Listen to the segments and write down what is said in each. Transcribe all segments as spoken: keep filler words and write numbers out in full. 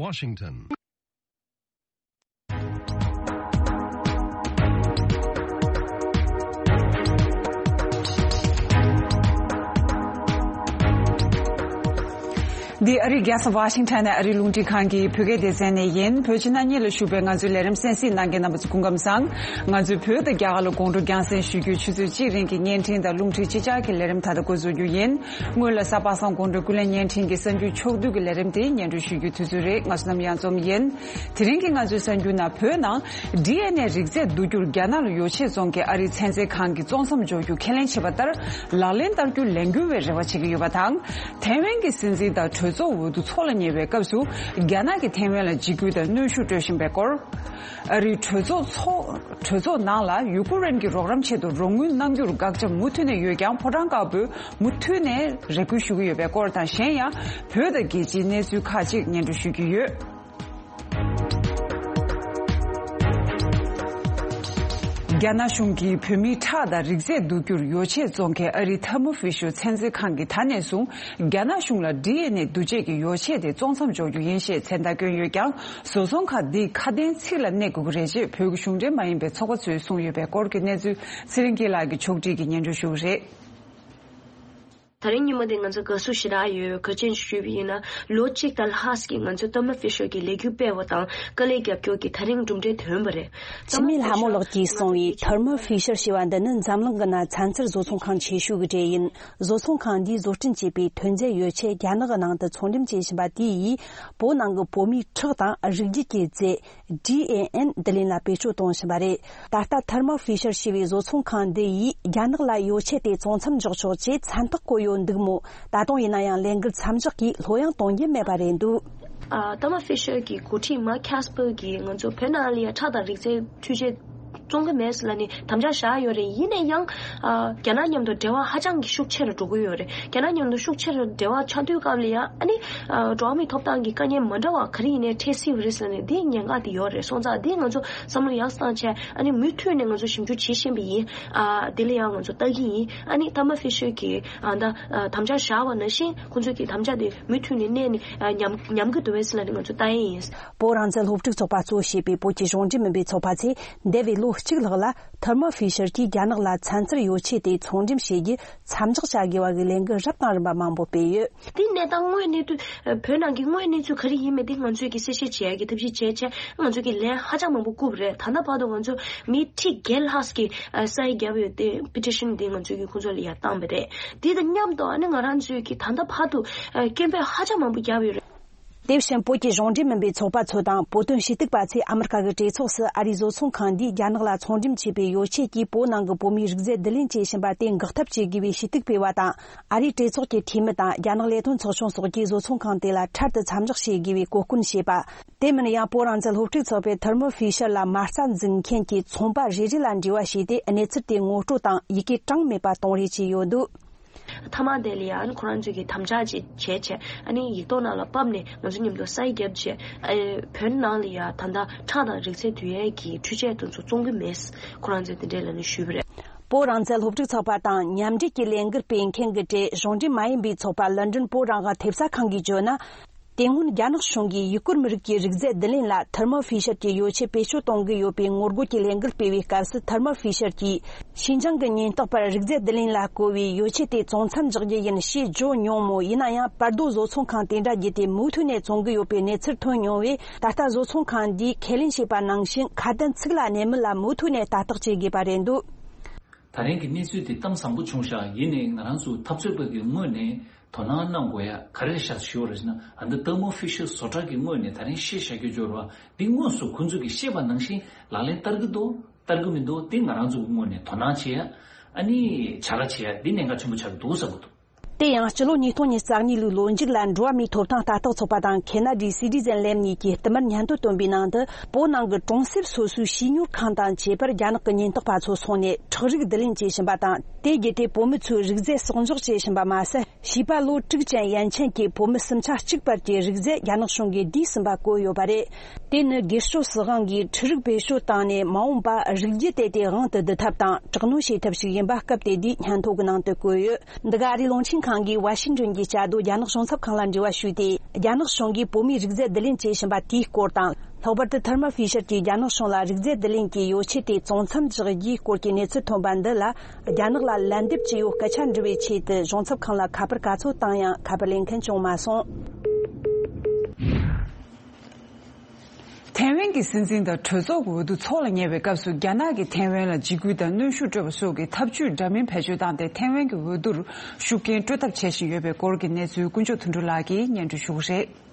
Washington. འདི་ཨ་རིའི་རྒྱལ་ས་ཝ་ཤིང་ཊོན་ནས་ཨ་རིའི་རླུང་འཕྲིན་ཁང་གི་བོད་སྐད་སྡེ་ཚན་ནས་ཡིན། བོད་ཕྱི་ནང་གཉིས་ལ་བཞུགས་པའི་ང་ཚོའི་ལས་རིམ་གསན་གཟིགས་གནང་མཁན་རྣམ་པ་ཚོ་སྐུ་ཁམས་བཟང་། ང་ཚོས་བོད་དང་རྒྱ་གར་ལ་དགོང་དྲོ་རྒྱང་སྲིང་ཞུ་རྒྱུའི་ཆུ་ཚོད་གཅིག་རིང་གི་བརྙན་འཕྲིན་དང་རླུང་འཕྲིན་ཕྱི་བསྒྱུར་གྱི་ལས་རིམ་ད་ལྟ་འགོ་འཛུགས་རྒྱུ་ཡིན། སྔོན་ལ་གཟའ་པ་སངས་དགོང་དྲོའི་ཀུན་གླེང་བརྙན་འཕྲིན་གྱི་གསར་འགྱུར་ཕྱོགས་བསྡུས་ཀྱི་ལས་རིམ་དེ་སྙན་སྒྲོན་ཞུ་རྒྱུའི་དུས་ཚོད་རེད། ང་ཚོ་ནམ་ཡང་འཛོམས་ཡིན། དེ་རིང་གི་ང་ཚོའི་གསར་འགྱུར་ནང་བོད་ནང་ཌི་ཨེན་ཨེ་རིགས་རྫས་བསྡུ་རྒྱུར་རྒྱ་ནག་ལ་ཡོ་ཆས་བཙོང་མཁན་ཨ་རིའི་ཚན་རྩལ་ཁང་གིས་བཙོང་མཚམས་འཇོག་རྒྱུ་ཁས་ལེན་བྱས་པ་ལྟར་ལག་ལེན་བསྟར་རྒྱུ་ལས་འགུལ་བའི་རེ་བ་བྱེད་ཀྱི་ཡོད་པ་དང་། ཐའེ་ཝན་གྱི་སྲིད་འཛིན་དང་གྲོས་ཚོགས་འོས་བསྡུ་འཚོགས་ལ་ཉེ་བའི་སྐབས་སུ་རྒྱ་ནག་གིས་ཐའེ་ཝན་ལ་འཇིགས་སྐུལ་དང་གནོན་ཤུགས་སྤྲོད་བཞིན་པའི་སྐོར། ཨ་རིའི་གྲོས་ཚོགས་ཚོགས་གྲོས་ཚོགས་ནང་ལ་ཡུ་ཀེ་རེན་གྱི་རོགས་རམ་ཆེད་དུ་རོགས་དངུལ་གནང་རྒྱུར་དགག་བྱ་མུ་མཐུད་ནས་ཡོད་ཀྱང་ཕོ་བྲང་དཀར་པོས་མུ་མཐུད་ནས་རེ་སྐུལ་ཞུ་གི་ཡོད་པའི་སྐོར་དང་། གཞན་ཡང་བོད་དང་རྒྱལ་སྤྱིའི་གནས་ཚུལ་ཁག་ཅིག་སྙན་སྒྲོན་ཞུ་རྒྱུ་ཡོད། རྒྱ་ནག་གཞུང་གིས་བོད་མིའི་ཁྲག་དང་རིགས་རྫས་བསྡུ་རྒྱུར་ཡོ་ཆས་བཙོང་མཁན་ཨ་རིའི་Thermo Fisher ཚན་རྩལ་ཁང་གིས་ད་ནས་བཟུང་རྒྱ་ནག་གཞུང་ལ་ཌི་ཨེན་ཨེ་བསྡུ་བྱེད་ཀྱི་ཡོ་ཆས་དེ་བཙོང་མཚམས་འཇོག་རྒྱུ་ཡིན་ཞེས་མཚན་རྟགས་བསྐྱོན་ཡོད་ཀྱང་། བཟོ་ཚོང་ཁང་འདིས་ཁ་དན་ཚིག་ལ་གནས་དགོས་ཀྱི་རེད་ཅེས་བོད་ཀྱི་གཞུང་འབྲེལ་མ་ཡིན་པའི་ཚོགས་པ་ཚོས་གསུངས་ཡོད་པའི་སྐོར་གྱི་གནས་ཚུལ་ཚེ་རིང་སྐྱིད་ལགས་ཀྱིས་ཕྱོགས་སྒྲིག་གིས་སྙན་སྒྲོན་ཞུ་གི་རེད། དེ་རིང་ཉིན་མོ་འདི་ང་ཚོ་དགའ་བསུ་ཞེ་དྲག་ཡོད། ག་རེ་བྱས་ནས་ཞུས་པ་ཡིན་ན་ལོ་གཅིག་དང་ལྷག་ཙམ་གྱི་ང་ཚོས་Thermo Fisher གྱི་ལས་འགུལ་སྤེལ་བ་དང་དཀའ་ལས་རྒྱབ་སྐྱོར་གྱིས་ད་རིང་གྲུབ་འབྲས་ཐོན་པ་རེད། འཆི་མེད་ལྷ་མོ་ལགས་ཀྱིས་གསུངས་པའི་Thermo Fisher ཞེས་པ་འདི་ནི་འཛམ་གླིང་གི་ནང་ཚན་རྩལ་བཟོ་ཚོང་ཁང་ཆེ་ཤོས་ཀྱི་གྲས་ཡིན། བཟོ་ཚོང་ཁང་འདིས་བཟོ་སྐྲུན་བྱས་པའི་ཐོན་རྫས་ཡོ་ཆས་རྒྱ་ནག་གི་ནང་དུ་ཚོང་འགྲེམས་བྱེད་བཞིན་པ་དེ་ཡིས་བོད་ནང་གི་བོད་མིའི་ཁྲག་དང་རིགས་རྒྱུད་ཀྱི་རྫས། ཌི་ཨེན་ཨེན་བསྡུ་ལེན་ལ་བེད་སྤྱོད་གཏོང་བཞིན་པ་རེད། ད་ལྟ་Thermo Fisher ཞེས་པའི་བཟོ་ཚོང་ཁང་འདི་ཡིས་རྒྱ་ནག་ལ་ཡོ་ཆས་དེ་བཙོང་མཚམས་འཇོག་ཆོག་ཅེས་མཚན་རྟགས་བཀོད་ཡོད་འདུག་མོད། ད་དུང་ཡིན་ན་ཡང་ལས་འགུལ་མཚམས་འཇོག་གིས་ལྷོད་ཡངས་གཏོང་རྒྱུ་མེད་པ་རེད་འདུག་ཨ། Thermo Fisher གྱི་འགོ་ཁྲིད་Mark Casper གྱིས་ང་ཚོ་བོད་ནང་ལ་ཡ་ཁྲག་དང་རིགས་རྫས་འཕྲུལ་ཆས་བཙོང་གི་མེད་ཟེར་ལབ་ནས་དམ་བཅའ་བཞག་ཡོད་རེད། ཡིན་ན་ཡང་། ཨ། རྒྱ་ནག་མཉམ་དུ་འབྲེལ་བ་ཧ་ཅང་གི་ཤུགས་ཆེ་རུ་འགྲོ་གི་ཡོད་རེད། རྒྱ་ནག་མཉམ་དུ་ཤུགས་ཆེ་རུ་འབྲེལ་བ་ཆགས་དུས་སྐབས་ལ་ཡ་ཨ་ནི། ཨ། འགྲོ་བ་མིའི་ཐོབ་ཐང་གི་དཀའ་ངལ་མ་འདྲ་བ་ག་རེ་ཡིན་ནའི་འཕྲད་སྲིད་པ་རེད་ཟེར་ནས་འདི་ཉེན་ཁ་དེ་ཡོད་རེད། སོང་ཙང་འདི་ང་ཚོ་བསམ་བློ་ཡག་བཏང་བྱས་ཨ་ནི་མུ་མཐུད་ནས་ང་ཚོ་ཞིབ་འཇུག་བྱེད་བཞིན་པ་ཡིན། ཨ། འདི་ལ་ཡང་ང་ཚོ་ལྟ་གི་ཡིན། ཨ་ནི་Thermo Fisher གྱིས་ཨ་ད་ཨ་དམ་བཅའ་བཞག་པ་ནང་བཞིན་ཁོང་ཚོས་ཀྱི་དམ་བཅའ་དེ་མུ་མཐུད་ནས་གནས་ནས་ཨ་ཉམས་ཉམས་ཀྱི་འདུག་བས་ཟེར་ལབ་ནས་ང་ཚོ་ལྟ་ཡི་ཡིན། བོད་རང་བཙན་སློབ་ཕྲུག་ཚོགས་པ་གཙོ་བྱས་པའི་བོད་ཀྱི་གཞུང་འབྲེལ་མིན་པའི་ཚོགས་པ་ཚོས་འདས་པའི་ལོ་གཅིག་ལྷག་ལ་Thermo Fisher གྱིས་རྒྱ་ནག་ལ་ཚན་རྩལ་ཡོ་ཆས་དེ་ཚོང་འགྲེམས་བྱེད་རྒྱུ་མཚམས་འཇོག་བྱ་དགོས་པ་གི་ལས་འགུལ་རབ་དང་རིམ་པ་མང་པོ་སྤེལ་ཡོད། དེ་གནས་སྟངས་དངོས་གནས་དུ་བོད་ནང་གི་དངོས་གནས་ཚུལ་ག་རེ་ཡིན་མིན་དེ་ང་ཚོས་ཀྱི་གསལ་བཤད་བྱེད་ཡ་གི་ཐབས་ཤེས་བྱས་བྱས་ང་ཚོས་ཀྱི་ལན་ཧ་ཅང་མང་པོ་བསྐུར་བ་རེད། ད་ལྟ་བར་དུ་ང་ཚོ་མི་ཁྲི་བརྒྱད་ལྷག་གི་ས་ཡིག་བརྒྱབ་ཡོད་དེ་petition དེ་ང་ཚོས་ཀྱི་ཁོང་ཚོ་ལ་ཡར་བཏང་བ་རེད། དེ་དང་མཉམ་དུ་ཨ་ནི་ང་རང་ཚོས་ཀྱི་ད་ལྟ་བར་དུ་སྐད་འབོད་ཧ་ཅང་མང་པོ་བརྒྱབ་ཡོད་རེད། དེ་བཞིན་བོད་ཀྱི་གཞུང་འབྲེལ་མིན་པའི་ཚོགས་པ་ཚོ་དང་བོད་དོན་ཞུ་གཏུག་པ་ཚོས་ཨ་མི་རི་ཀ་གི་གྲོས་ཚོགས་སུ་ཨ་རིའི་བཟོ་ཚོང་ཁང་འདིས་རྒྱ་ནག་ལ་ཚོང་འགྲེམས་བྱས་པའི་ཡོ་ཆས་ཀྱིས་བོད་ནང་གི་བོད་མིའི་རིགས་རྫས་བསྡུ་ལེན་བྱེད་བཞིན་པ་དེ་འགོག་ཐབས་བྱེད་དགོས་པའི་ཞུ་གཏུག་སྤེལ་བ་དང་། ཨ་རིའི་གྲོས་ཚོགས་ཀྱི་འཐུས་མི་དང་རྒྱ་ནག་ལས་དོན་ཚོགས་ཆུང་སོགས་ཀྱིས་བཟོ་ཚོང་ཁང་དེ་ལ་འཕྲལ་དུ་མཚམས་འཇོག་བྱེད་དགོས་པའི་གོ་སྐོན་བྱས་པ། དེ་མིན་ཡང་བོད་རང་བཙན་སློབ་ཕྲུག་ཚོགས་པས་Thermo Fisher ལ་མ་རྩ་འཛུགས་མཁན་གྱི་ཚོང་པ་རེ་རེ་ལ་འབྲེལ་བ་བྱས་ཏེ་གནས་ཚུལ་དེ་ངོ་སྤྲོད་དང་ཡི་གེ་གྲངས་མེད་པ་གཏོང་རེས་བྱས་ཡོད་འདུག་མཐའ་མ་དེ་ལ་ཡང་ཁོ་རང་ཚོས་ཀྱི་དམ་བཅའ་ཅིག་བྱས་བྱས་ཨ་ནི་ཡིག་ཐོག་ནང་ལ་ཕབ་ནས་ང་ཚོ་མཉམ་དུ་ས་ཡིག་བརྒྱབ་བྱས་ཨ་བོད་ནང་ལ་ཡང་ད་ལྟ་ཁྲག་དང་རིགས་རྫས་བསྡུ་ཡས་ཀྱི་འཕྲུལ་ཆས་དེ་ཚོ་བཙོང་གི་མེད། ཁོ་རང་ཚོས་དེ་འདྲས་ལབ་ནས་ཞུས་པ་རེད། བོད་རང་བཙན་སློབ་ཕྲུག་ཚོགས་པ་དང་མཉམ་འབྲེལ་གྱི་ལས་འགུལ་སྤེལ་མཁན་གྱི་གྲས་གཞུང་འབྲེལ་མ་ཡིན་པའི་ཚོགས་པ་ལན་ཀྲན་བོད་རང་དབང་ཐེབས་རྩ་ཁང་གིས་བརྗོད་ན། དེ་སྔོན་རྒྱ་ནག་གཞུང་གིས་ཡུ་གུར་མི་རིགས་ཀྱི་རིགས་རྫས་བསྡུ་ལེན་ལ་Thermo Fisher གྱི་ཡོ་ཆས་བེད་སྤྱོད་གཏོང་གི་ཡོད་པའི་ངོ་རྒོལ་གྱི་ལས་འགུལ་སྤེལ་བའི་སྐབས་སུ་Thermo Fisher གྱིས་ཤིན་ཅང་གི་ཉེན་རྟོག་པར་རིགས་རྫས་བསྡུ་ལེན་ལ་བཀོལ་བའི་ཡོ་ཆས་དེ་བཙོང་མཚམས་འཇོག་རྒྱུ་ཡིན་ཞེས་བརྗོད་མྱོང་མོད། ཡིན་ན་ཡང་བར་དོ་བཟོ་ཚོང་ཁང་དེ་འདྲ་བརྒྱུད་དེ་མུ་མཐུད་ནས་བཙོང་གི་ཡོད་པའི་གནས་ཚུལ་ཐོན་མྱོང་བས། ད་ལྟ་བཟོ་ཚོང་ཁང་འདིས་ཁས་ལེན་བྱས་པ་ནང་བཞིན་ཁ་དན་ཚིག་ལ་གནས་མིན་ལ་མུ་མཐུད་ནས་ལྟ་རྟོག་བྱེད་དགོས་པ་རེད་འདུག་ད་རིང་གི་གནས་ཚུལ་དེ་གཏམ་བཟང་པོ་བྱུང་ཤག་ཡིན་ནའི་ང་རང་ཚོ་འཐབ་རྩོད་པ་གི་ངོས་ནས་དོ་སྣང་གནང་དགོས་ཡ་ག་རེ་ཤག་ཞུ་བ་རེད་ཟེར་ན། ཨ་འདི་Thermo Fisher བཟོ་གྲྭ་གི་ངོས་ནས་ད་རིང་བཤད་བཞག་རྒྱུ་འབྱོར་བ་འདི་དངོས་སུ་ཁོང་ཚོ་གི་བཤད་པ་ནང་བཞིན་ལག་ལེན་བསྟར་གི་འདུག་བསྟར་གི་མི་འདུག་དེ་ང་རང་ཚོ་གི་ངོས་ནས་དོ་སྣང་བྱེད་ཡ་ཨ་ནི་བྱ་དགའ་བྱེད་ཡ་འདི་གནད་འགག་ཆེན་པོ་ཆགས་ཀྱི་འདུག་བསམ་གི་འདུག་དེ་ཡང་སྤྱི་ལོ་ཉིས་སྟོང་ཉི་ཤུ་རྩ་གཉིས་ལོའི་ལོ་མཇུག་ལ་འགྲོ་བ་མིའི་ཐོབ་ཐང་ལྟ་རྟོག་ཚོགས་པ་དང་Canadian Citizen Lab གཉིས་ཀྱིས་བསྟུད་མར་སྙན་ཐོ་བཏོན་པའི་ནང་དུ། བོད་ནང་གི་གྲོང་གསེབ་སོ་སོའི་བྱིས་གཉོར་ཁང་དང་བཅས་པར་རྒྱ་ནག་གི་ཉེན་རྟོག་པ་ཚོ་སོང་ནས་ཁྲག་རིགས་བསྡུ་ལེན་བྱེད་བཞིན་པ་དང་། དེ་བརྒྱུད་དེ་བོད་མི་ཚོའི་རིགས་རྫས་གསོག་འཇོག་བྱེད་བཞིན་པ་མ་ཟད། བྱིས་པ་ལོ་དྲུག་ཅན་ཡན་ཆད་ཀྱི་བོད་མི་སུམ་ཆ་གཅིག་བར་གྱི་རིགས་རྫས་རྒྱ་ནག་གཞུང་གིས་བསྡུས་ཟིན་པ་བཀོད་ཡོད་པ་རེད། དེ་ནི་སྒེར་གཅོད་སྲིད་དབང་གིས་འཕྲུལ་རིག་བེད་སྤྱོད་བཏང་ནས་མ་འོངས་པར་རིགས་རྒྱུད་དེ་དེ་དབང་དུ་བསྡུ་ཐབས་དང་དྲག་གནོན་བྱེད་ཐབས་ཤིག་ཡིན་པ་སྐབས་དེ་དུས་སྙན་ཐོ་གི་ནང་དུ་བཀོད་ཡོད། འདི་ག་ཨ་རིའི་རླུང་འཕྲིན་ཁང་ ཁང་གིས་ཝ་ཤིང་ཏོན་གྱི་བཅའ་སྡོད་རྒྱ་ནག་གཞུང་ཚབ་ཁང་ལ་འབྲེལ་བ་ཞུས་ཏེ། རྒྱ་ནག་གཞུང་གིས་བོད་མིའི་རིག་རྫས་བསྡུ་ལེན་བྱེད་བཞིན་པ་དེའི་སྐོར་དང་། ལྷག་པར་དུ་ཐར་མ་ཧྥི་ཤར་གྱིས་རྒྱ་ནག་གཞུང་ལ་རིག་རྫས་བསྡུ་ལེན་གྱི་ཡོ་ཆས་དེ་བཙོང་མཚམས་བཞག་རྒྱུའི་སྐོར་གྱི་གནས་ཚུལ་ཐོན་པ་འདི་ལ། རྒྱ་ནག་ལ་ལན་འདེབས་བྱས་ཡོད་སྐད་ཆ་འདྲི་བའི་ཆེད་དུ་གཞུང་ཚབ་ཁང་ལ་ཁ་པར་ག་ཚོད་བཏང་ཡང་ཁ་པར་ལེན་མཁན་བྱུང་མ་སོང་། ཐའེ་ཝན་གྱི་སྲིད་འཛིན་དང་གྲོས་ཚོགས་ཀྱི་འོས་བསྡུ་འཚོགས་ལ་ཉེ་བའི་སྐབས་སུ། རྒྱ་ནག་གིས་ཐའེ་ཝན་ལ་འཇིགས་སྐུལ་དང་གནོན་ཤུགས་སྤྲོད་པ་སོགས་ཀྱི་ཐབས་ཇུས་འདྲ་མིན་བེད་སྤྱོད་བཏང་སྟེ། ཐའེ་ཝན་གྱི་འོས་བསྡུར་ཤུགས་རྐྱེན་སྤྲོད་ཐབས་བྱེད་བཞིན་ཡོད་པའི་སྐོར་གྱི་གནས་ཚུལ་དཀོན་མཆོག་དོན་གྲུབ་ལགས་ཀྱིས་སྙན་སྒྲོན་ཞུ་གི་རེད།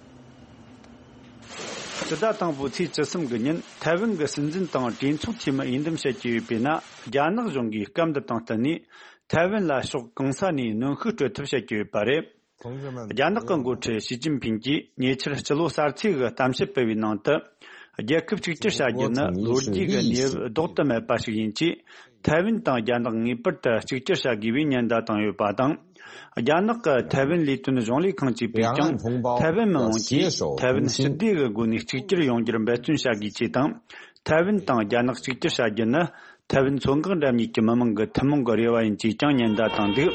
སྤྱི་ཟླ་དང་པོའི་ཚེས་བཅུ་གསུམ་གྱི་ཉིན་ཐའེ་ཝན་གྱི་སྲིད་འཛིན་དང་གྲོས་ཚོགས་འཐུས་མི་འོས་འདེམས་བྱེད་ཀྱི་ཡོད་པས་ན། རྒྱ་ནག་གཞུང་གིས་སྐབས་འདི་དང་བསྟུན་ནས་ཐའེ་ཝན་ལ་ཕྱོགས་གང་ས་ནས་གནོན་ཤུགས་སྤྲོད་ཐབས་བྱེད་ཀྱི་ཡོད་པ་རེད། རྒྱ་ནག་གི་འགོ་ཁྲིད་ཞི་ཅིན་ཕིང་གིས་ཉེ་ཆར་སྤྱི་ལོ་གསར་ཚེས་ཀྱི་གཏམ་བཤད་སྤེལ་བའི་ནང་དུ། རྒྱལ་ཁབ་གཅིག་གྱུར་བྱ་རྒྱུ་ནི་ལོ་རྒྱུས་ཀྱི་གནས་བབ་ལྡོག་ཏུ་མེད་པ་ཞིག་ཡིན་ཅེས། ཐའེ་ཝན་དང་རྒྱ་ནག་ངེས་པར་དུ་གཅིག་གྱུར་བྱ་དགོས་པའི་ཉེན་བརྡ་བཏང་ཡོད་པ་དང་། རྒྱ་ནག་གི་ཐའེ་ཝན་ལས་དོན་གཞུང་ལས་ཁང་གཅིག་པས་ཀྱང་། ཐའེ་ཝན་མི་དམངས་ཀྱིས་ཐའེ་ཝན་སྤྱི་བདེ་གི་སྒོ་ནས་གཅིག་གྱུར་ཡོང་རྒྱུར་འབད་བརྩོན་བྱ་དགོས་ཅེས་དང་། ཐའེ་ཝན་དང་རྒྱ་ནག་གཅིག་གྱུར་བྱ་རྒྱུ་ནི། ཐའེ་ཝན་མཚོ་འགག་འགྲམ་གཉིས་ཀྱི་མི་དམངས་ཀྱི་ཐུན་མོང་གི་རེ་བ་ཡིན་ཅེས་ཀྱང་ཉེན་བརྡ་བཏང་འདུག་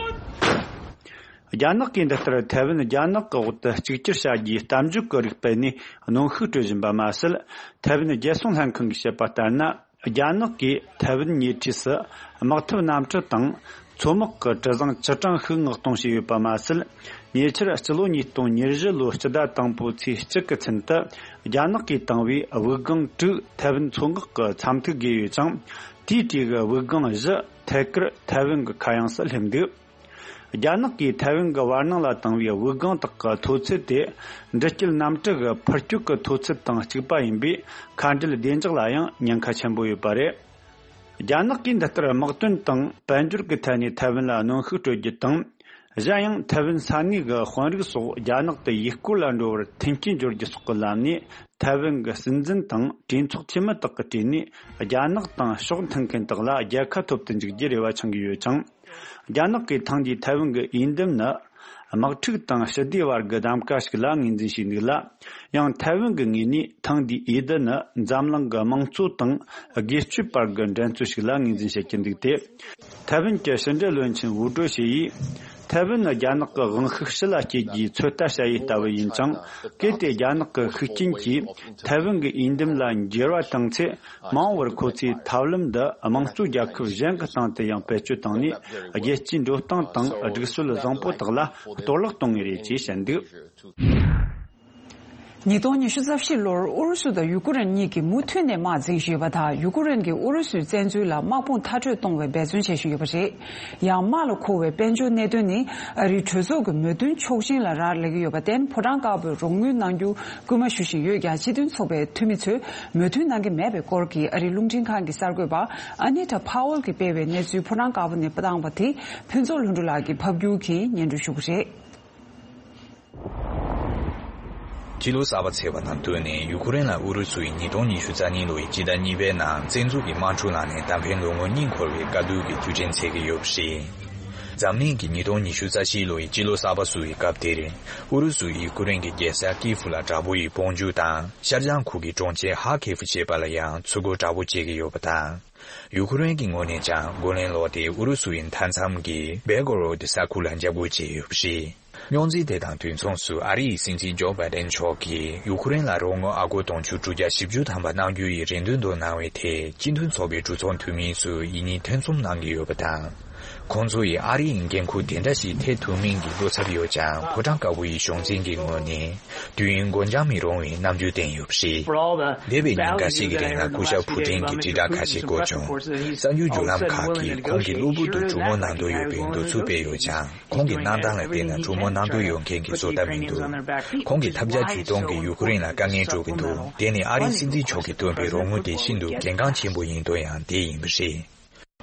རྒྱ་ནག་གིས་འདི་ལྟར་ཐའེ་ཝན་རྒྱ་ནག་གི་འོག་ཏུ་གཅིག་གྱུར་བྱ་རྒྱུའི་གཏམ་བརྗོད་ཀྱི་རིགས་སྤེལ་ནས་གནོན་ཤུགས་སྤྲོད་བཞིན་པ་མ་ཟད། ཐའེ་ཝན་རྒྱལ་སྲུང་ལྷན་ཁང་གིས་བཤད་པ་ལྟར་ན། རྒྱ་ནག་གིས་ཐའེ་ཝན་ཉེ་འཁྲིས་སུ་དམག་འཐབ་གནམ་གྲུ་དང་མཚོ་དམག་གི་གྲུ་གཟིངས་བཅུ་གྲངས་ཤིག་མངགས་གཏོང་བྱས་ཡོད་པ་མ་ཟད། ཉེ་ཆར་སྤྱི་ལོ་ཉིས་སྟོང་ཉེར་བཞི་ལོའི་སྤྱི་ཟླ་དང་པོའི་ཚེས་གཅིག་གི་ཚུན་དུ། རྒྱ་ནག་གིས་བཏང་བའི་དབུགས་ལྒང་དྲུག་ཐའེ་ཝན་མཚོ་འགག་གི་མཚམས་ཐིག་བརྒལ་ཡོད་ཅིང་། དེའི་གྲས་ཀྱི་དབུགས་ལྒང་བཞི་ཐད་ཀར་ཐའེ་ཝན་གྱི་ཁ་གཡང་སུ་སླེབས་འདུག་རྒྱ་ནག་གིས་ཐའེ་ཝན་གྱི་བར་སྣང་ལ་བཏང་བའི་དབུགས་ལྒང་དག་གི་མཐོ་ཚད་དེ། འདྲི་སྐྱེལ་གནམ་གྲུ་གི་འཕུར་སྐྱོད་ཀྱི་མཐོ་ཚད་དང་གཅིག་པ་ཡིན་པས། མཁའ་འགྲུལ་བདེ་འཇགས་ལ་ཡང་ཉེན་ཁ་ཆེན་པོ་ཡོད་པ་རེད། རྒྱ་ནག་གིས་འདི་ལྟར་དམག་དོན་དང་དཔལ་འབྱོར་གྱི་ཐད་ནས་ཐའེ་ཝན་ལ་གནོན་ཤུགས་སྤྲོད་རྒྱུ་དང་། གཞན་ཡང་ཐའེ་ཝན་ས་གནས་ཀྱི་དཔོན་རིགས་སོགས་རྒྱ་ནག་ཏུ་ཡུལ་སྐོར་ལ་འགྲོ་བར་མཐུན་རྐྱེན་སྦྱོར་རྒྱུ་སོགས་ཀྱི་ལམ་ནས། ཐའེ་ཝན་གྱི་སྲིད་འཛིན་དང་གྲོས་ཚོགས་འཐུས་མི་དག་གི་གྲས་ནས་རྒྱ་ནག་དང་ཕྱོགས་མཐུན་མཁན་དག་ལ་རྒྱལ་ཁ་ཐོབ་ཏུ་འཇུག་རྒྱུའི་རེ་བ་འཆང་གི་ཡོད་ཅིང་། རྒྱ་ནག་གིས་ཐེངས་འདིའི་ཐའེ་ཝན་གྱི་འོས་འདེམས་ནི། དམག་འཁྲུག་དང་ཞི་བདེ་བར་གྱི་གདམ་ག་ཞིག་ལ་ངོས་འཛིན་བྱས་འདུག་ལ། ཡང་ཐའེ་ཝན་གྱི་ངོས་ནས་ཐེངས་འདིའི་འོས་བསྡུ་ནི་འཛམ་གླིང་གི་དམངས་གཙོ་དང་སྒེར་གཅོད་བར་གྱི་འགྲན་རྩོད་ཞིག་ལ་ངོས་འཛིན་བྱེད་ཀྱི་འདུག་སྟེ། ཐའེ་ཝན་གྱི་ཕྱི་འབྲེལ་བློན་ཆེན་ཝུ་ཀྲོ་ཞི་ཡིས། ཐའེ་ཝན་ནི་རྒྱ་ནག་གི་དབང་ཤུགས་ཕྱི་ལ་སྐྱེལ་རྒྱུའི་ཚོད་ལྟ་བྱ་ཡུལ་ལྟ་བུ་ཡིན་ཅིང་། གལ་ཏེ་རྒྱ་ནག་གི་ཤུགས་རྐྱེན་གྱིས་ཐའེ་ཝན་གྱི་འོས་འདེམས་ལ་འགྱུར་བ་བཏང་ཚེ། མ་འོངས་པར་ཁོ་ཚོས་ཐབས་ལམ་འདི་དམངས་གཙོ་རྒྱལ་ཁབ་གཞན་གྱི་སྟེང་དུ་ཡང་བེད་སྤྱོད་བཏང་ནས། རྒྱལ་སྤྱིའི་འགྲོ་སྟངས་དང་སྒྲིག་སྲོལ་བཟང་པོ་དག་ལ་གཏོར་བརླག་གཏོང་ངེས་རེད་ཅེས་བཤད་འདུག་ཉིས་སྟོང་ཉི་ཤུ་རྩ་བཞི་ལོར་ཨུ་རུ་སུ་དང་ཡུ་ཀེ་རེན་གཉིས་ཀྱིས་མུ་མཐུད་ནས་དམག་འཛིང་བཞིན་ཡོད་པ་དང་། ཡུ་ཀེ་རེན་གྱིས་ཨུ་རུ་སུའི་བཙན་འཛུལ་ལ་དམག་དཔུང་མཐར་སྐྲོད་གཏོང་བའི་འབད་བརྩོན་བྱེད་བཞིན་ཡོད་པ་རེད། ཡང་དམག་ལ་མཁོ་བའི་དཔལ་འབྱོར་གནད་དོན་ནི། ཨ་རིའི་གྲོས་ཚོགས་ཀྱི་མོས་མཐུན་ཆོག་མཆན་ལ་རག་ལས་ཀྱི་ཡོད་པར་བརྟེན། ཕོ་བྲང་དཀར་པོས་རོགས་དངུལ་གནང་རྒྱུ་སྐུལ་མ་ཞུ་བཞིན་ཡོད་ཀྱང་། སྤྱི་མཐུན་ཚོགས་པའི་འཐུས་མི་ཚོས་མོས་མཐུན་གནང་གི་མེད་པའི་སྐོར་གྱི་ཨ་རིའི་རླུང་འཕྲིན་ཁང་གི་གསར་འགོད་པ་ཨ་ནི་ཐ་ཕ་ཝལ་གྱིས་སྤེལ་བའི་གནས་ཚུལ་ཕོ་བྲང་དཀར་པོ་ནས་བཏང་བ་དེ། ཕུན་ཚོགས་ལྷུན་གྲུབ་ལགས་ཀྱིས་ཕབ་སྒྱུར་གྱིས་སྙན་སྒྲོན་ཞུ་གི་རེད། སྤྱི་ལོ་གསར་པ་ཚེས་པ་དང་བསྟུན་ནས། ཡུ་ཁུ་རེན་ལ་ཨུ་རུ་སུ་ཡིས་ཉིས་སྟོང་ཉི་ཤུ་རྩ་གཉིས་ལོའི་སྤྱི་ཟླ་གཉིས་པའི་ནང་བཙན་འཛུལ་གྱི་དམག་འཁྲུག་ལངས་ནས། ད་ཕན་ལོ་ངོ་གཉིས་འཁོར་བའི་དཀའ་སྡུག་གི་དུས་དྲན་འཚོགས་ཀྱི་ཡོད་པ་རེད། འཛམ་གླིང་གིས་ཉིས་སྟོང་ཉི་ཤུ་རྩ་བཞི་ལོའི་སྤྱི་ལོ་གསར་པ་བསུ་བའི་སྐབས་དེར། ཨུ་རུ་སུས་ཡུ་ཁུ་རེན་གྱི་རྒྱལ་ས་ཀིའེ་ཧྥུ་ལ་དྲག་པོ་ཡིས་དཔུང་འཇུག་དང་། ཤར་བྱང་ཁུལ་གྱི་གྲོང་ཁྱེར་ཧ་ཁེ་ཧྥུ་བཅས་པ་ལ་ཡང་ཚུར་རྒོལ་དྲག་པོ་བྱེད་ཀྱི་ཡོད་པ་དང་། ཡུ་ཁུ་རེན་གྱི་ངོས་ནས་ཀྱང་རྒོལ་ལན་སློག་སྟེ། ཨུ་རུ་སུ་ཡི་མཐའ་མཚམས་ཀྱི་བེལ་གོ་རོ་ཌི་ས་ཁུལ་ལ་འཇབ་རྒོལ་བྱས་ཡོད་པ་རེད། རྙོག་འཛིང་དེ་དང་དུས་མཚུངས་སུ། ཨ་རིའི་སྲིད་འཛིན་ཇོ་བྷའི་ཌེན་མཆོག་གིས་ཡུ་ཁུ་རེན་ལ་རོགས་དངུལ་ཨ་སྒོར་དུང་ཕྱུར་དྲུག་བརྒྱ་བཞི་བཅུ་ཐམ་པ་གནང་རྒྱུ་ཡི་རེ་འདུན་དུ་གནང་བའི་ཐད། སྤྱི་མཐུན་ཚོགས་པའི་གྲོས་ཚོགས་འཐུས་མི་ཚོས་ཡིད་གཉིས་ཐུན་གསུམ་གནང་གི་ཡོད་པ་དང་། ཁོང་ཚོ་ཡིས་ཨ་རི་ཡི་འགན་ཁུར་དེ་འདྲ་ཞིག་ཐེབས་ཐུབ་མིན་གྱི་བློ་འཚབ་ཡོད་ཀྱང་། ཕོ་བྲང་དཀར་པོ་ཡི་གཞུང་འཛིན་གྱི་ངོས་ནས། དུས་ཡུན་འགོར་འགྱངས་མི་རུང་བའི་རྣམ་འགྱུར་བསྟན་ཡོད་པ་རེད། འདས་པའི་ཉིན་འགའ་ཞིག་གི་རིང་ལ་སྐུ་ཞབས་ཕུ་ཀྲིན་གྱི་དྲིལ་བསྒྲགས་ཁ་ཤས་སྐོར་བྱུང་། གསར་འགྱུར་བརྒྱུད་ལམ་ཁག་གིས་ཁོང་གིས་གློ་བུར་དུ་གྲུ་མོ་གནང་འདོད་ཡོད་པའི་འདོད་ཚུལ་སྤེལ་ཡོད་ཀྱང་། ཁོང་གི་གནང་སྟངས་ལ་བལྟས་ན། གྲུ་མོ་གནང་འདོད་ཡོད་མཁན་གྱི་བཟོ་ལྟ་མི་འདུག་ཁོང་གིས་ཐབས་བརྒྱ་ཇུས་སྟོང་གིས་ཡུ་ཁུ་རེན་ལ་དཀའ་ངལ་སྤྲོད་ཀྱི་འདུག་དེ་ནི་ཨ་རིའི་སྲིད་འཛིན་མཆོག་གིས་བཏོན་པའི་རོགས་དངུལ་དེ་ཤིན་ཏུ་གལ་འགངས་ཆེན་པོ་ཡིན་དོན་ཡང་དེ་ཡིན་པ་རེད།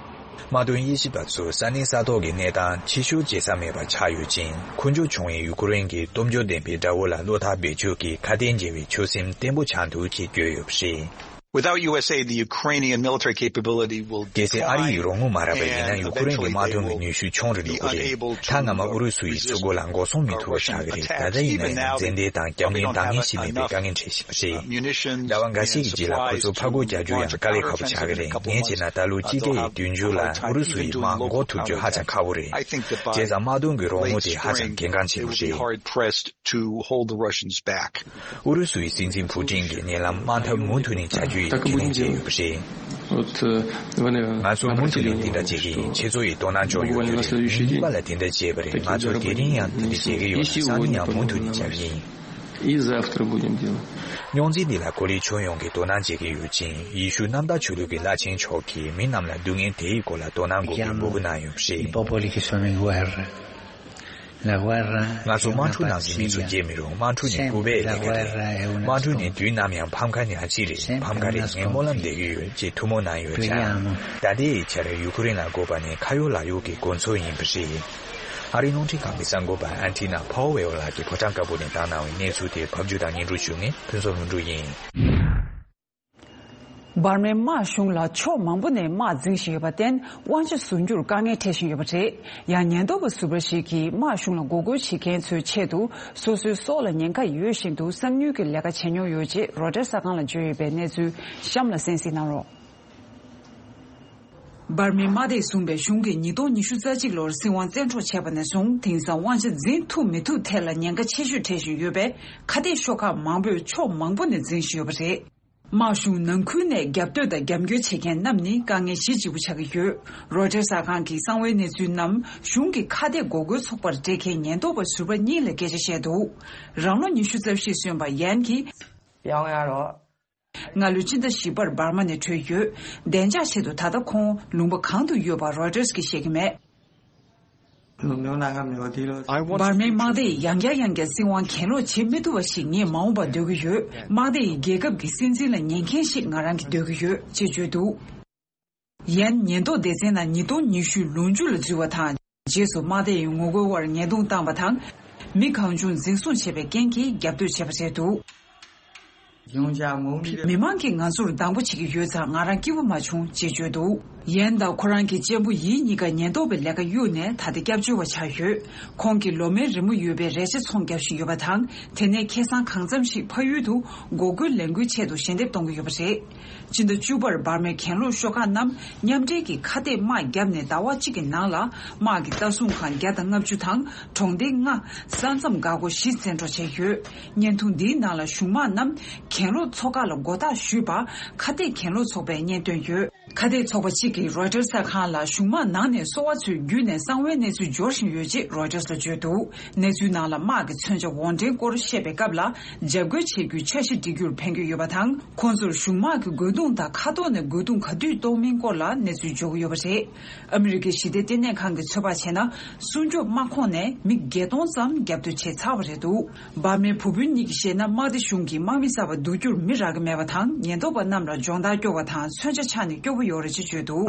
དམག་དོན་དབྱེ་ཞིབ་པ་ཚོས། ས་གནས་ས་ཐོག་གི་གནས་སྟངས་ཕྱི་བཤོལ་བྱེད་ས་མེད་པ་ཆགས་ཡོད་ཅིང་། འཁོན་འབྱོར་བྱུང་བའི་ཡུ་ཁུ་རེན་གྱིས་སྟོབས་འབྱོར་ལྡན་པའི་དགྲ་བོ་ལ་བློ་ཐག་རྦད་ཆོད་ཀྱིས་ཁ་གཏད་འཇལ་བའི་ཆོད་སེམས་བརྟན་པོ་ཆགས་འདུག་ཅེས་བརྗོད་ཡོད་པ་རེད། Without U S aid, the Ukrainian military capability will decline. གལ་སྲིད་ཨ་རི་ཡི་རོགས་དངུལ་མ་རག་པ་ཡིན་ན། ཡུ་ཁུ་རེན་གྱི་དམག་དོན་གྱི་ནུས་ཤུགས་ཆུང་རུ་འགྲོ་གི་རེད། ད་སྔ་མ་ཨུ་རུ་སུ་ཡིས་མཚོ་སྒོ་ལ་འགོག་སྲུང་མི་ཐུབ་པ་ཆགས་ཀྱི་རེད། ད་ལྟ་ཡིན་ན་ཡང་མཛེས་འདེད་དང་རྒྱབ་འགན་འདང་ངེས་ཤིག་མེད་པའི་དཀའ་ངལ་འཕྲད་བཞིན་པ་རེད། ཟླ་བ་འགའ་ཤས་ཀྱི་རྗེས་ལ་ཁོ་ཚོ་ཕར་རྒོལ་རྒྱག་རྒྱུ་ཡང་དཀའ་ལས་ཁག་པོ་ཆགས་ཀྱི་རེད། ངས་བྱས་ན་ད་ལོ་སྤྱི་ཟླ་ཡི་བདུན་ཅུ་ལ་ཨུ་རུ་སུ་ཡི་དམག་འགོག་ཐུབ་རྒྱུ་ཧ་ཅང་ཁག་པོ་རེད། བྱས་ཙང་དམག་དོན་གྱི་རོགས་དངུལ་དེ་ཧ་ཅང་གལ་འགངས་ཆེན་པོ་རེད། ཨུ་རུ་སུའི་སྲིད་འཛིན་ཕུ་ཀྲིན་གྱིས་ཉེ་ལམ་དམག་འཐབ་མུ་མཐུད་ནས་བྱ་རྒྱུ་ཡི་རྒྱུས་ལོན་བྱས་ཡོད་པ་རེད། ང་ཚོ་མུ་མཐུད་ནས་དེ་འདྲ་བྱེད་ཀྱི་ཡིན། ཁྱེད་ཚོ་ཡིས་དོ་སྣང་བྱུང་ཡོད་དུས་རེད། ཉིན་གཉིས་པ་ལ་དེ་འདྲ་བྱས་པ་རེད། ང་ཚོ་དེ་རིང་ཡང་དེ་འདྲ་བྱེད་ཀྱི་ཡོད་ལ། སང་ཉིན་ཡང་མུ་མཐུད་ནས་བྱ་གི་ཡིན། И завтра будем делать. རྙོག་འཛིང་འདི་ལ་ཀོ་ལི་ཁྱོན་ཡོངས་ཀྱིས་དོ་སྣང་བྱེད་ཀྱི་ཡོད་ཅིང་། ཡེ་ཤུ་གནམ་བདག་ཆོས་ལུགས་ཀྱི་བླ་ཆེན་མཆོག་གིས་མི་རྣམས་ལ་སྡུག་བསྔལ་དེའི་སྐོར་ལ་དོ་སྣང་དགོས་པའི་འབོད་སྐུལ་གནང་ཡོད་པ་རེད། I popoli che sono in guerra. La guerra ང་ཚོ་དམག་འཁྲུག་ནང་གི་མི་ཚོ་སྐྱེས་མི་རུང་། དམག་འཁྲུག་ནི་སྐུད་པའི་ལས་ཀ་རེད། དམག་འཁྲུག་ནི་དུས་ནམ་ཡང་ཕམ་ཁ་ནི་ཨ་ཅི་རེད། ཕམ་ཁ་རེད། ངས་སྨོན་ལམ་འདེབས་ཀྱི་ཡོད་ཅེས་ཐུགས་སྨོན་གནང་ཡོད་ཀྱང་། ད་ལྟའི་ཆར་ཡུ་ཁུ་རེན་ལ་དགོས་པ་ནི་ཁ་ཡོག་ལག་གཡོག་གི་དགོས་མཚོན་ཡིན་པ་རེད། ཨ་རིའི་རླུང་འཕྲིན་ཁང་གི་གསར་འགོད་པ་ཨན་ཐི་ན་ཕའོ་ཝེལ་ལགས་ཀྱིས་ཕོ་བྲང་དཀར་པོ་ནས་བཏང་གནང་བའི་གནས་ཚུལ་དེ་ཕབ་སྒྱུར་དང་སྙན་སྒྲོན་ཞུ་མཁན་ཕུན་ཚོགས་ལྷུན་གྲུབ་ཡིན། འབར་མའི་དམག་གཞུང་ལ་ཕྱོགས་མང་པོ་ནས་དམག་འཛིང་བཞིན་ཡོད་པར་བརྟེན། དབང་ཆ་ཟུར་འགྱུར་དཀའ་ངལ་འཕྲད་བཞིན་ཡོད་པ་རེད། ཡང་ཉེན་རྟོག་པ་ཟུར་པ་ཞིག་གིས་དམག་གཞུང་ལ་འགོག་རྒོལ་བྱེད་མཁན་ཚོའི་ཆེད་དུ་སོ་སོའི་སྲོག་ལ་ཉེན་ཁ་ཡོད་བཞིན་དུ་གསང་ཉུལ་གྱི་ལས་ཀ་བྱས་མྱོང་ཡོད་ཅེས་རོ་ཊར་གསར་ཁང་ལ་བརྗོད་ཡོད་པའི་གནས་ཚུལ་གཤམ་ལ་གསན་གཟིགས་གནང་རོགས། འབར་མའི་དམག་སྡེས་བཟུང་བའི་གཞུང་གིས་ཉིས་སྟོང་ཉི་ཤུ་རྩ་གཅིག་ལོར་སྲིད་དབང་བཙན་འཕྲོག་བྱས་པ་ནས་བཟུང་། དེང་སང་དབང་ཆ་འཛིན་ཐུབ་མི་ཐུབ་ཐད་ལ་ཉེན་ཁ་ཆེ་ཤོས་འཕྲད་བཞིན་ཡོད་པས། ཁ་གཏད་ཤོག་ཁག་མང་པོས་ཕྱོགས་མང་པོ་ནས་འཛིང་བཞིན་ཡོད་པ་རེད། དམག་གཞུང་ནང་ཁུལ་ནས་རྒྱབ་གཏོད་དང་རྒྱབ་སྐྱོར་བྱེད་མཁན་རྣམས་ནི་དཀའ་ངལ་གཞི་གཅིག་པུ་ཆགས་ཀྱི་ཡོད། རོའི་ཊར་གསར་ཁང་གི་གསང་བའི་གནས་ཚུལ་རྣམས་གཞུང་གི་ཁ་གཏད་འགོག་རྒོལ་ཚོགས་པར་སྤྲད་མཁན་ཉེན་རྟོག་པ་ཟུར་པ་གཉིས་ལ་སྐད་ཆ་བཤད་འདུག་རང་ལོ་ཉི་ཤུ་རྩ་བཞི་སོན་པ་ཡན་གྱིས། སྔ་ལོའི་ཕྱི་ཟླ་བཞི་པར་འབར་མ་ནས་བྲོས་ཡོད། བདེ་འཇགས་ཆེད་དུ་ད་ལྟ་ཁོང་ལུང་པ་གང་དུ་ཡོད་པ་རོའི་ཊར་གྱིས་བཤད་ཀྱི་མེད། འབར་མའི་དམག་སྡེ་ཡིས་ཡང་བསྐྱར་ཡང་བསྐྱར་སྲིད་དབང་གྱེན་ལོག་བྱེད་མི་ཐུབ་པ་ཞིག་ངས་མ་འོངས་པར་འདོད་ཀྱི་ཡོད། དམག་སྡེ་ཡིས་རྒྱལ་ཁབ་ཀྱི་སྲིད་འཛིན་ལ་ཉན་མཁན་ཞིག་ང་རང་གིས་འདོད་ཀྱི་ཡོད་ཅེས་བརྗོད་འདུག་ཡན་ཉེན་རྟོག་སྡེ་ཚན་ནང་ཉིས་སྟོང་ཉི་ཤུའི་ལོ་མཇུག་ལ་འཛུལ་བ་དང་། རྗེས་སུ་དམག་སྡེ་ཡིས་ངོ་རྒོལ་བར་ཉེས་རྡུང་བཏང་བ་དང་། མི་གང་བྱུང་འཛིན་བཟུང་བྱས་པའི་རྐྱེན་གྱིས་རྒྱབ་གཏོད་བྱས་པ་རེད་འདུག་མི་མང་གིས་ང་ཚོར་སྡང་པོ་བྱེད་ཀྱི་ཡོད་ཙང་། ང་རང་སྐྱིད་པོ་མ་བྱུང་ཅེས་བརྗོད་འདུག་ཡན་དང་ཁོ་རང་གི་གཅེན་པོ་ཡི་གཉིས་ཀ་ཉེན་རྟོག་པའི་ལས་ཀ་གཡུགས་ནས་ད་ལྟ་སྐྱབས་བཅོལ་བ་ཆགས་ཡོད། ཁོང་གིས་ལོ་མའི་རི་མོ་ཡོད་པའི་རས་ཆ་ཚོང་བརྒྱབ་བཞིན་ཡོད་པ་དང་། དེ་ནས་ཁེ་བཟང་གང་འཚམ་ཞིག་ཕ་ཡུལ་དུ་འགོག་རྒོལ་ལས་འགུལ་ཆེད་དུ་ཞལ་འདེབས་གཏོང་གི་ཡོད་པ་རེད། ཕྱི་ཟླ་བཅུ་པར་འབར་མའི་གྱེན་ལོག་ཤོག་ཁག་རྣམས་མཉམ་འབྲེལ་གྱིས་ཁ་གཏད་དམག་བརྒྱབ་ནས་ཟླ་བ་གཅིག་གི་ནང་ལ་དམག་གི་ལྟ་སྲུང་ཁང་བརྒྱ་དང་ལྔ་བཅུ་དང་གྲོང་སྡེ་ལྔ། ས་མཚམས་འགག་སྒོ་བཞི་བཙན་འཕྲོག་བྱས་ཡོད། བརྙན་ཐུང་འདིའི་ནང་ལ་གཞུང་དམག་རྣམས་གྱེན་ལོག་ཚོགས་ཁག་ལ་མགོ་བཏགས་ཞུས་པ། ཁ་གཏད་གྱེན་ལོག་ཚོགས་པས་བརྙན་བཏོན་ཡོད། ཁ་གཏད་ཚོགས་པ་གཅིག་གིས་རོའི་ཊར་གསར་ཁང་ལ་གཞུང་དམག་ནང་ནས་སོ་པ་ཚོས་བརྒྱུད་ནས་གསང་བའི་གནས་ཚུལ་འབྱོར་བཞིན་ཡོད་ཅེས་རོའི་ཊར་ལ་བརྗོད་འདུག་གནས་ཚུལ་ནང་ལ་དམག་གི་མཚོན་ཆ་དབོར་འདྲེན་སྐོར་བཤད་པའི་སྐབས་ལ། འཇབ་རྒོལ་བྱེད་རྒྱུའི་འཆར་གཞི་སྒྲིག་རྒྱུར་ཕན་གྱི་ཡོད་པ་དང་། ཁོང་ཚོར་གཞུང་དམག་གི་རྒོལ་རྡུང་དང་ཁ་ཐོག་ནས་རྒོལ་རྡུང་ག་དུས་གཏོང་མིན་སྐོར་ལ་གནས་ཚུལ་འབྱོར་གྱི་ཡོད་པ་རེད། ཨ་མི་རི་ཀའི་ཞི་བདེ་ལྟེ་གནས་ཁང་གིས་ཚོད་དཔག་བྱས་ན། སྲུང་སྐྱོབ་དམག་ཁོངས་ནས་མི་བརྒྱད་སྟོང་ཙམ་རྒྱབ་གཏོད་བྱས་ཚར་བ་རེད་འདུག་འབར་མའི་བུ་སྤུན་གཉིས་ཀྱིས་བཤད་ན། དམག་སྡེ་གཞུང་གིས་དམག་མི་གསར་པ་བསྡུ་རྒྱུར་མི་རག་གི་མེད་པ་དང་། ཉེན་རྟོག་པ་རྣམས་ལ་སྦྱོང་བརྡར་སྐྱོ་བ་དང་། མཚོན་ཆ་ཆག་ནས་སྐྱོ་པོ་ཡོད་རེད་ཅེས་བརྗོད་འདུག་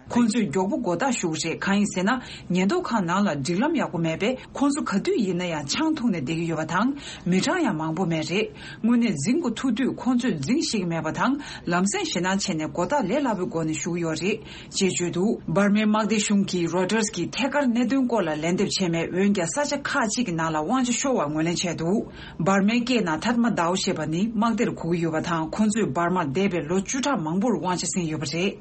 ཁོང་ཚོས་མགྱོགས་པོ་མགོ་བཏགས་ཞུ་གི་རེད། གང་ཡིན་ཟེར་ན། ཉེན་རྟོག་ཁང་ནང་ལ་སྒྲིག་ལམ་ཡག་པོ་མེད་པས། ཁོང་ཚོ་ག་དུས་ཡིན་ན་ཡང་ཆང་འཐུང་ནས་བསྡད་ཀྱི་ཡོད་པ་དང་། མི་གྲངས་ཡང་མང་པོ་མེད་རེད། དངོས་གནས་འཛིང་དགོས་ཐུག་དུས་ཁོང་ཚོས་འཛིང་ཤེས་ཀྱི་མེད་པ་དང་། ལམ་སེང་ཞེད་སྣང་བྱས་ནས་མགོ་བཏགས་ལས་སླ་པོའི་སྒོ་ནས་ཞུ་གི་ཡོད་རེད། ཅེས་བརྗོད་འདུག་འབར་མའི་དམག་སྡེ་གཞུང་གིས་རོའི་ཊར་གྱི་ཐད་ཀར་གནད་དོན་སྐོར་ལ་ལན་འདེབས་བྱས་མེད། འོན་ཀྱང་ས་ཆ་ཁག་ཅིག་གི་ནང་ལ་དབང་ཆ་ཤོར་བར་ངོས་ལེན་བྱས་འདུག་འབར་མའི་སྐད་ནང་ཐཱད་མ་དའོ་ཞེས་པ་ནི་དམག་སྡེར་གོ་གི་ཡོད་པ་དང་། ཁོང་ཚོས་འབར་མར་འདས་པའི་ལོ་བཅུ་ཕྲག་མང་པོར་དབང་ཆ་ཟིན་ཡོད་པ་རེད།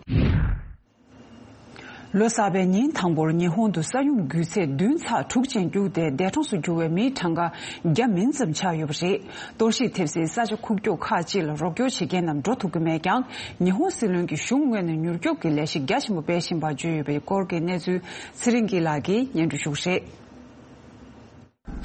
ལོ་གསར་པའི་ཉིན་དང་པོར་ཉི་ཧོང་དུ་ས་ཡོམ་རྒྱུག་ཚད་བདུན་ཚེག་དྲུག་ཅན་རྒྱུགས་ཏེ། འདས་གྲོངས་སུ་གྱུར་བའི་མིའི་གྲངས་ཀ་བརྒྱ་མིན་ཙམ་ཆགས་ཡོད་པ་རེད། གཏོར་བཤིག་ཐེབས་སའི་ས་ཆ་ཁུག་ཀྱོག་ཁག་ཅིག་ལ་རོགས་སྐྱོར་བྱེད་མཁན་རྣམས་འགྲོ་ཐུབ་ཀྱི་མེད་ཀྱང་། ཉི་ཧོང་སྲིད་བློན་གྱིས་གཞུང་ངོས་ནས་མྱུར་སྐྱོབ་ཀྱི་ལས་གཞི་རྒྱ་ཆེན་པོ་སྤེལ་བཞིན་པ་བརྗོད་ཡོད་པའི་སྐོར་གྱི་གནས་ཚུལ་ཚེ་རིང་སྐྱིད་ལགས་ཀྱིས་སྙན་སྒྲོན་ཞུ་གི་རེད།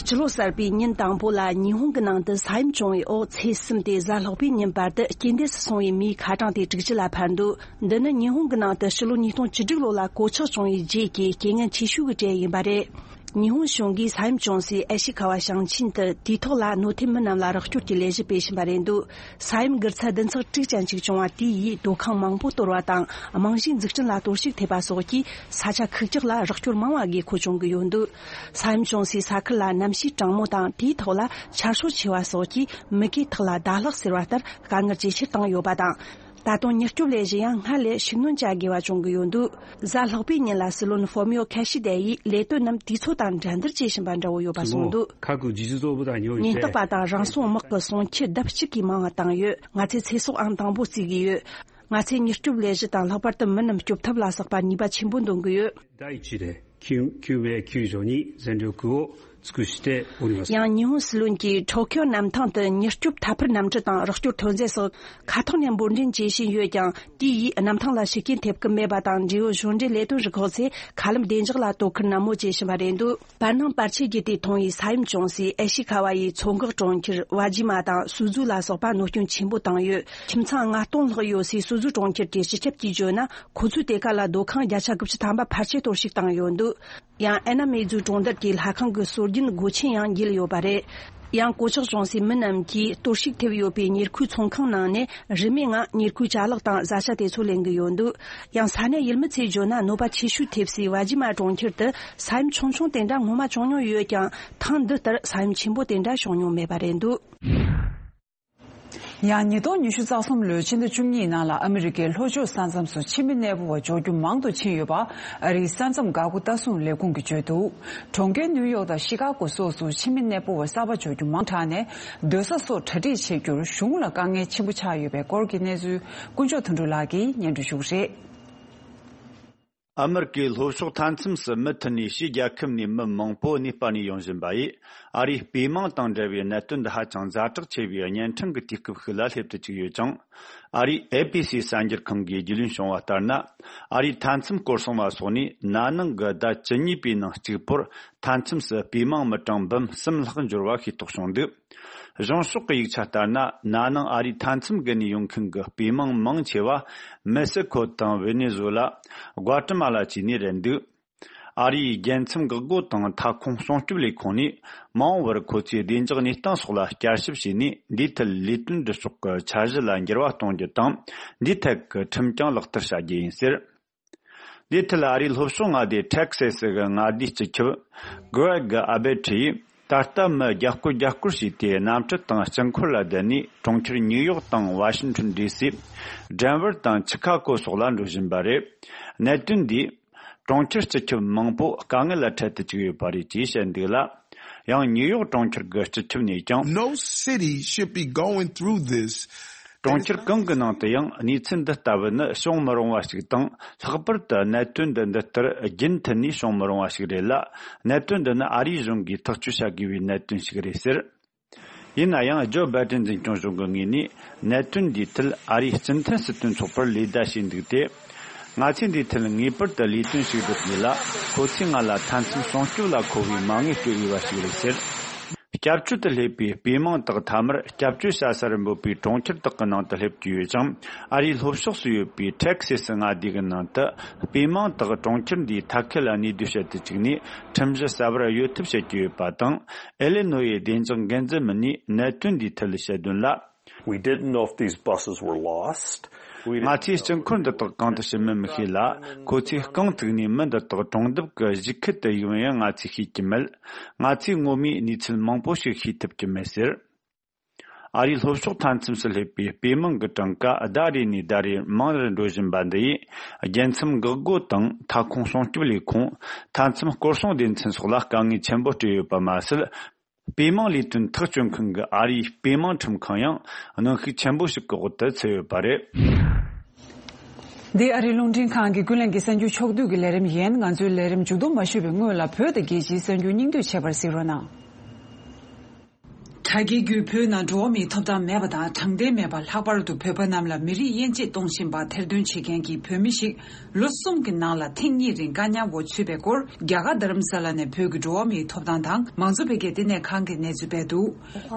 སྤྱི་ལོ་གསར་པའི་ཉིན་དང་པོ་ལ་ཉི་ཧོང་གི་ནང་དུ་ས་ཡོམ་བྱུང་བའི་འོག་ཚེས་གསུམ་སྟེ་གཟའ་ལྷག་པའི་ཉིན་བར་དུ་རྐྱེན་འདས་སུ་སོང་བའི་མིའི་ཁ་གྲངས་དེ་དྲུག་ཅུ་ལ་འཕར་འདུག་འདི་ནི་ཉི་ཧོང་གི་ནང་དུ་ཕྱི་ལོ་ཉིས་སྟོང་བཅུ་དྲུག་ལོ་ལ་གོད་ཆག་བྱུང་བའི་རྗེས་ཀྱི་རྐྱེན་ངན་ཆེ་ཤོས་ཀྱི་གྲས་ཡིན་པ་རེད། ཉི་ཧོང་གཞུང་གིས་ས་ཡོམ་བྱུང་སའི་ཨེ་ཤི་ཁ་བ་ཞིང་ཆེན་དུ་དུས་ཐོག་ལ་གནོད་ཐེབས་མི་རྣམས་ལ་རོགས་སྐྱོར་གྱི་ལས་གཞི་སྤེལ་བཞིན་པ་རེད་འདུག་ས་ཡོམ་གྱི་ཚད་བདུན་ཚེག་དྲུག་ཅན་ཞིག་བྱུང་བ་དེ་ཡིས་སྡོད་ཁང་མང་པོ་གཏོར་བ་དང་། རྨང་གཞིའི་འཛུགས་སྐྲུན་ལ་གཏོར་བཤིག་ཐེབས་པ་སོགས་ཀྱིས་ས་ཆ་ཁག་ཅིག་ལ་རོགས་སྐྱོར་མང་བ་དགོས་མཁོ་བྱུང་གི་ཡོད་འདུག་ས་ཡོམ་བྱུང་སའི་ས་ཁུལ་ལ་གནམ་གཤིས་གྲང་མོ་དང་། དེའི་ཐོག་ལ་ཆར་ཤུགས་ཆེ་བ་སོགས་ཀྱིས་མུ་གེའི་ཐག་ལ་ཟླ་ལྷག་ཟེར་བ་ལྟར་དཀའ་ངལ་ཇེ་ཆེར་བཏང་ཡོད་པ་དང་། ད་དུང་མྱུར་སྐྱོབ་ལས་གཞི་ཡང་སྔར་ལས་ཤུགས་སྣོན་བྱ་དགོས་པ་བྱུང་གི་ཡོད་འདུག་གཟའ་ལྷག་པའི་ཉིན་ལ་སྲིད་བློན་ཧྥོ་མིའོ་ཁ་ཤི་དེ་ཡིས་ལས་དོན་རྣམས་དུས་ཚོད་དང་འགྲན་བསྡུར་བྱེད་བཞིན་པ་འདྲ་བོ་ཡོད་པ་གསུངས་འདུག 中国各个集体作物大牛 ཉེན་རྟོག་པ་དང་རང་སྲུང་དམག་གི་སྲུང་ཆུ་ལྡབ་གཅིག་གིས་མང་བ་བཏང་ཡོད། ང་ཚོས་ཚེ་སྲོག་ཨང་དང་པོ་བརྩི་གི་ཡོད། ང་ཚོས་མྱུར་སྐྱོབ་ལས་གཞི་དང་ལྷག་པར་དུ་མི་རྣམས་སྐྱོབ་ཐབས་ལ་སོགས་པ་ནུས་པ་ཆེན་པོ་འདོན་གི་ཡོད། 第一で救救命救助に全力を尽くしております。 ཡང་ཉི་ཧོང་སྲིད་བློན་གྱིས་ཊོ་ཁྱོ་གནམ་ཐང་དུ་མྱུར་སྐྱོབ་ཐད་འཕུར་གནམ་གྲུ་དང་རོགས་སྐྱོར་ཐོན་རྫས་སོགས་མཁའ་ཐོག་ནས་འབོར་འདྲེན་བྱེད་བཞིན་ཡོད་ཀྱང་། དེ་ཡིས་གནམ་ཐང་ལ་ཤུགས་རྐྱེན་ཐེབས་ཀྱི་མེད་པ་དང་། འབྲེལ་ཡོད་གཞུང་འབྲེལ་ལས་དོན་རུ་ཁག་ཚོས་མཁའ་ལམ་བདེ་འཇགས་ལ་དོ་ཁུར་ནན་མོ་བྱེད་བཞིན་པ་རེད་འདུག་བར་སྣང་བར་ཆད་ཀྱི་དེ་མཐོང་བའི་ས་ཡོམ་བྱུང་སའི་ཨེ་ཤི་ཁ་བ་ཡི་མཚོ་འགག་གྲོང་ཁྱེར་ཝ་ཇི་མ་དང་སུ་ཛུ་ལ་སོགས་པ་གནོད་སྐྱོན་ཆེན་པོ་བཏང་ཡོད། ཁྱིམ་ཚང་ལྔ་སྟོང་ལྷག་ཡོད་སའི་སུ་ཛུ་གྲོང་ཁྱེར་གྱི་སྤྱི་ཁྱབ་ཀྱིས་བརྗོད་ན། ཁོ་ཚོས་དེ་ག་ལ་སྡོད་ཁང་བརྒྱ་ཆ་དགུ་བཅུ་ཐམ་པ་ཕལ་ཆེར་གཏོར་བཤིག་བཏང་ཡོད་འདུག་ཡང་ཨེ་ན་མེ་ཛུ་གྲོང་རྡལ་གྱི་ལྷ་ཁང་གི་སྲོལ་རྒྱུན་སྒོ་ཆེན་ཡང་འགྱེལ་ཡོད་པ་རེད། ཡང་གོད་ཆག་བྱུང་སའི་མི་རྣམས་ཀྱིས་གཏོར་བཤིག་ཐེབས་ཡོད་པའི་ཉེར་མཁོའི་ཚོང་ཁང་ནང་ནས་རིན་མེད་ངང་ཉེར་མཁོའི་ཅ་ལག་དང་བཟའ་བཅའ་དེ་ཚོ་ལེན་གྱི་ཡོད་འདུག་ཡང་ས་གནས་ཡུལ་མི་ཚོས་བརྗོད་ན། གནོད་པ་ཆེ་ཤོས་ཐེབས་སའི་ཝ་ཇི་མ་གྲོང་ཁྱེར་དུ་ས་ཡོམ་ཆུང་ཆུང་དེ་འདྲ་སྔོན་མ་བྱུང་མྱོང་ཡོད་ཀྱང་། ཐེངས་འདི་ལྟར་ས་ཡོམ་ཆེན་པོ་དེ་འདྲ་བྱུང་མྱོང་མེད་པ་རེད་འདུག་ཡང་ཉིས་སྟོང་ཉི་ཤུ་རྩ་གསུམ་ལོའི་ཕྱི་ཟླ་བཅུ་གཉིས་ནང་ལ་ཨ་མི་རི་ཀའི་ལྷོ་ཕྱོགས་ས་མཚམས་སུ་ཕྱི་མི་གནས་སྤོ་བ་འབྱོར་རྒྱུ་མང་དུ་ཕྱིན་ཡོད་པ། ཨ་རིའི་ས་མཚམས་འགག་སྒོ་ལྟ་སྲུང་ལས་ཁུངས་ཀྱིས་བརྗོད་འདུག་གྲོང་ཁྱེར་ནིའུ་ཡོག་དང་ཤི་ཀ་གོ་སོགས་སུ་ཕྱི་མི་གནས་སྤོ་བ་གསར་པ་འབྱོར་རྒྱུ་མང་དྲགས་ནས། སྡོད་ས་སོགས་གྲ་སྒྲིག་བྱེད་རྒྱུར་གཞུང་ལ་དཀའ་ངལ་ཆེན་པོ་ཆགས་ཡོད་པའི་སྐོར་གྱི་གནས་ཚུལ་དཀོན་མཆོག་དོན་གྲུབ་ལགས་ཀྱིས་སྙན་སྒྲོན་ཞུ་གི་རེད། ཨ་མི་རི་ཀའི་ལྷོ་ཕྱོགས་མཐའ་མཚམས་སུ་མུ་མཐུད་ནས་ཕྱིའི་རྒྱལ་ཁབ་ནས་མི་མང་པོ་གནས་སྤར་ནས་ཡོང་བཞིན་པ་ཡིས། ཨ་རིའི་དཔེ་མང་དང་འབྲེལ་བའི་གནད་དོན་འདི་ཧ་ཅང་ཛ་དྲག་ཆེ་བའི་གཉན་འཕྲང་གི་དུས་སྐབས་ཤིག་ལ་སླེབས་དུ་བཅུག་ཡོད་ཅིང་། ཨ་རིའི་ཨེ་པི་སི་གསར་འགྱུར་ཁང་གིས་རྒྱུས་ལོན་བྱུང་བ་ལྟར་ན། ཨ་རིའི་མཐའ་མཚམས་སྐོར་སྲུང་བ་སོགས་ནས་ན་ནིང་གི་ཟླ་བཅུ་གཉིས་པའི་ནང་གཅིག་པོར་མཐའ་མཚམས་སུ་དཔེ་མང་མི་གྲངས་འབུམ་གསུམ་ལྷག་འབྱོར་བ་ཤེས་རྟོགས་བྱུང་འདུག་གཞུང་ཕྱོགས་ཀྱི་ཡིག་ཆ་ལྟར་ན། ན་ནིང་ཨ་རིའི་མཐའ་མཚམས་བརྒལ་ནས་ཡོང་མཁན་གྱི་དཔེ་མང་མང་ཆེ་བ་མེག་སི་ཁོ་དང་ཝེ་ནེ་ཛུ་ལ། གུ་ཨ་ཏི་མ་ལ་བཅས་ནས་རེད་འདུག་ཨ་རིའི་རྒྱལ་མཚམས་འགག་སྒོ་དང་མཐའ་ཁོངས་སྲུང་སྐྱོབ་ལས་ཁུངས་ནས། མ་འོངས་པར་ཁོ་ཚོས་བདེ་འཇགས་གནས་སྟངས་སོགས་ལ་བསྐྱར་ཞིབ་བྱས་ནས། འདིའི་ཐད་ལས་དོན་སྒྲུབ་ཕྱོགས་ཀྱི་འཆར་གཞི་ལ་འགྱུར་བ་གཏོང་རྒྱུ་དང་། འདིའི་ཐད་ཀྱི་ཁྲིམས་ཀྱང་ལག་བསྟར་བྱ་རྒྱུ་ཡིན་ཟེར། འདིའི་ཐད་ཨ་རིའི་ལྷོ་ཕྱོགས་མངའ་སྡེ་ཊེག་སེ་སི་གི་མངའ་སྡེའི་སྤྱི་ཁྱབ་གྷི་རེག་ཨ་བེ་ཏྲི་ཡིས། ད་ལྟ་མི་བརྒྱ་སྐོར་བརྒྱ་སྐོར་ཞིག་དེ་གནམ་གྲུ་དང་སྤྱི་འཁོར་ལ་བསྡད་ནས། གྲོང་ཁྱེར་ནིའུ་ཡོག་དང་ཝ་ཤིང་ཊོན་ཌི་སི། ཌེན་ཝར་དང་ཆི་ཁ་གོ་སོགས་ལ་འགྲོ་བཞིན་པ་རེད། གནད་དོན་འདིས་གྲོང་ཁྱེར་སྤྱི་ཁྱབ་མང་པོ་དཀའ་ངལ་ལ་འཕྲད་དུ་བཅུག་ཡོད་པ་རེད་ཅེས་བཤད་འདུག་ལ། ཡང་ནིའུ་ཡོག་གྲོང་ཁྱེར་གྱི་སྤྱི་ཁྱབ་ནས་ཀྱང་། No city should be going through this. གྲོང་ཁྱེར་གང་གི་ནང་དུ་ཡང་གནས་ཚུལ་འདི་ལྟ་བུ་ནི་བྱུང་མི་རུང་བ་ཞིག་དང་། ལྷག་པར་དུ་གནད་དོན་འདི་འདི་ལྟར་རྒྱུན་མཐུད་ནས་བྱུང་མི་རུང་བ་ཞིག་རེད་ལ། གནད་དོན་འདི་ནི་ཨ་རིའི་གཞུང་གིས་ཐག་གཅོད་བྱ་དགོས་པའི་གནད་དོན་ཞིག་རེད་ཟེར། ཡིན་ན་ཡང་། ཇོ་བྷའི་ཏན་འཛིན་སྐྱོང་གཞུང་གི་ངོས་ནས་གནད་དོན་འདིའི་ཐད་ཨ་རིའི་སྤྱི་མཐུན་སྲིད་དོན་ཚོགས་པར་ལེ་བདའ་བྱས་འདུག་སྟེ། ང་ཚོས་འདིའི་ཐད་ངེས་པར་དུ་ལས་དོན་ཞིག་སྒྲུབ་དགོས་ལ། ཁོ་ཚོས་ང་ལ་མཐའ་མཚམས་སྲུང་སྐྱོབ་ལ་མཁོ་བའི་མ་དངུལ་སྤྲོད་འོས་པ་ཞིག་རེད་ཟེར། སྐྱབས་བཅོལ་དུ་སླེབས་པའི་དཔེ་མང་དག་མཐའ་མར་སྐྱབས་བཅོལ་བྱ་ས་རུ་འབོད་པའི་གྲོང་ཁྱེར་དག་གི་ནང་དུ་སླེབས་ཀྱི་ཡོད་ཅིང་། ཨ་རིའི་ལྷོ་ཕྱོགས་སུ་ཡོད་པའི་ཊེག་སེ་སི་མངའ་སྡེ་གི་ནང་དུ་དཔེ་མང་དག་གྲོང་ཁྱེར་འདིའི་མཐའ་ཁུལ་ལ་གནས་སྡོད་བྱེད་དུ་བཅུག་ནས། ཁྲིམས་གཞི་གསར་པར་གཡོལ་ཐབས་བྱེད་ཀྱི་ཡོད་པ་དང་། ཨེ་ལེ་ནོ་ཡའི་བདེ་འཇགས་འགན་འཛིན་མི་སྣས་གནད་དོན་འདིའི་ཐད་བཤད་དོན་ལ། We didn't know if these buses were lost. We didn't ང་ཚོས་སྤྱི་འཁོར་འདི་དག་གང་དུ་ཕྱིན་མིན་མི་ཤེས་ལ། ཁོ་ཚོས་རྐང་བཙུགས་ནས་མི་འདི་དག་གྲོང་འདབས་ཀྱི་གཞིས་ཁུལ་དུ་ཡོང་ཡང་ང་ཚོས་ཤེས་ཀྱི་མེད། ང་ཚོས་ངོ་མའི་གནས་ཚུལ་མང་པོ་ཞིག་ཤེས་ཐུབ་ཀྱི་མེད་ཟེར། ཨ་རིའི་ལྷོ་ཕྱོགས་མཐའ་མཚམས་སུ་སླེབས་པའི་དཔེ་མང་གི་གྲངས་ཀ་ཟླ་རེ་ནས་ཟླ་རེར་མང་རུ་འགྲོ་བཞིན་པ་འདི་ཡིས། རྒྱལ་མཚམས་འགག་སྒོ་དང་མཐའ་ཁོངས་སྲུང་སྐྱོབ་ལས་ཁུངས། མཐའ་མཚམས་སྐོར་སྲུང་སྡེ་ཚན་སོགས་ལ་དཀའ་ངལ་ཆེན་པོ་སྤྲད་ཡོད་པ་མ་ཟད། དཔེ་མང་ལས་དོན་ཐག་གཅོད་མཁན་གྱི་ཨ་རིའི་དཔེ་མང་ཁྲིམས་ཁང་ཡང་གནོན་ཤུགས་ཆེན་པོ་ཞིག་གི་འོག་ཏུ་ཚུད་ཡོད་པ་རེད། འདི་ཨ་རིའི་རླུང་འཕྲིན་ཁང་གི་ཀུན་གླེང་གི་གསར་འགྱུར་ཕྱོགས་བསྡུས་ཀྱི་ལས་རིམ་ཡིན། ང་ཚོའི་ལས་རིམ་མཇུག་བསྡོམས་མ་ཞུས་པའི་སྔོན་ལ། བོད་དང་རྒྱལ་སྤྱིའི་གསར་འགྱུར་སྙིང་བསྡུས་བྱས་པར་གཟིགས་རོགས་གནང་། དྲ་རྒྱའི་བརྒྱུད་བོད་ནང་འགྲོ་བ་མིའི་ཐོབ་ཐང་མེད་པ་དང་དྲང་བདེན་མེད་པ། ལྷག་པར་དུ་བོད་པ་རྣམས་ལ་མི་རིགས་དབྱེ་འབྱེད་གཏོང་བཞིན་པ་ཐེར་འདོན་བྱེད་མཁན་གྱི་བོད་མི་ཞིག་ལོ་གསུམ་གྱི་ནང་ལ་ཐེངས་གཉིས་རིང་བཀག་ཉར་འོག་ཚུད་པའི་སྐོར། རྒྱ་གར་རྡ་རམ་ས་ལ་ནས་བོད་ཀྱི་འགྲོ་བ་མིའི་ཐོབ་ཐང་དང་མང་གཙོ་འཕེལ་རྒྱས་ལྟེ་གནས་ཁང་གིས་གནས་ཚུལ་སྤེལ་འདུག་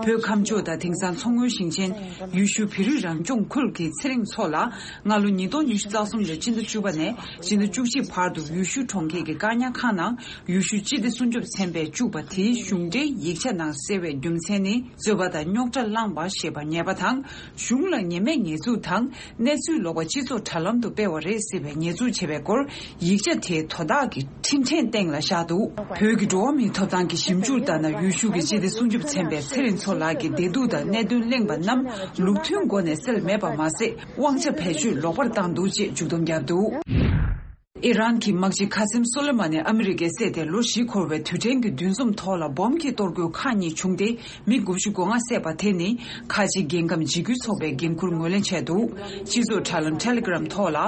བོད་ཁམས་ཕྱོགས་དང་དེང་སང་མཚོ་སྔོན་ཞིང་ཆེན། ཡུལ་ཤུལ་བོད་རིགས་རང་སྐྱོང་ཁུལ་གྱི་ཚེ་རིང་མཚོ་ལགས། སྔ་ལོ་ཉིས་སྟོང་ཉི་ཤུ་རྩ་གསུམ་ལོའི་སྤྱི་ཟླ་བཅུ་པ་ནས་སྤྱི་ཟླ་བཅུ་གཅིག་བར་དུ་ཡུལ་ཤུལ་གྲོང་ཁྱེར་གྱི་བཀག་ཉར་ཁང་ནང་ཡུལ་ཤུལ་སྤྱི་བདེ་སྲུང་སྐྱོབ་ཚན་པས་བཅུག་པ་དེའི་གཞུང་འབྲེལ་ཡིག་ཆ་ནང་གསལ་བའི་རྒྱུ་མཚན་ནི། རྩོད་པ་དང་རྙོག་དྲ་བསླངས་པ་ཞེས་པ་ཉེས་པ་དང་། གཞུང་ལ་ཉེས་མེད་ཉེས་འཛུགས་དང་། གནས་ཚུལ་ལོག་པ་སྤྱི་ཚོགས་དྲ་ལམ་དུ་སྤེལ་བ་རེད་ཟེར་བའི་ཉེས་འཛུགས་བྱས་པའི་སྐོར། ཡིག་ཆ་དེའི་དོ་བདག་གིས་འཕྲིན་ཕྲན་སྟེང་ལ་བཞག་འདུག་བོད་ཀྱི་འགྲོ་བ་མིའི་ཐོབ་ཐང་གི་ཞིབ་འཇུག་ལྟར་ན། ཡུལ་ཤུལ་གྱི་སྤྱི་བདེ་སྲུང་སྐྱོབ་ཚན་པས་ཚེ་རིང་མཚོ་ལགས་ཀྱི་བདེ་སྡུག་དང་གནད་དོན་གླེང་པ་རྣམས་ལུགས་མཐུན་སྒོ་ནས་སེལ་མེད་པ་མ་ཟད། དབང་ཆ་བེད་སྤྱོད་ལོག་པར་བཏང་འདུག་ཅེས་མཇུག་སྡོམ་བརྒྱབ་འདུག་ཨི་རན་གྱི་དམག་སྤྱི་ཁ་སིམ་སོ་ལེ་མ་ནི་ཨ་མི་རི་ཀའི་བསད་དེ་ལོ་བཞི་འཁོར་བའི་དུས་དྲན་གྱི་འདུ་འཛོམས་ཐོག་ལ་སྦོམ་གྱིས་གཏོར་རྒོལ་ཁག་གཉིས་བྱུང་སྟེ། མི་དགུ་བཅུ་གོ་ལྔ་བསད་པ་དེ་ནི་ཁ་ཆེ་རྒྱལ་ཁམས་འཇིགས་སྐུལ་ཚོགས་པས་འགན་འཁུར་ངོས་ལེན་བྱས་འདུག་སྤྱི་ཚོགས་དྲ་ལམ་Telegram་ཐོག་ལ།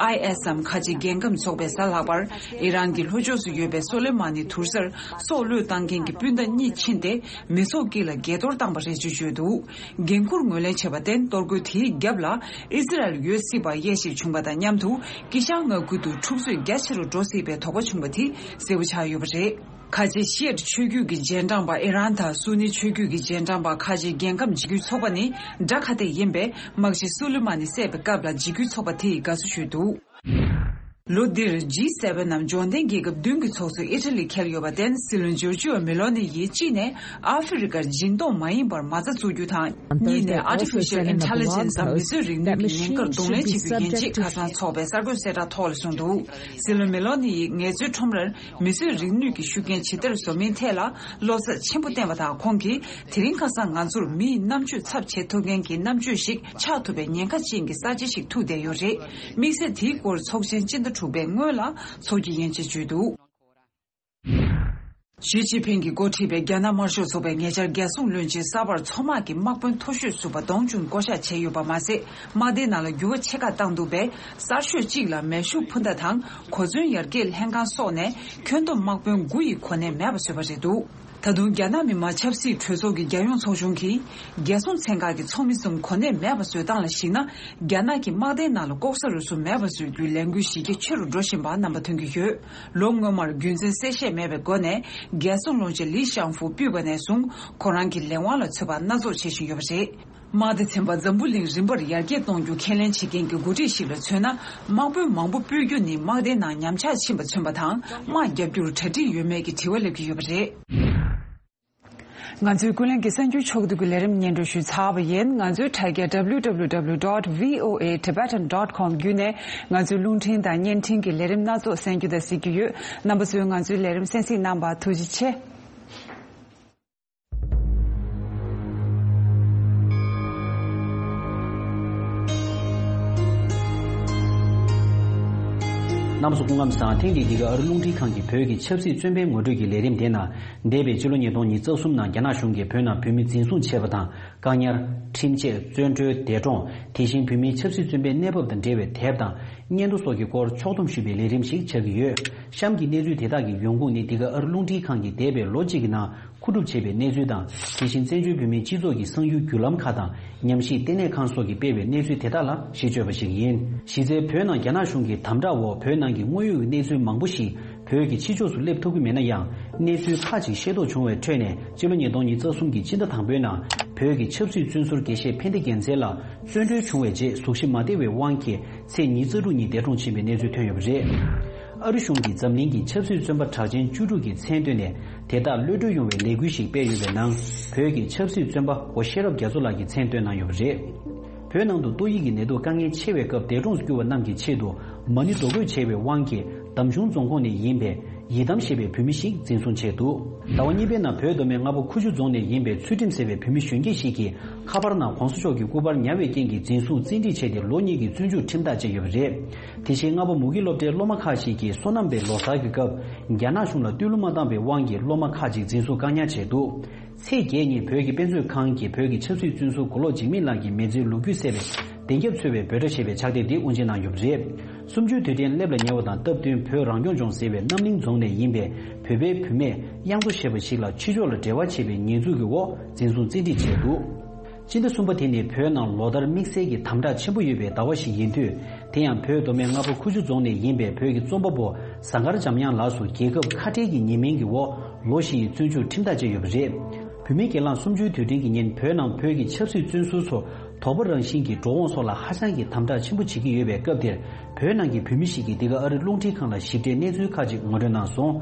ཨའི་ཨེས་འམ་ཁ་ཆེ་རྒྱལ་ཁམས་ཚོགས་པའི་གཟའ་ལྷག་པར་ཨི་རན་གྱི་ལྷོ་ཕྱོགས་སུ་ཡོད་པའི་སོ་ལེ་མ་ནི་དུར་སར་སྲོག་བློས་བཏང་མཁན་གྱི་སྤུན་ཟླ་གཉིས་ཕྱིན་ཏེ། མི་ཚོགས་དཀྱིལ་ལ་འགས་གཏོར་བཏང་པ་རེད་ཅེས་བརྗོད་འདུག་འགན་འཁུར་ངོས་ལེན་བྱས་པར་བརྟེན། གཏོར་རྒོལ་དེའི་རྒྱབ་ལ་ཨི་ཟི་རལ་ཡོད་སྲིད་པ་དབྱེ་ཞིབ་བྱུང་བ་དང་མཉམ་དུ། དཀྱིལ་ཤར་མངའ་ཁུལ་དུ་འཁྲུག་རྩོད་རྒྱ་ཆེ་རུ་འགྲོ་སྲིད་པའི་དོགས་པ་བྱུང་བ་དེ་གསལ་པོ་ཆགས་ཡོད་པ་རེད། ཁ་ཆེ་ཤི་ཨེཊ་ཆོས་བརྒྱུད་ཀྱི་རྗེས་འབྲང་པ་ཨི་རན་དང་སུ་ནི་ཆོས་བརྒྱུད་ཀྱི་རྗེས་འབྲང་པ་ཁ་ཆེ་རྒྱལ་ཁམས་འཇིགས་སྐུལ་ཚོགས་པ་ནི་དགྲ་ཁ་གཏད་ཡིན་པས། དམག་སྤྱི་སུ་ལི་མ་ནི་བསད་པའི་སྐབས་ལ་འཇིགས་སྐུལ་ཚོགས་པ་དེས་དགའ་བསུ་ཞུས་འདུག་ལོ་འདིར་ཇི་སེ་ཝེན་ནམ་འབྱོར་ལྡན་རྒྱལ་ཁབ་བདུན་གྱི་ཚོགས་གཙོས་ཨི་ཊ་ལི་འཁེལ་ཡོད་པར་བརྟེན། སྲིད་བློན་ཇོར་ཇིའོ་མེ་ལོ་ནི་ཡིས་གཅིག་ནས་ཨ་ཧྥེ་རི་ཁར་སྦྱིན་གཏོང་མ་ཡིན་པར་མ་རྩ་བཙུགས་རྒྱུ་དང་། གཉིས་ནས་Artificial Intelligence་དམ་མི་གསོད་རིག་ནུས་ཀྱི་ཉེན་ཁར་གདོང་ལེན་བྱེད་རྒྱུ་ཡིན་ཅེས་ཁ་སང་ཚོགས་པའི་གསར་འགོད་གསལ་བསྒྲགས་ཐོག་ལ་གསུངས་འདུག་སྲིད་བློན་མེ་ལོ་ནི་ཡིས་ངལ་རྩོལ་ཁྲོམ་རར་མི་གསོད་རིག་ནུས་ཀྱི་ཤུགས་རྐྱེན་ཇི་ལྟར་བཟོ་མིན་ཐད་ལ་བློ་འཚབ་ཆེན་པོ་བསྟན་པ་དང་། ཁོང་གིས་དེ་རིང་ཁ་སང་ང་ཚོར་མིའི་རྣམ་དཔྱོད་ཚབ་བྱེད་ཐུབ་མཁན་གྱི་རྣམ་དཔྱོད་ཞིག་ཆགས་ཐུབ་པའི་ཉེན་ཁ་ཅན་གྱི་གསར་བརྗེ་ཞིག་ཐུག་བསྡད་ཡོད་རེད། དམིགས་བསལ་དེའི་སྐོར་ཚོགས་ཆེན་སྤྱི་ཟླ་དྲུག་པའི་སྔོན་ལ་ཚོགས་ཀྱི་ཡིན་ཅེས་བརྗོད་འདུག་ཞི་ཅིན་ཕིང་གིས་འགོ་ཁྲིད་པའི་རྒྱ་ནག་དམར་ཤོག་ཚོགས་པས་ཉེ་ཆར་རྒྱལ་སྲུང་བློན་ཆེན་གསར་པར་མཚོ་དམག་གི་དམག་དཔོན་མཐོ་ཤོས་ཟུར་པ་ཏོང་ཅུན་བསྐོ་གཞག་བྱས་ཡོད་པ་མ་ཟད། དམག་སྡེའི་ནང་ལ་འགྱུར་བ་ཆེ་ཁག་བཏང་འདུག་པས། གསར་ཤོས་གཅིག་ལ་མེ་ཤུགས་འཕུར་མདའ་དང་གོ་མཚོན་ཡར་རྒྱས་ལྷན་ཁང་སོགས་ནས་ཁྱོན་བསྡོམས་དམག་དཔོན་དགུ་ཡི་གོ་གནས་མེད་པ་བཟོས་པ་རེད་འདུག་ད་དུང་རྒྱ་ནག་མི་དམངས་ཆབ་སྲིད་གྲོས་ཚོགས་ཀྱི་རྒྱལ་ཡོངས་ཚོགས་ཆུང་གིས། རྒྱལ་སྲུང་ཚན་ཁག་གི་ཚོགས་མི་གསུམ་གོ་གནས་མེད་པ་བཟོས་སྟངས་ལ་གཞིགས་ན། རྒྱ་ནག་གི་དམག་སྡེའི་ནང་ལ་ལྐོག་ཟ་རུལ་སུངས་མེད་པ་བཟོ་རྒྱུའི་ལས་འགུལ་གཞི་རྒྱ་ཆེ་རུ་འགྲོ་བཞིན་པ་རྣམ་པ་ཐོན་གྱི་ཡོད། ལོ་སྔོན་མར་རྒྱུ་མཚན་གསལ་བཤད་མེད་པའི་སྒོ་ནས། རྒྱལ་སྲུང་བློན་ཆེན་ལི་ཤང་ཧྥུ་ཕུད་པ་ནས་བཟུང་། ཁོ་རང་གི་ལས་དབང་ལ་ཚུད་པ་སྣ་ཚོགས་བྱེད་བཞིན་ཡོད་པ་རེད། དམག་སྡེ་ཚན་པ་འཛམ་བུ་གླིང་རིམ་པར་ཡར་རྒྱས་གཏོང་རྒྱུ་ཁས་ལེན་བྱེད་མཁན་གྱི་འགོ་ཁྲིད་ཞིག་ལ་མཚོན་ན། དམག་དཔོན་མང་པོ་སྤོས་རྒྱུ་ནི་དམག་སྡེའི་ནང་ཉམས་ཆག་ཕྱིན་པ་མཚོན་པ་དང་། དམག་བརྒྱབ་རྒྱུར་གྲ་སྒྲིག་ཡོད་མེད་ཀྱི་དྲི་བ་སླེབས་ཀྱི་ཡོད་པ་རེད། ང་ཚོའི་ཀུན་གླེང་གི་གསར་འགྱུར་ཕྱོགས་བསྡུས་ཀྱི་ལས་རིམ་སྙན་སྒྲོན་ཞུས་ཚར་བ་ཡིན། ང་ཚོའི་དྲ་རྒྱ་W W W dot V O A Tibetan dot com བརྒྱུད་ནས་ང་ཚོའི་རླུང་འཕྲིན་དང་བརྙན་འཕྲིན་གྱི་ལས་རིམ་སྣ་ཚོགས་གསན་རྒྱུ་དང་གཟིགས་རྒྱུ་ཡོད། རྣམ་པ་ཚོས་ང་ཚོའི་ལས་རིམ་གསན་གཟིགས་གནང་བར་ཐུགས་རྗེ་ཆེ། རྣམ་པ་ཚོ་སྐུ་ཁམས་བཟང་། ཐེངས་འདིའི་འདི་ག་ཨ་རི་རླུང་འཕྲིན་ཁང་གི་བོད་ཀྱི་ཆབ་སྲིད་བཙོན་པའི་ངོ་སྤྲོད་ཀྱི་ལས་རིམ་དེ་ནང་། འདས་པའི་ཕྱི་ལོ་ཉིས་སྟོང་ཉི་ཤུ་རྩ་གསུམ་ནང་རྒྱ་ནག་གཞུང་གིས་བོད་ནང་བོད་མི་འཛིན་བཟུང་བྱས་པ་དང་། བཀག་ཉར། ཁྲིམས་ཆད། བཙོན་གྲོལ། འདས་གྲོངས། དེ་བཞིན་བོད་མིའི་ཆབ་སྲིད་བཙོན་པའི་གནས་བབ་དང་འབྲེལ་བའི་དེབ་དང་། སྙན་ཐོ་སོགས་ཀྱི་སྐོར་ཕྱོགས་བསྡོམས་ཞུས་པའི་ལས་རིམ་ཞིག་ཆགས་ཀྱི་ཡོད། གཤམ་གྱི་གནས་ཚུལ་དེ་དག་གི་ཡོང་ཁུངས་ནི། འདི་ག་ཨ་རི་རླུང་འཕྲིན་ཁང་གིས་འདས་པའི་ལོ་གཅིག་གི་ནང་མཁོ་སྒྲུབ་བྱས་པའི་གནས་ཚུལ་དང་། དེ་བཞིན་བཙན་བྱོལ་བོད་མིའི་སྤྱི་ཚོགས་ཀྱི་གསང་ཡུལ་བརྒྱུད་ལམ་ཁག་དང་། ཉམས་ཞིབ་ལྟེ་གནས་ཁང་སོགས་ཀྱིས་སྤེལ་བའི་གནས་ཚུལ་དེ་དག་ལ་གཞི་བཅོལ་བ་ཞིག་ཡིན། གཞི་རྩའི་བོད་ནང་རྒྱ་ནག་གཞུང་གི་དམ་དྲག་འོག་བོད་ནང་གི་དངོས་ཡོད་ཀྱི་གནས་ཚུལ་མང་པོ་ཞིག་བོད་ཀྱི་ཕྱི་ཕྱོགས་སུ་སླེབས་ཐུབ་ཀྱི་མེད་ན་ཡང་། གནས་ཚུལ་ཁག་ཅིག་ཤེས་རྟོགས་བྱུང་བའི་ཁྲོད་ནས། སྤྱི་ལོ་ཉིས་སྟོང་ཉི་ཤུ་རྩ་གསུམ་གྱི་སྤྱི་ཟླ་དང་པོའི་ནང་། བོད་ཀྱི་ཆབ་སྲིད་བཙོན་ཟུར་དགེ་བཤེས་ཕན་བདེ་རྒྱལ་མཚན་ལགས་བཙོན་གྲོལ་བྱུང་བའི་རྗེས། གཟུགས་གཞི་མ་བདེ་བའི་དབང་གིས། ཚེས་ཉི་ཤུ་རྩ་དྲུག་ཉིན་འདས་གྲོངས་ཕྱིན་པའི་གནས་ཚུལ་ཐོན་ཡོད་པ་རེད། ཨ་རི་གཞུང་གིས་འཛམ་གླིང་གི་ཆབ་སྲིད་བཙོན་པ་གྲགས་ཅན་བཅུ་དྲུག་གི་མཚན་བཏོན་ནས། དེ་དག་གློད་གྲོལ་ཡོང་བའི་ལས་འགུལ་ཞིག་སྤེལ་ཡོད་པའི་ནང་། བོད་ཀྱི་ཆབ་སྲིད་བཙོན་པ་སྒོ་ཤེས་རབ་རྒྱ་མཚོ་ལགས་ཀྱི་མཚན་བཏོན་གནང་ཡོད་པ་རེད། བོད་ནང་དུ་ཏོག་དབྱིབས་ཀྱི་ནད་དུག་དཀའ་ངལ་ཆེ་བའི་སྐབས་འདས་གྲོངས་སུ་གྱུར་བ་རྣམས་ཀྱི་ཆེད་དུ། མ་ཎི་རྡོ་བརྐོས་བྱས་པའི་དབང་གིས། འདམ་གཞུང་རྫོང་ཁོངས་ནས་ཡིན་པའི་ཡི་དམ་ཞེས་པའི་བོད་མི་ཞིག་འཛིན་བཟུང་བྱས་འདུག་ཟླ་བ་གཉིས་པའི་ནང་བོད་མདོ་སྨད་རྔ་པ་ཁུ་བྱུག་རྫོང་ནས་ཡིན་པའི་ཚུལ་ཁྲིམས་ཟེར་བའི་བོད་མི་གཞོན་སྐྱེས་ཤིག་གིས་ཁ་པར་ནང་༸གོང་ས་མཆོག་གི་སྐུ་པར་ཉར་བའི་རྐྱེན་གྱིས་འཛིན་བཟུང་བཙན་ཁྲིད་བྱས་ཏེ་ལོ་གཉིས་ཀྱི་བཙོན་འཇུག་ཁྲིམས་ཐག་བཅད་ཡོད་པ་རེད། དེ་བཞིན་རྔ་པ་མུ་གེ་སློབ་གྲྭའི་སློབ་མ་ཁག་ཅིག་གིས་སོ་ནམ་པའི་ལོ་གསར་གྱི་སྐབས་རྒྱ་ནག་གཞུང་ལ་བསྟོད་གླུ་མ་བཏང་བའི་དབང་གིས་སློབ་མ་ཁག་ཅིག་འཛིན་བཟུང་བཀག་ཉར་བྱས་འདུག་ཚེས་བརྒྱད་ཉིན་བོད་ཀྱི་དཔེ་མཛོད་ཁང་གིས་བོད་ཀྱི་ཆབ་སྲིད་བཙོན་ཟུར་མགོ་ལོག་འཇིགས་མེད་ལགས་ཀྱི་མི་ཚེའི་ལོ་རྒྱུས་གསལ་བའི་ བདེན་རྒྱབ་འཚོལ་བའི་འབོད་སྒྲ་ཞེས་པའི་ཕྱག་དེབ་འདི་དབུ་འབྱེད་གནང་ཡོད་པ་རེད། གསུམ་བཅུའི་དུས་དྲན་སླེབས་ལ་ཉེ་བ་དང་སྟབས་བསྟུན་བོད་རང་སྐྱོང་ལྗོངས་ཟེར་བའི་རྣམ་གླིང་རྫོང་ནས་ཡིན་པའི་བོད་པའི་བུད་མེད་གཡང་ཐོ་ཞེས་པ་ཞིག་ལ་ཕྱི་ཕྱོགས་ལ་འབྲེལ་བ་བྱེད་པའི་ཉེས་འཛུགས་ཀྱི་འོག་འཛིན་བཟུང་བཙན་ཁྲིད་བྱས་འདུག་སྤྱི་ཟླ་གསུམ་པ་དེ་ནི་བོད་ནང་ལོ་ལྟར་དམིགས་བསལ་གྱི་དམ་དྲག་ཆེན་པོ་ཡོད་པའི་ཟླ་བ་ཞིག་ཡིན་དུས། དེ་ཡང་བོད་མདོ་སྨད་རྔ་པ་ཁུ་བྱུག་རྫོང་ནས་ཡིན་པའི་བོད་ཀྱི་རྩོམ་པ་པོ་ཟངས་དཀར་འཇམ་དབྱངས་ལགས་སུ་རྒྱལ་ཁབ་ཁ་བྲལ་གྱི་ཉེས་མིང་གི་འོག་ལོ་བཞི་ཡི་བཙོན་འཇུག་ཁྲིམས་ཐག་བཅད་ཡོད་པ་རེད། བོད་མིའི་སྒེར་ལངས་གསུམ་བཅུའི་དུས་དྲན་གྱི་ཉིན་བོད་ནང་བོད་ཀྱི་ཆབ་སྲིད་བཙོན་ཟུར་ཚོ་དོགས་པ་རང་བཞིན་གྱི་འགྲོ་འོང་སོགས་ལ་ཧ་ཅང་གི་དམ་དྲག་ཆེན་པོ་བྱེད་ཀྱི་ཡོད་པའི་སྐབས་དེར། བོད་ནང་གི་བོད་མི་ཞིག་གིས་འདི་ག་ཨ་རི་རླུང་འཕྲིན་ཁང་ལ་ཞིབ་ཕྲའི་གནས་ཚུལ་ཁག་ཅིག་ངོ་སྤྲོད་གནང་སོང་།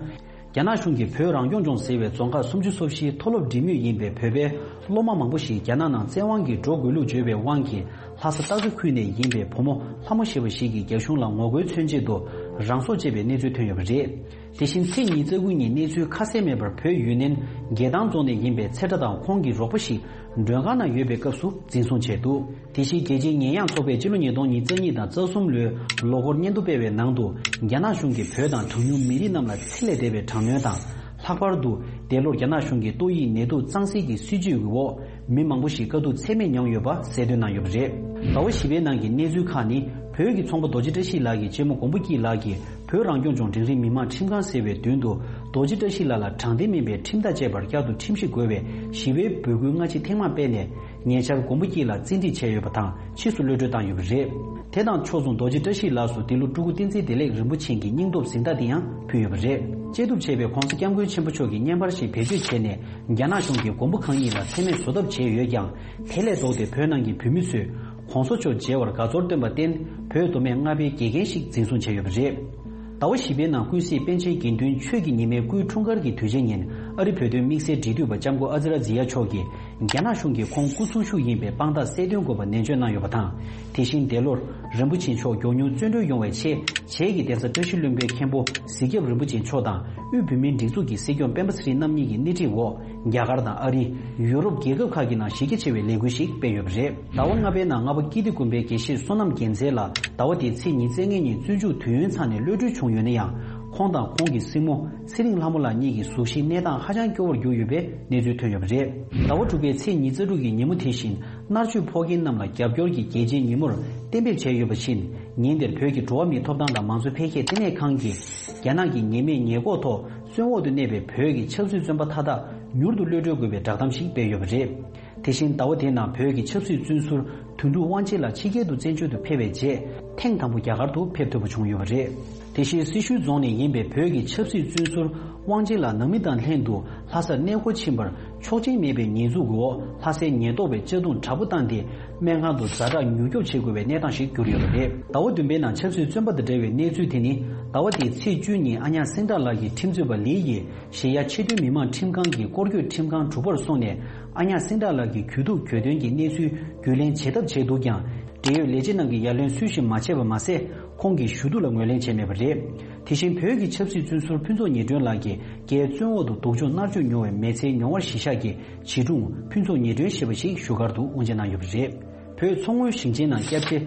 རྒྱ་ནག་གཞུང་གིས་བོད་རང་སྐྱོང་ལྗོངས་ཟེར་བའི་རྫོང་ཁག་སུམ་ཅུ་སོ་བཞིའི་མཐོ་སློབ་འབྲེལ་མོལ་ཡིན་པའི་བོད་པའི་སློབ་མ་མང་པོ་ཞིག་རྒྱ་ནག་ནང་བཙན་དབང་གིས་འགྲོ་དགོས་ལུགས་བརྗོད་པའི་དབང་གིས། ལྷ་ས་སྟག་འཚེར་ཁུལ་ནས་ཡིན་པའི་བུ་མོ་ལྷ་མོ་ཞེས་པ་ཞིག་གིས་རྒྱ་གཞུང་ལ་ངོ་རྒོལ་མཚོན་ཆེད་དུ་རང་སྲོག་བཅད་པའི་གནས་ཚུལ་ཐོན་ཡོད་པ་རེད། དེ་བཞིན་ཚེས་ཉི་ཤུ་རྩ་དགུ་ཉིན་གནས་ཚུལ་ཁ་གསལ་མེད་པར་བོད་ཡུན་ནན་རྒྱལ་ཐང་རྫོང་ནས་ཡིན་པའི་ཚེ་བཀྲ་དང་ཁོང་གི་རོགས་པ་ཞིག་མགྲོན་ཁང་ནང་ཡོད་པའི་སྐབས་སུ་འཛིན་བཟུང་བྱས་འདུག་དེ་བཞིན་རྒྱལ་སྤྱིའི་ཉེས་ཡངས་ཚོགས་པས་སྤྱི་ལོ་ཉིས་སྟོང་ཉི་ཤུ་རྩ་གཉིས་དང་རྩ་གསུམ་ལོའི་ལོ་འཁོར་སྙན་ཐོ་སྤེལ་བའི་ནང་དུ། རྒྱ་ནག་གཞུང་གིས་བོད་དང་གྲངས་ཉུང་མི་རིགས་རྣམས་ལ་འཚེ་ལས་འདས་པའི་དྲག་གནོན་དང་། ལྷག་པར་དུ། འདས་ལོར་རྒྱ་ནག་གཞུང་གིས་ཏོག་དབྱིབས་ནད་དུག་གཙང་སེལ་གྱི་སྲིད་ཇུས་ཀྱི་འོག་མི་མང་པོ་ཞིག་དཀའ་སྡུག་ཚད་མེད་མྱངས་ཡོད་པ་གསལ་སྟོན་གནང་ཡོད་པ་རེད། ཟླ་བ་བཞི་པའི་ནང་གི་གནས་ཚུལ་ཁག་ནི། བོད་ཀྱི་ཚོང་པ་རྡོ་རྗེ་བཀྲ་ཤིས་ལགས་ཀྱི་གཅེན་མོ་མགོན་པོ་སྐྱིད་ལགས་ཀྱིས་བོད་རང་སྐྱོང་ལྗོངས་འབྲིང་རིམ་མི་དམངས་ཁྲིམས་ཁང་ཟེར་བའི་མདུན་དུ། རྡོ་རྗེ་བཀྲ་ཤིས་ལགས་ལ་དྲང་བདེན་མིན་པའི་ཁྲིམས་ཐག་བཅད་པར་བསྐྱར་དུ་ཁྲིམས་ཞིབ་དགོས་པའི་ཞི་བའི་འབོད་སྐུལ་སྔ་ཕྱི་ཐེངས་མང་སྤེལ་ནས། ཉེ་ཆར་མགོན་པོ་སྐྱིད་ལགས་བཙན་ཁྲིད་བྱས་ཡོད་པ་དང་། ཕྱིས་སུ་གློད་གྲོལ་བཏང་ཡོད་པ་རེད། དེ་དང་ཕྱོགས་མཚུངས་རྡོ་རྗེ་བཀྲ་ཤིས་ལགས་སུ་འདི་ལོ་སྤྲུལ་སྐུ་བསྟན་འཛིན་བདེ་ལེགས་རིན་པོ་ཆེ་གི་སྙིང་སྟོབས་གཟེངས་རྟགས་དེ་ཡང་ཕུལ་ཡོད་པ་རེད། བཅད་གཏུབ་བྱས་པའི་༸གོང་ས་༸སྐྱབས་མགོན་ཆེན་པོ་མཆོག་གི་བརྙན་པར་ཞིག་བེད་སྤྱོད་བྱས་ནས། རྒྱ་ནག་གཞུང་གིས་མགོན་པོ་གང་ཉིད་ལ་མཚན་སྨད་བཟོ་ཐབས་བྱས་ཡོད་ཀྱང་། དེ་ལས་ལྡོག་སྟེ་བོད་ནང་གི་བོད་མི་ཚོས་༸གོང་ས་མཆོག་མཇལ་བར་དགའ་ཚོར་བཏོན་པར་བརྟེན། བོད་མདོ་སྨད་རྔ་པའི་དགེ་རྒན་ཞིག་འཛིན་བཟུང་བྱས་ཡོད་པ་རེད། ཟླ་བ་བཞི་པའི་ནང་ཀུན་གཟིགས་པཎ་ཆེན་དགེ་འདུན་ཆོས་ཀྱི་ཉི་མའི་སྐུའི་འཁྲུངས་སྐར་གྱི་དུས་ཆེན་ཉིན། ཨ་རི་བོད་དོན་དམིགས་བསལ་འབྲེལ་མཐུད་པ་ལྕམ་སྐུ་ཨ་ཛི་ར་ཛི་ཡ་མཆོག་གིས། རྒྱ་ནག་གཞུང་གིས་ཁོང་སྐུ་སྲུང་ཤུགས་ཡིན་པའི་དཔང་རྟགས་གསལ་སྟོན་དགོས་པ་ནན་བརྗོད་གནང་ཡོད་པ་དང་། དེ་བཞིན་འདས་ལོར། རིན་པོ་ཆེ་མཆོག་མགྱོགས་མྱུར་བཙོན་གྲོལ་ཡོང་བའི་ཆེད། བྱེས་ཀྱི་གདན་ས་བཀྲ་ཤིས་ལྷུན་པོའི་མཁན་པོ་གཟིག་སྐྱབས་རིན་པོ་ཆེ་མཆོག་དང་། དབུས་བོད་མིའི་སྒྲིག་འཛུགས་ཀྱི་སྲིད་སྐྱོང་སྤེན་པ་ཚེ་རིང་རྣམ་གཉིས་ཀྱི་སྣེ་ཁྲིད་འོག་རྒྱ་གར་དང་ཨ་རི། ཡུ་རོབ་རྒྱལ་ཁབ་ཁག་གི་ནང་གཞི་རྒྱ་ཆེ་བའི་ལས་འགུལ་ཞིག་སྤེལ་ཡོད་པ་རེད། ཟླ་བ་ལྔ་པའི་ནང་རྔ་པ་ཀིརྟི་དགོན་པའི་དགེ་བཤེས་བསོད་ནམས་རྒྱལ་མཚན་ལགས་ཟླ་བ་འདིའི་ཚེས་ཉི་ཤུ་རྩ་ལྔ་ཉིན་བཙོན་འཇུག་དུས་ཡུན་ཚང་ནས་གློད་གྲོལ་བྱུང་ཡོད་ན་ཡང་། ཁོང་དང་ཁོང་གི་སྲིང་མོ་ཚེ་རིང་ལྷ་མོ་ལགས་གཉིས་ཀྱི་གཟུགས་གཞིའི་གནས་སྟངས་ཧ་ཅང་སྐྱོ་བོར་གྱུར་ཡོད་པའི་གནས་ཚུལ་ཐོན་ཡོད་པ་རེད། ཟླ་བ་དྲུག་པའི་ཚེས་ཉི་ཤུ་རྩ་དྲུག་གི་ཉིན་མོ་དེ་བཞིན། མནར་གཅོད་ཕོག་མཁན་རྣམས་ལ་རྒྱབ་སྐྱོར་གྱི་རྒྱལ་སྤྱིའི་ཉིན་མོར་གཏན་འབེབས་བྱས་ཡོད་པ་བཞིན། ཉིན་དེར་བོད་ཀྱི་འགྲོ་བ་མིའི་ཐོབ་ཐང་དང་མང་གཙོ་འཕེལ་རྒྱས་ལྟེ་གནས་ཁང་གིས། རྒྱ་ནག་གི་ཉེས་མེད་ཉེས་འགོག་ཐོག་བཙོན་འོག་ཏུ་གནས་པའི་བོད་ཀྱི་ཆབ་སྲིད་བཙོན་པ་མཐའ་དག་མྱུར་དུ་གློད་གྲོལ་དགོས་པའི་བསྒྲགས་གཏམ་ཞིག་སྤེལ་ཡོད་པ་རེད། དེ་བཞིན་ཟླ་བ་དེའི་ནང་བོད་ཀྱི་ཆབ་སྲིད་བཙོན་ཟུར་དོན་གྲུབ་དབང་ཆེན་ལགས་ཕྱི་རྒྱལ་དུ་བཙན་བྱོལ་དུ་ཕེབས་པའི་རྗེས། ཐེངས་དང་པོ་རྒྱ་གར་དུ་ཕེབས་ཐུབ་པ་བྱུང་ཡོད་པ་རེད། དེ་བཞིན་སེར་ཤུལ་རྫོང་ནས་ཡིན་པའི་བོད་ཀྱི་ཆབ་སྲིད་བཙོན་ཟུར་དབང་ཆེན་ལགས་ནང་མི་དང་ལྷན་དུ་ལྷ་སར་གནས་སྐོར་ཕྱིན་པར་ཆོག་མཆན་མེད་པའི་ཉེས་འཛུགས་འོག་ལྷ་སའི་ཉེན་རྟོག་པས་གཅར་རྡུང་དྲག་པོ་བཏང་སྟེ། སྨན་ཁང་དུ་ཛ་དྲག་མྱུར་སྐྱོབ་བྱེད་དགོས་པའི་གནས་སྟངས་ཤིག་གྱུར་ཡོད་པ་རེད། ཟླ་བ་བདུན་པའི་ནང་ཆབ་སྲིད་བཙོན་པ་དང་འབྲེལ་བའི་གནས་ཚུལ་དེ་ནི། ཟླ་བ་འདིའི་ཚེས་བཅུ་ཉིན་ཨ་ཉག་སེང་བྲག་ལགས་ཀྱི་ཁྲིམས་རྩོད་པ་ལི་ཡིས་ཨེ་ཤེ་ཡ་ཕྱི་དོན་མི་མང་ཁྲིམས་ཁང་གི་སྐོར་སྐྱོད་ཁྲིམས་ཁང་དྲུག་པར་སོང་ནས། ཨ་ཉག་སེང་བྲག་ལགས་ཀྱི་གྱོད་གཏུག་གྱོད་དོན་གྱི་གནས་ཚུལ་རྒྱུས་ལེན་བྱེད་ཐབས་བྱས་འདུག་ཀྱང་། འབྲེལ་ཡོད་ལས་བྱེད་རྣམས་ཀྱིས་ཡ་ལན་སུས་ཤིག་མ་བྱས་པ་མ་ཟད། ཁོང་གི་ཞུ་གཏུག་ལ་ངོས་ལེན་བྱས་མེད་པ་རེད། དེ་བཞིན་བོད་ཀྱི་ཆབ་སྲིད་བཙོན་ཟུར་ཕུན་ཚོགས་ཉི་སྒྲོན་ལགས་ཀྱིས་རྒྱའི་བཙོན་འོག་ཏུ་སྡུག་སྦྱོང་མནར་གཅོད་མྱོང་བའི་མི་ཚེའི་མྱོང་བ་གཞི་བཞག་གི་བྱིས་སྒྲུང་ཕུན་ཚོགས་ཉི་སྒྲོན་ཞེས་པ་ཞིག་བཞུགས་སྒར་དུ་དབུ་འབྱེད་གནང་ཡོད་པ་རེད། བོད་མཚོ་སྔོན་ཞིང་ཆེན་ནང་སྐྱབས་རྗེ་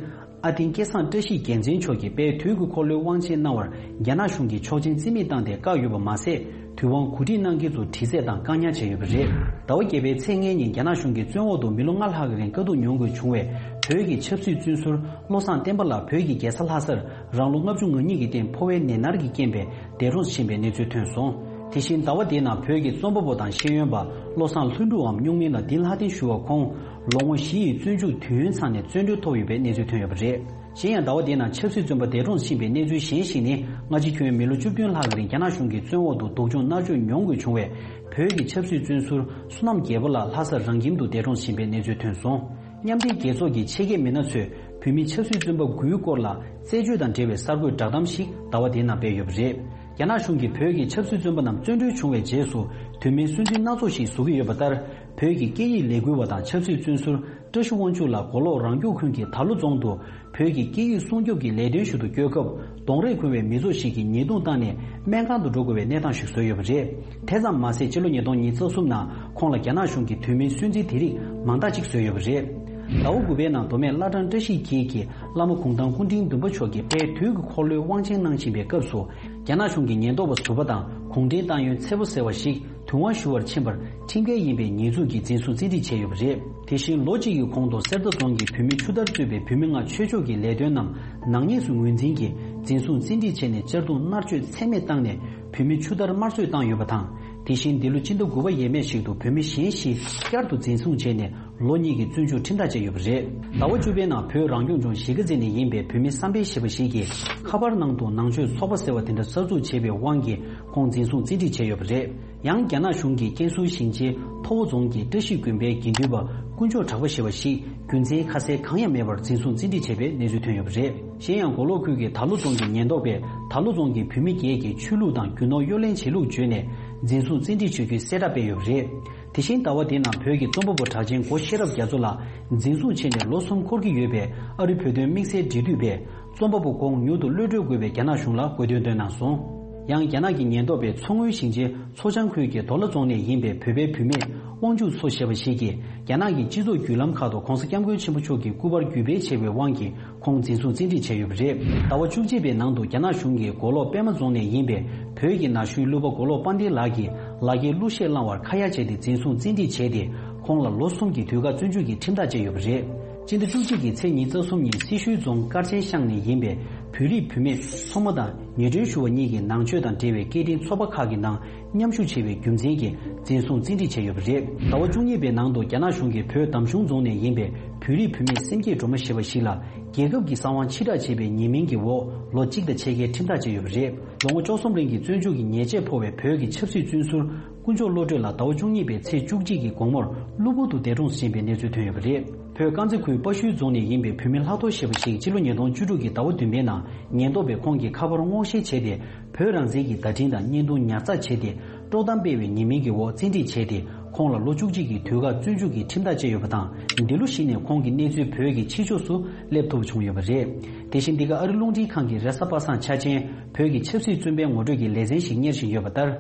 ཨ་དིང་སྐལ་བཟང་བཀྲ་ཤིས་རྒྱལ་མཚན་མཆོག་གིས་དཔལ་དུས་ཀྱི་འཁོར་ལོའི་དབང་ཆེན་གནང་བར་རྒྱ་ནག་གཞུང་གིས་ཆོག་མཆན་རྩིས་མེད་བཏང་སྟེ་བཀག་ཡོད་པ་མ་ཟད། དུས་དབང་གོ་སྒྲིག་གནང་མཁན་ཚོ་དྲི་རྩད་དང་བཀག་ཉར་བྱས་ཡོད་པ་རེད། ཟླ་བ་བརྒྱད་པའི་ཚེས་ལྔའི་ཉིན་རྒྱ་ནག་གཞུང་གིས་བཙོན་འོག་ཏུ་མི་ལོ་ལྔ་ལྷག་གི་རིང་དཀའ་སྡུག་མྱོང་དགོས་བྱུང་བའི་བོད་ཀྱི་ཆབ་སྲིད་བཙོན་ཟུར་བློ་བཟང་བསྟན་པ་ལགས་བོད་ཀྱི་རྒྱལ་ས་ལྷ་སར་རང་ལོ་ལྔ་བཅུ་ང་གཉིས་ཀྱི་སྟེང་ཕོ་བའི་ནད་མནར་གྱི་རྐྱེན་པས་འདས་གྲོངས་ཕྱིན་པའི་གནས་ཚུལ་ཐོན་སོང་། དེ་བཞིན་ཟླ་བ་འདིའི་ནང་བོད་ཀྱི་རྩོམ་པ་པོ་དང་ཤེས་ཡོན་པ་བློ་བཟང་ལྷུན་གྲུབ་འམ་སྨྱུག་མིང་ལ་བདེ་ལྷ་བསྟན་ཞུ་བ་ཁོང་ལོ་ངོ་བཞི་ཡི་བཙོན་འཇུག་དུས་ཡུན་ཚང་ནས་བཙོན་གྲོལ་ཐོབ་ཡོད་པའི་གནས་ཚུལ་ཐོན་ཡོད་པ་རེད། གཞན་ཡང་ཟླ་བ་འདིའི་ནང་ཆབ་སྲིད་བཙོན་པ་འདས་གྲོངས་ཕྱིན་པའི་གནས་ཚུལ་གཞན་ཞིག་ནི། སྔ་ཕྱི་ཁྱོན་མི་ལོ་བཅུ་བདུན་ལྷག་གི་རིང་རྒྱ་ནག་གཞུང་གིས་བཙོན་འོག་ཏུ་སྡུག་སྦྱོང་མནར་གཅོད་མྱོང་དགོས་བྱུང་བའི་བོད་ཀྱི་ཆབ་སྲིད་བཙོན་ཟུར་བསོད་ནམས་རྒྱལ་པོ་ལགས་ལྷ་སར་རང་ཁྱིམ་དུ་འདས་གྲོངས་ཕྱིན་པའི་གནས་ཚུལ་ཐོན་སོང་། མཉམ་འབྲེལ་རྒྱལ་ཚོགས་ཀྱི་ཆེད་མཁས་མི་སྣ་ཚོས་བོད་མི་ཆབ་སྲིད་བཙོན་པ་དགུའི་སྐོར་ལ་རྩད་གཅོད་དང་འབྲེལ་བའི་གསར་འགོད་བསྒྲགས་གཏམ་ཞིག་ཟླ་བ་འདིའི་ནང་སྤེལ་ཡོད་པ་རེད། རྒྱ་ནག་གཞུང་གིས་བོད་ཀྱི་ཆབ་སྲིད་བཙོན་པ་རྣམས་བཙོན་གྲོལ་བྱུང་བའི་རྗེས་སུ། དུས་མིན་སུན་འབྱིན་སྣ་ཚོགས་ཤིག་བཟོ་གི་ཡོད་པ་ལྟར། བོད་ཀྱི་སྐད་ཡིག་ལས་འགུལ་བ་དང་ཆབ་སྲིད་བཙོན་ཟུར་བཀྲ་ཤིས་དབང་ཕྱུག་ལགས་མགོ་ལོག་རང་སྐྱོང་ཁུལ་གྱི་དར་ལུ་རྫོང་དུ། བོད་ཀྱི་སྐད་ཡིག་སྲུང་སྐྱོབ་ཀྱི་ལས་དོན་ཞུ་དུ་སྐྱོད་སྐབས། གདོང་རས་ཁུར་བའི་མི་ཚོགས་ཤིག་གིས་ཉེས་རྡུང་བཏང་ནས་སྨན་ཁང་དུ་འགྲོ་དགོས་པའི་གནས་སྟངས་ཤིག་བཟོས་ཡོད་པ་རེད། དེ་ཙམ་མ་ཟད། ཕྱི་ལོ་ཉིས་སྟོང་ཉི་ཤུ་རྩ་གསུམ་ནང་ཁོང་ལ་རྒྱ་ནག་གཞུང་གིས་དུས་མིན་སུན་འབྱིན་དེ་རིགས་མང་དག་ཅིག་བཟོས་ཡོད་པ་རེད། ཟླ་བ་དགུ་པའི་ནང་མདོ་སྨད་བླ་བྲང་བཀྲ་ཤིས་འཁྱིལ་གྱི་བླ་མ་གུང་ཐང་སྐུ་ཕྲེང་བདུན་པ་མཆོག་གིས་དཔལ་དུས་ཀྱི་འཁོར་ལོའི་དབང་ཆེན་གནང་བཞིན་པའི་སྐབས་སུ། རྒྱ་ནག་གཞུང་གི་ཉེན་རྟོག་པ་ཟུར་པ་དང་གུང་ཁྲན་ཏང་ཡོན་ཚེ་པོ་ཟེར་བ་ཞིག་དུས་དབང་ཞུ་བར་ཕྱིན་པར་ཁྲིམས་འགལ་ཡིན་པའི་ཉེས་འཛུགས་ཀྱིས་འཛིན་བཟུང་བཙན་ཁྲིད་བྱས་ཡོད་པ་རེད། དེ་བཞིན་ལོ་གཅིག་གི་གོང་དུ་གསེར་རྟ་རྫོང་གི་བུད་མེད་ཆུ་དར་གཙོས་པའི་བུད་མེད་ལྔ་ཆོས་ཕྱོགས་ཀྱི་ལས་དོན་རྣམས་ནག་ཉེས་སུ་ངོས་འཛིན་གྱིས་འཛིན་བཟུང་བཙན་ཁྲིད་བྱས་ནས་གཅར་རྡུང་མནར་གཅོད་ཚད་མེད་བཏང་ནས་བུད་མེད་ཆུ་དར་དམར་གསོད་བཏང་ཡོད་པ་དང་། དེ་བཞིན་འདི་ལོ་སྤྱི་ཟླ་དགུ་པ་ཡས་མས་ཤིག་ཏུ་བུད་མེད་གཞན་བཞི་བསྐྱར་དུ་འཛིན་བཟུང་བྱས་ནས་ལོ་གཉིས་ཀྱི་བཙོན་འཇུག་ཁྲིམས་ཐག་བཅད་ཡོད་པ་རེད། ཟླ་བ་བཅུ་པའི་ནང་བོད་རང་སྐྱོང་ལྗོངས་གཞིས་ཀ་རྩེ་ནས་ཡིན་པའི་བུད་མེད་བསམ་འཕེལ་ཞེས་པ་ཞིག་གིས་ཁ་པར་ནང་དུ་ནང་ཆོས་ཚོགས་པ་ཟེར་བ་དེ་འདྲ་གསར་འཛུགས་བྱས་པའི་དབང་གིས་ཁོང་འཛིན་བཟུང་བཙན་ཁྲིད་བྱས་ཡོད་པ་རེད། ཡང་རྒྱ་ནག་གཞུང་གིས་ཀན་སུའུ་ཞིང་ཆེན་ཐོ་བོ་རྫོང་གི་བཀྲ་ཤིས་དགོན་པའི་དགེ་འདུན་པ་དཀོན་མཆོག་གྲགས་པ་ཞེས་པ་ཞིག་རྒྱུ་མཚན་ཁ་གསལ་གང་ཡང་མེད་པར་འཛིན་བཟུང་བཙན་ཁྲིད་བྱས་པའི་གནས་ཚུལ་ཐོན་ཡོད་པ་རེད། གཞན་ཡང་མགོ་ལོག་ཁུལ་གྱི་དར་ལུ་རྫོང་གི་ཉེན་རྟོག་པས་དར་ལུ་རྫོང་གི་བུད་མེད་བརྒྱད་ཀྱི་ཆོས་ལུགས་དང་རྒྱུ་ནོར་གཡོ་ལེན་བྱེད་ལུགས་བརྗོད་ནས་འཛིན་བཟུང་བཙན་ཁྲིད་བྱེད་རྒྱུའི་གསལ་བསྒྲགས་སྤེལ་ཡོད་པ་རེད། དེ་བཞིན་ཟླ་བ་འདིའི་ནང་བོད་ཀྱི་རྩོམ་པ་པོ་གྲགས་ཅན་སྒོ་ཤེས་རབ་རྒྱ་མཚོ་ལགས་འཛིན་བཟུང་བྱས་ནས་ལོ་གསུམ་འཁོར་གྱི་ཡོད་པས། ཨ་རི་བོད་དོན་དམིགས་བསལ་འབྲེལ་མཐུད་པས་རྩོམ་པ་པོ་ཁོང་མྱུར་དུ་གློད་གྲོལ་དགོས་པའི་རྒྱ་ནག་གཞུང་ལ་དགོས་འདུན་བཏོན་གནང་སོང་། ཡང་རྒྱ་ནག་གི་ཉེན་རྟོག་པས་མཚོ་སྔོན་ཞིང་ཆེན་མཚོ་བྱང་ཁུལ་གྱི་དོ་ལ་རྫོང་ནས་ཡིན་པའི་བོད་པའི་བུད་མེད་དབང་ཕྱུག་མཚོ་ཞེས་པ་ཞིག་གིས་རྒྱ་ནག་གི་སྤྱི་ཚོགས་བརྒྱུད་ལམ་ཁག་ཏུ་༧གོང་ས་༧སྐྱབས་མགོན་ཆེན་པོ་མཆོག་གི་སྐུ་པར་བརྒྱུད་སྤེལ་བྱས་པའི་དབང་གིས་ཁོང་འཛིན་བཟུང་བཙན་ཁྲིད་བྱས་ཡོད་པ་རེད། ཟླ་བ་བཅུ་གཅིག་པའི་ནང་དུ་རྒྱ་ནག་གཞུང་གིས་མགོ་ལོག་པད་མ་རྫོང་ནས་ཡིན་པའི་བོད་ཀྱི་ན་གཞོན་གླུ་པ་མགོ་ལོག་དཔལ་ལྡན་ལགས་ཀྱི་ལག་འཁྱེར་གླུ་གཞས་བླངས་བར་ཁ་ཡ་བྱས་ཏེ་འཛིན་བཟུང་བཙན་ཁྲིད་བྱས་ཏེ། ཁོང་ལ་ལོ་གསུམ་གྱི་དུས་བཀག་བཙོན་འཇུག་གི་ཁྲིམས་ཐག་བཅད་ཡོད་པ་རེད། སྤྱི་ཟླ་བཅུ་གཅིག་གི་ཚེས་ཉི་ཤུ་རྩ་གསུམ་ཉིན་སེར་ཤུལ་རྫོང་དཀར་ཆེན་ཤང་ནས་ཡིན་པའི་བོད་རིགས་བུད་མེད་མཚོ་མོ་དང་ཉེ་དྲོན་ཞུ་བ་གཉིས་ཀྱིས་ནང་ཆོས་དང་འབྲེལ་བའི་སྐད་འཕྲིན་ཚོགས་པ་ཁག་གི་ནང་མཉམ་ཞུགས་བྱས་པའི་རྒྱུ་མཚན་གྱིས་འཛིན་བཟུང་བཙན་ཁྲིད་བྱས་ཡོད་པ་རེད། ཟླ་བ་བཅུ་གཉིས་པའི་ནང་དུ་རྒྱ་ནག་གཞུང་གིས་བོད་འདམ་གཞུང་རྫོང་ནས་ཡིན་པའི་བོད་རིགས་བུད་མེད་སེམས་བསྐྱེད་སྒྲོལ་མ་ཞེས་པ་ཞིག་ལ་རྒྱལ་ཁབ་ཀྱི་གསང་བ་ཕྱིར་བསྒྲགས་བྱས་པའི་ཉེས་མིང་གི་འོག་ལོ་གཅིག་དང་ཕྱེད་ཀའི་ཁྲིམས་ཐག་བཅད་ཡོད་པ་རེད། ལོ་ངོ་བཅུ་གསུམ་རིང་གི་བཙོན་འཇུག་གི་ཉེས་ཆད་ཕོག་པའི་བོད་ཀྱི་ཆབ་སྲིད་བཙོན་ཟུར་དཀོན་མཆོག་བློ་གྲོས་ལགས་ཟླ་བ་བཅུ་གཉིས་པའི་ཚེས་བཅུ་གཅིག་གི་དགོང་མོར་གློ་བུར་དུ་འདས་གྲོངས་སུ་ཕྱིན་པའི་གནས་ཚུལ་ཐོན་ཡོད་པ་རེད། བོད་དཀར་མཛེས་ཁུལ་དཔའ་ཤུལ་རྫོང་ནས་ཡིན་པའི་བུད་མེད་ལྷག་རྡོར་ཞེས་པ་ཞིག་ཕྱི་ལོ་ཉིས་སྟོང་བཅུ་དྲུག་གི་ཟླ་བ་བདུན་པའི་ནང་ཉེན་རྟོག་པས་ཁོང་གི་ཁ་པར་སྔོག་བཤེར་བྱས་ཏེ། བོད་རང་བཙན་གྱི་བརྡ་འཕྲིན་དང་བརྙན་ཐུང་ཉར་ཚགས་བྱས་ཏེ། དཀྲོག་གཏམ་སྤེལ་བའི་ཉེས་མིང་གི་འོག་བཙན་ཁྲིད་བྱས་ཏེ། ཁོང་ལ་ལོ་བཅུ་གཅིག་གི་དུས་བཀག་བཙོན་འཇུག་གི་ཁྲིམས་ཐག་བཅད་ཡོད་པ་དང་། འདི་ལོ་གཞི་ནས་ཁོང་གི་གནས་ཚུལ་བོད་ཀྱི་ཕྱི་ཕྱོགས་སུ་སླེབས་ཐུབ་བྱུང་ཡོད་པ་རེད། དེ་བཞིན་འདི་ག་ཨ་རི་རླུང་འཕྲིན་ཁང་གི་རེས་གཟའ་པ་སངས་འཆར་ཅན་བོད་ཀྱི་ཆབ་སྲིད་བཙོན་པའི་ངོ་སྤྲོད་ཀྱི་ལེ་ཚན་ཞིག་གཉེར་བཞིན་ཡོད་པ་ལྟར།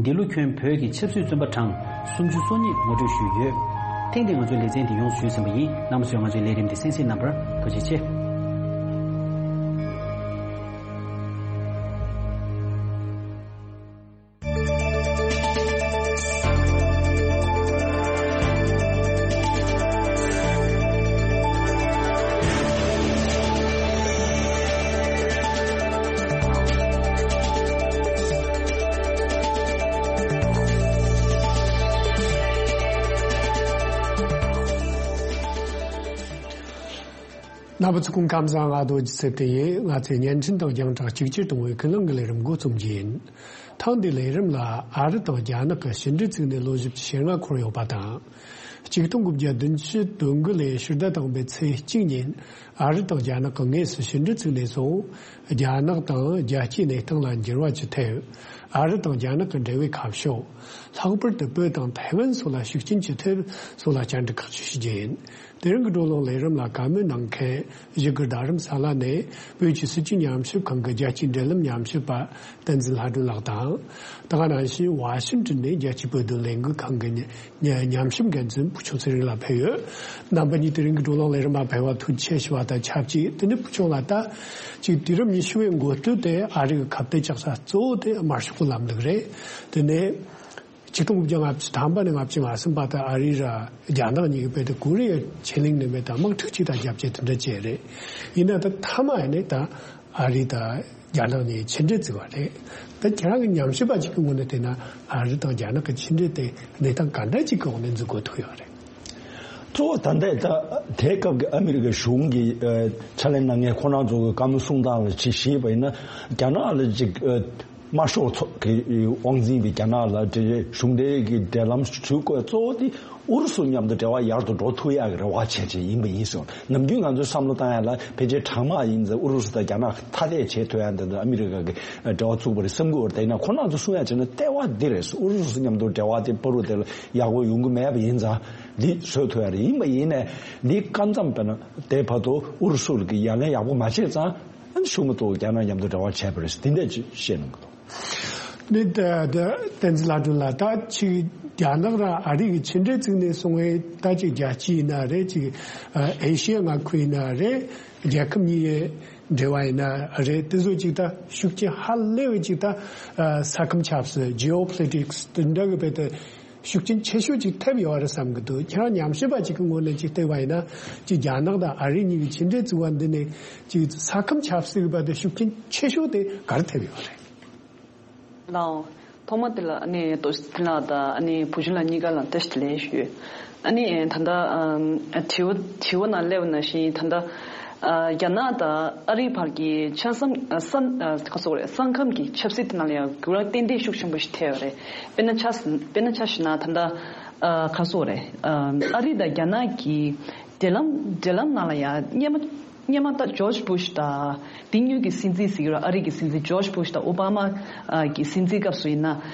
འདི་ལོ་ཁྱོན་བོད་ཀྱི་ཆབ་སྲིད་བཙོན་པ་གྲངས་སུམ་ཅུ་སོ་གཉིས་ངོ་སྤྲོད་ཞུས་ཡོད། ཐེངས་འདིའི་ང་ཚོའི་ལེ་ཚན་འདི་ཡོངས་སུ་ཞུས་ཟིན་པ་ཡིན། རྣམ་པ་ཚོས་ང་ཚོའི་ལས་རིམ་འདི་གསན་གཟིགས་གནང་བར་ཐུགས་རྗེ་ཆེ། རྣམ་པ་ཚོ་སྐུ་ཁམས་བཟང་། ང་རྡོ་རྗེ་ཚེ་བརྟན་ཡིན། ང་ཚོས་བརྙན་འཕྲིན་དང་རྒྱང་བསྒྲགས་གཅིག་གྱུར་གཏོང་བའི་ཀུན་གླེང་གི་ལས་རིམ་འགོ་རྩོམ་གྱི་ཡིན། ཐེངས་འདིའི་ལས་རིམ་ལ་ཨ་རི་དང་རྒྱ་ནག་གི་ཕྱི་འབྲེལ་བཙུགས་ནས་ལོ་བཞི་བཅུ་ཞེ་ལྔ་འཁོར་ཡོད་པ་དང་། གཅིག་སྟོང་དགུ་བརྒྱ་བདུན་ཅུ་དོན་དགུ་ལོའི་ཕྱི་ཟླ་དང་པོའི་ཚེས་གཅིག་ཉིན་ཨ་རི་དང་རྒྱ་ནག་གི་དངོས་སུ་ཕྱི་འབྲེལ་བཙུགས་ནས་བཟུང་། རྒྱ་ནག་དང་རྒྱལ་སྤྱིའི་གནས་སྟངས་ལ་འགྱུར་བ་ཅི་ཐེབས། ཨ་རི་དང་རྒྱ་ནག་གི་འབྲེལ་བའི་ཁ་ཕྱོགས། ལྷག་པར་དུ་བོད་དང་ཐའེ་ཝན་སོགས་ལ་ཤུགས་རྐྱེན་ཅི་ཐེབས་སོགས་ལ་བཅར་འདྲི་ཁག་ཅིག་ཞུ་རྒྱུ་ཡིན། དེ་རིང་གི་བགྲོ་གླེང་ལས་རིམ་ལ་བཀའ་མོལ་གནང་མཁན་བཞུགས་སྒར་རྡ་རམ་ས་ལ་ནས་བོད་ཀྱི་སྲིད་བྱུས་ཉམས་ཞིབ་ཁང་གི་རྒྱལ་སྤྱིའི་འབྲེལ་ལམ་ཉམས་ཞིབ་པ་བསྟན་འཛིན་ལྷ་སྒྲོན་ལགས་དང་། དེ་ག་ནང་བཞིན་ཝ་ཤིང་ཏོན་ནས་རྒྱལ་སྤྱིའི་བོད་དོན་ལས་འགུལ་ཁང་གི་ཉམས་ཉམས་ཞིབ་འགན་འཛིན་བུ་ཆུང་ཚེ་རིང་ལགས་ཕེབས་ཡོད། རྣམ་པ་གཉིས་དེ་རིང་གི་བགྲོ་གླེང་ལས་རིམ་མ་ཕེབས་པར་ཐུགས་རྗེ་ཆེ་ཞུ་བ་དང་ཆབས་ཅིག་དེ་ནས་བུ་ཆུང་ལགས་ད་ཅིག་དུས་རབས་ཉི་ཤུ་བའི་འགོ་སྟོད་དེ་ཨ་རི་གི་ཁ་གཏད་བཅག་ས་གཙོ་བོ་དེ་དམར་ཤོག་གི་ལམ་ལུགས་རེད། དེ་ནས། ཆིག་སྟོང་དགུ་བརྒྱ་ལྔ་བཅུ་ཐམ་པ་ནས་ལྔ་བཅུ་ང་གསུམ་བར་དུ་ཨ་རི་ར་རྒྱ་ནག་གཉིས་ཀྱི་བོད་དུ་ཀོ་རི་ཡ་ཆེ་གླིང་ནས་མེད་དང་དམག་འཁྲུག་ཅིག་དང་རྒྱབ་སྐྱེད་དེ་འདྲ་བྱས་རེད། ཡིན་ན་ད་མཐའ་མ་ཡིན་ནས་ད་ཨ་རི་དང་རྒྱ་ནག་གཉིས་ཕྱི་འབྲེལ་བཙུགས་པ་རེད། ད་ཁྱེད་རང་གི་ཉམས་ཞིབ་པ་ཅིག་གི་ངོས་ནས་བལྟས་ན་ཨ་རི་དང་རྒྱ་ནག་གི་ཕྱི་འབྲེལ་དེ་གནས་སྟངས་ག་འདྲ་ཅིག་གི་འོག་ནས་འཛུགས་དགོས་ཐུག་ཡོད་རེད། གཙོ་བོ་ད་ལྟའི་ད་དེའི་སྐབས་ཀྱི་ཨ་མི་རི་ཀའི་གཞུང་གི་ཕྱག་ལས་གནང་མཁན་ཁོང་རང་ཚོ་གི་བཀའ་མོལ་གསུང་སྟངས་ལ་ཅིག་ཞུས་པ་ཡིན་ན་རྒྱ་ནག་ལ་ཅིག་དམར་ཤོག་ཚོགས་ཀྱི་དབང་འཛིན་པའི་རྒྱ་ནག་ལ་འབྲེལ་གཞུང་འབྲེལ་གྱི་འབྲེལ་ལམ་ཞུ་དགོས་གཙོ་བོ་དེ་ཨུ་རུ་སུ་མཉམ་དུ་འབྲེལ་བ་ཡག་ཏུ་འགྲོ་ཐུབ་ཡག་གི་རེ་བ་བྱས་བྱས་ཡིན་པ་ཡིན་ཟེར། ནམ་རྒྱུན་ང་ཚོས་བསམ་བློ་བཏང་ཡག་ལ་ཕལ་ཆེར་གྲང་དམག་ཡིན་ཙང་ཨུ་རུ་སུ་དང་རྒྱ་ནག་ཐ་དད་བྱེད་ཐུབ་ཡག་འདི་ཚོ་ཨ་མི་རི་ཀ་གི་འབྲེལ་བ་བཙུགས་པ་རེད་བསམ་གྱི་ཡོད་རེད། ཡིན་ན་ཁོ་རང་ཚོ་གསུང་ཡག་བྱས་ན་ལྟེ་བ་འདི་རེད། ཨུ་རུ་སུ་མཉམ་དུ་འབྲེལ་བ་དེ་བར་དུ་དེ་ལ་ཡག་པོ་ཡོང་གི་མེད་པ་ཡིན་ཙང་འདི་བཟོ་ཐུབ་ཡག་རེད། ཡིན་པ་ཡིན་ནའི་འདི་སྐབས་མཚམས་དཔེར་ན་དེ་བར་དུ་ཨུ་རུ་སུ་གི་ཡ་ལན་ཡག་པོ་མ་བྱས་ཙང་། ཨ་ནི་ཤུགས་མ་གཏོགས་རྒྱ་ནག་མཉམ་དུ་འབྲེལ་བ་བྱས་པ་རེད། དེ་འདྲ་ཅིག་བཤད་གནང་གི་འདུག་ནི་ད་ད་བསྟན་འཛིན་ལྷ་སྒྲོན་ལགས། ད་ཅིག་ རྒྱ་ནག་དང་ཨ་རི་གི་ཕྱི་འབྲེལ་བཙུགས་ནས་སོང་བའི་ད་ཅིག་རྒྱལ་སྤྱི་ཡིན་ན་རེད། ཅིག་ཨ་ཨེ་ཤི་ཡ་མངའ་ཁུལ་ཡིན་ན་རེད། རྒྱལ་ཁབ་གཉིས་ཀྱི་འབྲེལ་བ་ཡིན་ན་རེད། དེ་ཚོ་ཅིག་ད་ཤུགས་རྐྱེན་ཧ་ལས་པའི་ཅིག་ད་ཨ་ས་ཁམས་ཆབ་སྲིད། ཇི་ཨོ་པོ་ལི་ཊིག་སི་དེ་འདྲ་གི་བེད་དེ་ཤུགས་རྐྱེན་ཆེ་ཤོས་ཅིག་ཐེབས་ཡོད་རེད་བསམ་གི་འདུག་ཁྱེད་རང་ཉམས་ཞིབ་པ་ཅིག་གི་ངོས་ནས་ཅིག་བལྟས་པ་ཡིན་ན། ཅིག་རྒྱ་ནག་དང་ཨ་རི་གཉིས་ཀྱི་ཕྱི་འབྲེལ་བཙུགས་པ་འདི་ནས་ཅིག་ས་ཁམས་ཆབ་སྲིད་ཀྱི་བར་དུ་ཤུགས་རྐྱེན་ཆེ་ཤོས་དེ་ག་རེ་ཐེབས་ཡོད་རེད། ལའོ། ཐོག་མ་དེ་ལ་ཨ་ནི་ཏོ་དེ་ལ་ད་ཨ་ནི་བུ་ཆུང་ལགས་གཉིས་ཀ་ལ་བཀྲ་ཤིས་བདེ་ལེགས་ཞུ། ཨ་ནི་ད་ལྟ་ཨ་དྲི་བ་དྲི་བ་ནང་སླེབས་པ་ནང་བཞིན། ད་ལྟ་ཨ་རྒྱ་ནག་དང་ཨ་རིའི་བར་གྱི་ཆ་ཚང་ཨ་ས་ཨ་ག་སོག་རེད། ས་ཁམས་ཀྱི་ཆབ་སྲིད་དེ་ནང་ལ་ཡང་འགྱུར་བ་ཏན་ཏན་ཤུགས་ཆེན་པོ་ཞིག་ཐེབས་ཡོད་རེད། དཔེར་ན་ཆ་དཔེར་ན་ཆ་བཞག་ན་ད་ལྟ་ཨ་ག་སོག་རེད། ཨ་ཨ་རི་དང་རྒྱ་ནག་གི་འབྲེལ་ལམ་འབྲེལ་ལམ་ནང་ལ་ཡང་སྔོན་མ་སྔོན་མ་ད་ཇོརྗ་བྷུཤ་དང་དེ་སྔོན་གྱི་སྲིད་འཛིན་ཟེར་གྱི་རེད། ཨ་རི་གི་སྲིད་འཛིན་ཇོརྗ་བྷུཤ་དང་ཨོ་བྷ་མ་ཨ་གི་སྲིད་འཛིན་སྐབས་སུ་ཡིན་ན།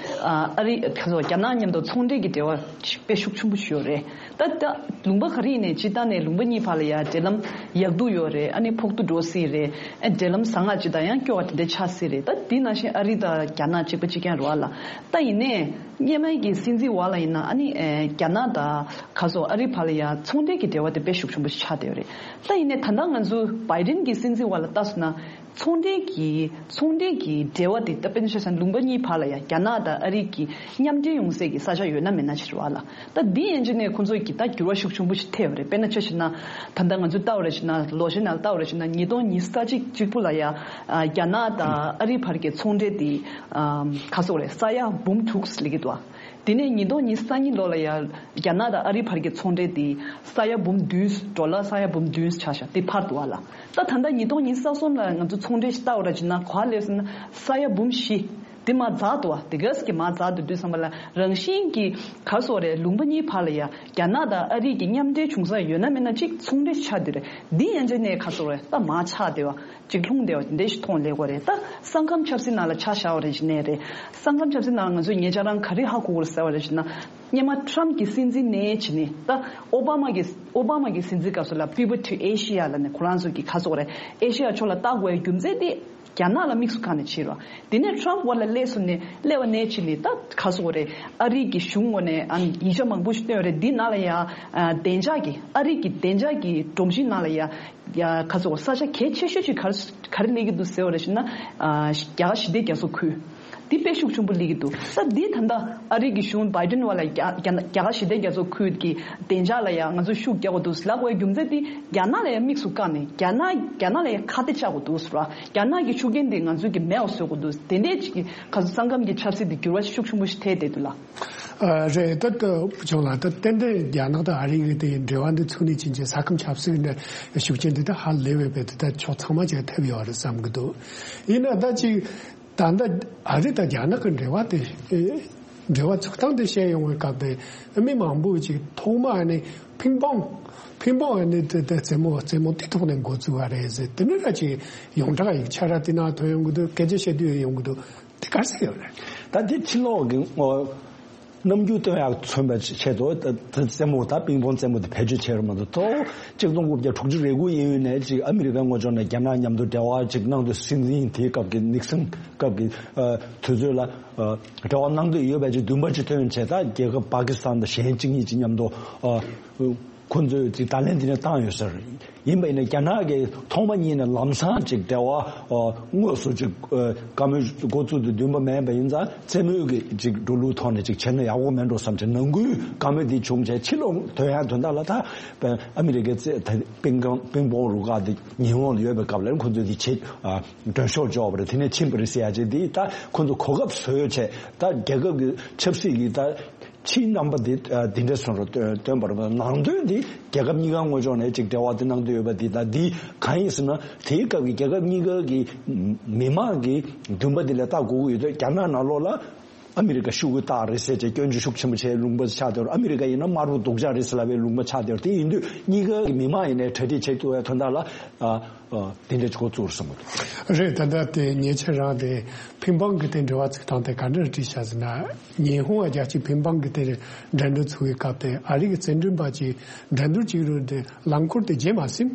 ཨ་ཨ་རི་ཁ་སོ་རྒྱ་ནག་མཉམ་དུ་ཚོང་འབྲེལ་གྱི་འབྲེལ་བ་དཔེ་ཤུགས་ཆེན་པོ་ཞིག་ཡོད་རེད། ད་ད་ལུང་པ་ག་རེ་ཡིན་ནའི་སྤྱིར་བཏང་ནས་ལུང་པ་གཉིས་བར་ལ་ཡང་འབྲེལ་ལམ་ཡག་སྡུག་ཡོད་རེད། ཨ་ནི་ཕོག་ཐུག་འགྲོ་སྲིད་རེད། ཨ་འབྲེལ་ལམ་བཟང་ང་ཅིག་དང་ཡང་སྐྱོ་བ་དེ་འདྲ་ཆགས་སྲིད་རེད། ད་དེ་ནང་བཞིན་ཨ་རི་དང་རྒྱ་ནག་གཅིག་པ་གཅིག་རྐྱང་རེད་བ་ལ། ད་ཡིན་ནའི་སྔོན་མའི་གི་སྲིད་འཛིན་བར་ལ་ཡིན་ན་ཨ་ནི་ཨེ་རྒྱ་ནག་དང་ག་སོ་ཨ་རི་བར་ལ་ཡང་ཚོང་འབྲེལ་གྱི་འབྲེལ་བ་དེ་དཔེ་ཤུགས་ཆེན་པོ་ཞིག་ཆགས་བསྡད་ཡོད་རེད། ད་ཡིན་ནའི་ད་ལྟ་ང་ཚོ་བྷའི་ཌེན་གྱི་སྲིད་འཛིན་བར་ལ་ལྟ་སོང་ན། ཚོང་འབྲེལ་གྱི་ཚོང་འབྲེལ་གྱི་འབྲེལ་བ་དེ་ད་དཔེར་ན་ཆ་བཞག་ན་ལུང་པ་གཉིས་བར་ལ་ཡང་རྒྱ་ནག་དང་ཨ་རི་གི་མཉམ་འབྲེལ་ཡོང་སའི་གི་ས་ཆ་ཡོད་ན་མེད་ན་ཅིག་རེད་བ་ལ། ད་འདི་ཡན་ཆད་ནས་ཁོང་ཚོ་གི་ད་འགྱུར་བ་ཤུགས་ཆེན་པོ་ཞིག་ཐེབས་པ་རེད། དཔེར་ན་ཆ་བཞག་ན་ད་ལྟ་ང་ཚོས་ལྟ་བ་རེད་བྱས་ན། ལོ་ཤས་ནང་ལ་ལྟ་བ་རེད་བྱས་ན་ཉིས་སྟོང་ཉི་ཤུ་རྩ་གཅིག་གཅིག་པུ་ལ་ཡང་ཨ་རྒྱ་ནག་དང་ཨ་རི་བར་གྱི་ཚོང་འབྲེལ་དེ་ཨམ་ག་སོག་རེད། ས་ཡ་འབུམ་དྲུག་སླེབས་ཀྱི་འདུག་དེ་ནས་ཉིས་སྟོང་ཉི་ཤུ་རྩ་གཉིས་ལོ་ལ་ཡང་རྒྱ་ནག་དང་ཨ་རི་བར་གྱི་ཚོང་འབྲེལ་དེ་ས་ཡ་འབུམ་བདུན། ཌོ་ལར་ས་ཡ་འབུམ་བདུན་ཆགས་ཤག་དེ་འཕར་འདུག་བ་ལ། ད་ད་ལྟ་ཉིས་སྟོང་ཉི་ཤུ་རྩ་གསུམ་ལ་ང་ཚོ་ཚོང་འབྲེལ་ཞིག་ལྟ་བ་ར་བྱས་ན་ག་པར་སླེབས་སོང་ན་ས་ཡ་འབུམ་བཞི། དེ་མར་འཛེགས་འདུག་བ། དེ་ག་ཙམ་གྱིས་མར་འཛེགས་འདུག་དུས་ཙམ་པ་ལ་རང་བཞིན་གྱིས་ག་སོག་རེད། ལུང་པ་གཉིས་བར་ལ་ཡ་རྒྱ་ནག་དང་ཨ་རི་གི་མཉམ་འབྲེལ་བྱུང་ས་ཡོད་ན་མེད་ན་ཅིག་ཚོང་འབྲེལ་ཆགས་བསྡད་རེད། འདི་ཡན་ཆད་ནས་ག་སོག་རེད། ད་མར་ཆག་བསྡད་པ་ཅིག་ལྷུང་བསྡད་པ་དེ་འདྲ་ཞིག་མཐོང་སླེབས་ཀྱི་རེད། ད་ས་ཁམས་ཆབ་སྲིད་ནང་ལ་ཆ་བཞག་པ་རེད་བྱས་ནའི་རེད། ས་ཁམས་ཆབ་སྲིད་ནང་ལ་ང་ཚོས་ངེད་ཅག་རང་ག་རེ་ཧ་གོ་དགོས་རེད་ཟེར་བ་རེད་བྱས་ན། སྔོན་མ་ཊམ་གྱི་སྲིད་འཛིན་ནས་བྱས་ནས་ད་ཨོ་བྷ་མ་གི་ཨོ་བྷ་མ་གི་སྲིད་འཛིན་སྐབས་སུ་ལ་Pivot to Asia ལབ་ནས་ཁོ་རང་ཚོ་གི་ག་སོག་རེད། ཨེ་ཤེ་ཡ་ཕྱོགས་ལ་ལྟ་དགོས་པའི་རྒྱུ་མཚན་དེ་རྒྱ་ནག་ལ་དམིགས་སུ་བཀར་ནས་བྱས་རོགས། དེ་ནས་ཊམ་བར་ལ་སླེབས་སོང་ནས་སླེབས་པ་ནས་བྱས་ནས་ད་ག་སོག་རེད། ཨ་རི་གི་གཞུང་ངོས་ནས་ཨ་ཡིག་ཆ་མང་པོ་ཞིག་བཏོན་ཡོད་རེད། འདི་ནང་ལ་ཡ་ཨ་བདེ་འཇགས་ཀྱི་ཨ་རི་གི་བདེ་འཇགས་ཀྱི་སྒྲོམ་གཞི་ནང་ལ་ཡ་ཡ་ག་སོག་ས་ཆ་གལ་ཆེ་ཤོས་ཅིག་ག་རེ་ག་རེ་སླེབས་ཀྱི་འདུག་ཟེར་བ་རེད་བྱས་ན། ཨ་རྒྱ་གར་ཞི་བདེ་རྒྱ་མཚོ་ཁུལ། འདི་དཔེ་ཤུགས་ཆེན་པོ་སླེབས་ཀྱི་འདུག་ས་འདི་ད་ལྟ་ཨ་རི་གི་གཞུང་བྷའི་ཌེན་བར་ལ་རྒྱ་རྒྱ་རྒྱ་གར་ཞི་བདེ་རྒྱ་མཚོ་ཁུལ་གྱི་བདེ་འཇགས་ལ་ཡང་ང་ཚོ་ཤུགས་རྒྱག་དགོས་འདུག་ལབ་དགོས་པའི་རྒྱུ་མཚན་དེ་རྒྱ་ནག་ལ་ཡང་དམིགས་སུ་བཀར་ནས་རྒྱ་ནག་རྒྱ་ནག་ལ་ཡང་ཁ་གཏད་བཅག་དགོས་འདུག་ཟེར་བ། རྒྱ་ནག་གི་ཤུགས་རྐྱེན་དེ་ང་ཚོ་གི་མེད་པ་བཟོ་དགོས་འདུག་དེ་འདྲས་ཅིག་གི་ག་ཚོད་ས་ཁམས་ཀྱི་ཆབ་སྲིད་དེ་འགྱུར་བ་ཤུགས་ཆེན་པོ་ཞིག་ཐེབས་བསྡད་འདུག་ལ། ཨ་རེད། ད་ལྟ་བུ་ཆུང་ལགས་ད་ཏན་ཏན་རྒྱ་ནག་དང་ཨ་རི་གི་དེ་འབྲེལ་བ་འདི་ཚུགས་ནས་ཕྱིན་ཆད་ས་ཁམས་ཆབ་སྲིད་ནས་ཤུགས་རྐྱེན་འདི་ད་ཧ་ལས་པའི་དཔེ་དེ་ད་ཕྱོགས་ཚང་མ་ཅིག་ཐེབས་ཡོད་རེད་བསམ་གི་འདུག་ཡིན་ན་ད་ཅིག་ད་ལྟ་ཨ་རི་དང་རྒྱ་ནག་གི་འབྲེལ་བ་དེ་ཨེ་འབྲེལ་བ་ཚུགས་སྟངས་དེ་བཤད་ཡོང་བའི་སྐབས་དེ་མི་མང་པོ་ཅིག་ཐོག་མ་ཨ་ནི་ཕིང་པོང་ཕིང་པོང་ཨ་ནི་དེ་དེ་རྩེད་མོ་རྩེད་མོ་དེ་ཐོག་ནས་འགོ་བཙུགས་པ་རེད་ཟེར། དེ་ནི་ར་ཅིག་ཡོངས་གྲགས་ཡིག་ཆ་ར་དེ་ནང་ཐོན་ཡོང་གི་འདུག་སྐད་ཆ་བཤད་དུས་ཡོང་གི་འདུག་དེ་ག་རེ་ཟེར་ཡོད་རེད། ད་དེ་ཕྱི་ལོགས་ཀྱི་ངོ་རྣམ་འགྱུར་སྟོན་ཡག་མཚོན་པའི་ཆེད་དུ་ད་ད་རྩེད་མོ་ད་ཕིང་པོང་རྩེད་མོ་དེ་བེད་སྤྱོད་བྱས་རེད་མ་གཏོགས། གཅིག་སྟོང་དགུ་བརྒྱ་དྲུག་ཅུ་རེ་དགུ་ཡིན་ཡོད་ནས་ཅིག་ཨ་མི་རི་ཀའི་ངོས་ཕྱོགས་ནས་རྒྱ་ནག་མཉམ་དུ་འབྲེལ་བ་ཅིག་གནང་དུས་སྲིད་འཛིན་དེའི་སྐབས་ཀྱི་ནིག་སན་སྐབས་ཀྱི་ཨ་དུས་ཚོད་ལ་ཨ་འབྲེལ་བ་གནང་འདོད་ཡོད་པའི་ཅིག་འདུན་པ་ཅིག་ཐོན་བྱས། ད་རྒྱལ་ཁབ་པ་ཀི་སི་ཐན་དང་གཞན་གཅིག་གཉིས་ཅིག་མཉམ་དུ་ཨ་ཁོ་ཚོས་ཅིག་བརྡ་ལན་དེ་འདྲ་བཏང་ཡོད་ཟེར། ཡིན་པ་ཡིན་ན་རྒྱ་ནག་གིས་ཐོག་མ་ཉིད་ནས་ལམ་སང་ཅིག་འབྲེལ་བ་ཨ་དངོས་སུ་ཅིག་ཨ་བཀའ་མོལ་འགོ་བཙུགས་དུས་འདུན་པ་མེད་པ་ཡིན་ཙང་རྩེད་མོའི་གི་ཅིག་འགྲོ་ལུགས་ཐོག་ནས་ཅིག་བྱས་ན་ཡག་པོ་མེད་འགྲོ་བསམ་བྱས་ནང་ཁུལ་བཀའ་མོལ་དེ་བྱུང་བྱས། ཕྱི་ལོགས་ཐོན་ཡག་དོན་དག་ལ་ད་ཨ་མི་རི་ཀའི་རྩེད་ད་ཕིང་ཀང་ཕིང་པོང་རུ་ཁག་དེ་ཉི་ཧོང་ལ་ཡོད་པའི་སྐབས་ལ་ཁོ་ཚོས་དེ་བྱེད་ཨ་མགྲོན་ཤོག་འབྱོར་བ་རེད། དེ་ནས་ཕྱིན་པ་རེད་ཟེར་ཡ་ཅིག་དེ་ད་ཁོ་ཚོ་གོ་སྐབས་བཟོས་བྱས། ད་རྒྱལ་ཁབ་ཀྱི་ཆབ་སྲིད་ཀྱི་ད་ཕྱིའི་རྣམ་པ་འདི་ཨ་འདི་འདྲ་སོང་རུ་སྟོན་སྟོན་པར་ནང་དོན་འདི་རྒྱལ་ཁབ་གཉིས་ཀ་ངོས་ཕྱོགས་ནས་ཅིག་འབྲེལ་བ་འདི་གནང་འདོད་ཡོད་པ་འདི་དང་འདི་གང་ཡིན་ཟེར་ན། དེའི་སྐབས་ཀྱི་རྒྱལ་ཁབ་གཉིས་ཀ་གི་མི་མང་གི་འདུན་པ་འདི་ལ་ལྟ་དགོས་ཀྱི་ཡོད་དུས། རྒྱ་ནག་ནང་ལོགས་ལ་ཨ་མི་རི་ཀ་ཤོག་གུ་བཏགས་རེད་ཟེར་བྱས་སྐྱོན་བརྗོད་ཤུགས་ཆེན་པོ་བྱས་ལུང་པ་ཆགས་བསྡད་ཡོད་རེད། ཨ་མི་རི་ཀ་ཡིན་ན་དམར་པོ་སྡུག་ཅག་རེད་ཟེར་ལབ་པའི་ལུང་པ་ཆགས་བསྡད་ཡོད་རེད། དེ་ཡིན་དུས་གཉིས་ཀ་གི་མི་མང་ཡིན་ནའི་གྲ་སྒྲིག་བྱེད་ཐུབ་པའི་དོན་དག་ལ་ཨ། ཨ། དེ་འདྲ་ཅིག་འགོ་བཙུགས་སོང་། རེད། ད་ལྟ་དེ་ཉེ་ཆར་རང་དེ་ཕིང་པང་གི་དེ་འབྲེལ་བ་ཚུགས་སྟངས་དེ་ག་འདྲ་བྲིས་བཞག་ཟེར་ན། ཉི་ཧོང་རྒྱལ་སྤྱིའི་ཕིང་པང་གི་དེ་འགྲན་བསྡུར་ཚུགས་པའི་སྐབས་དེ་ཨ་རི་གི་རྩེད་འགྲན་པ་ཅིག་འགྲན་བསྡུར་བྱེད་རུང་དེ་རླངས་འཁོར་དེ་བརྗེ་མ་ཟིན།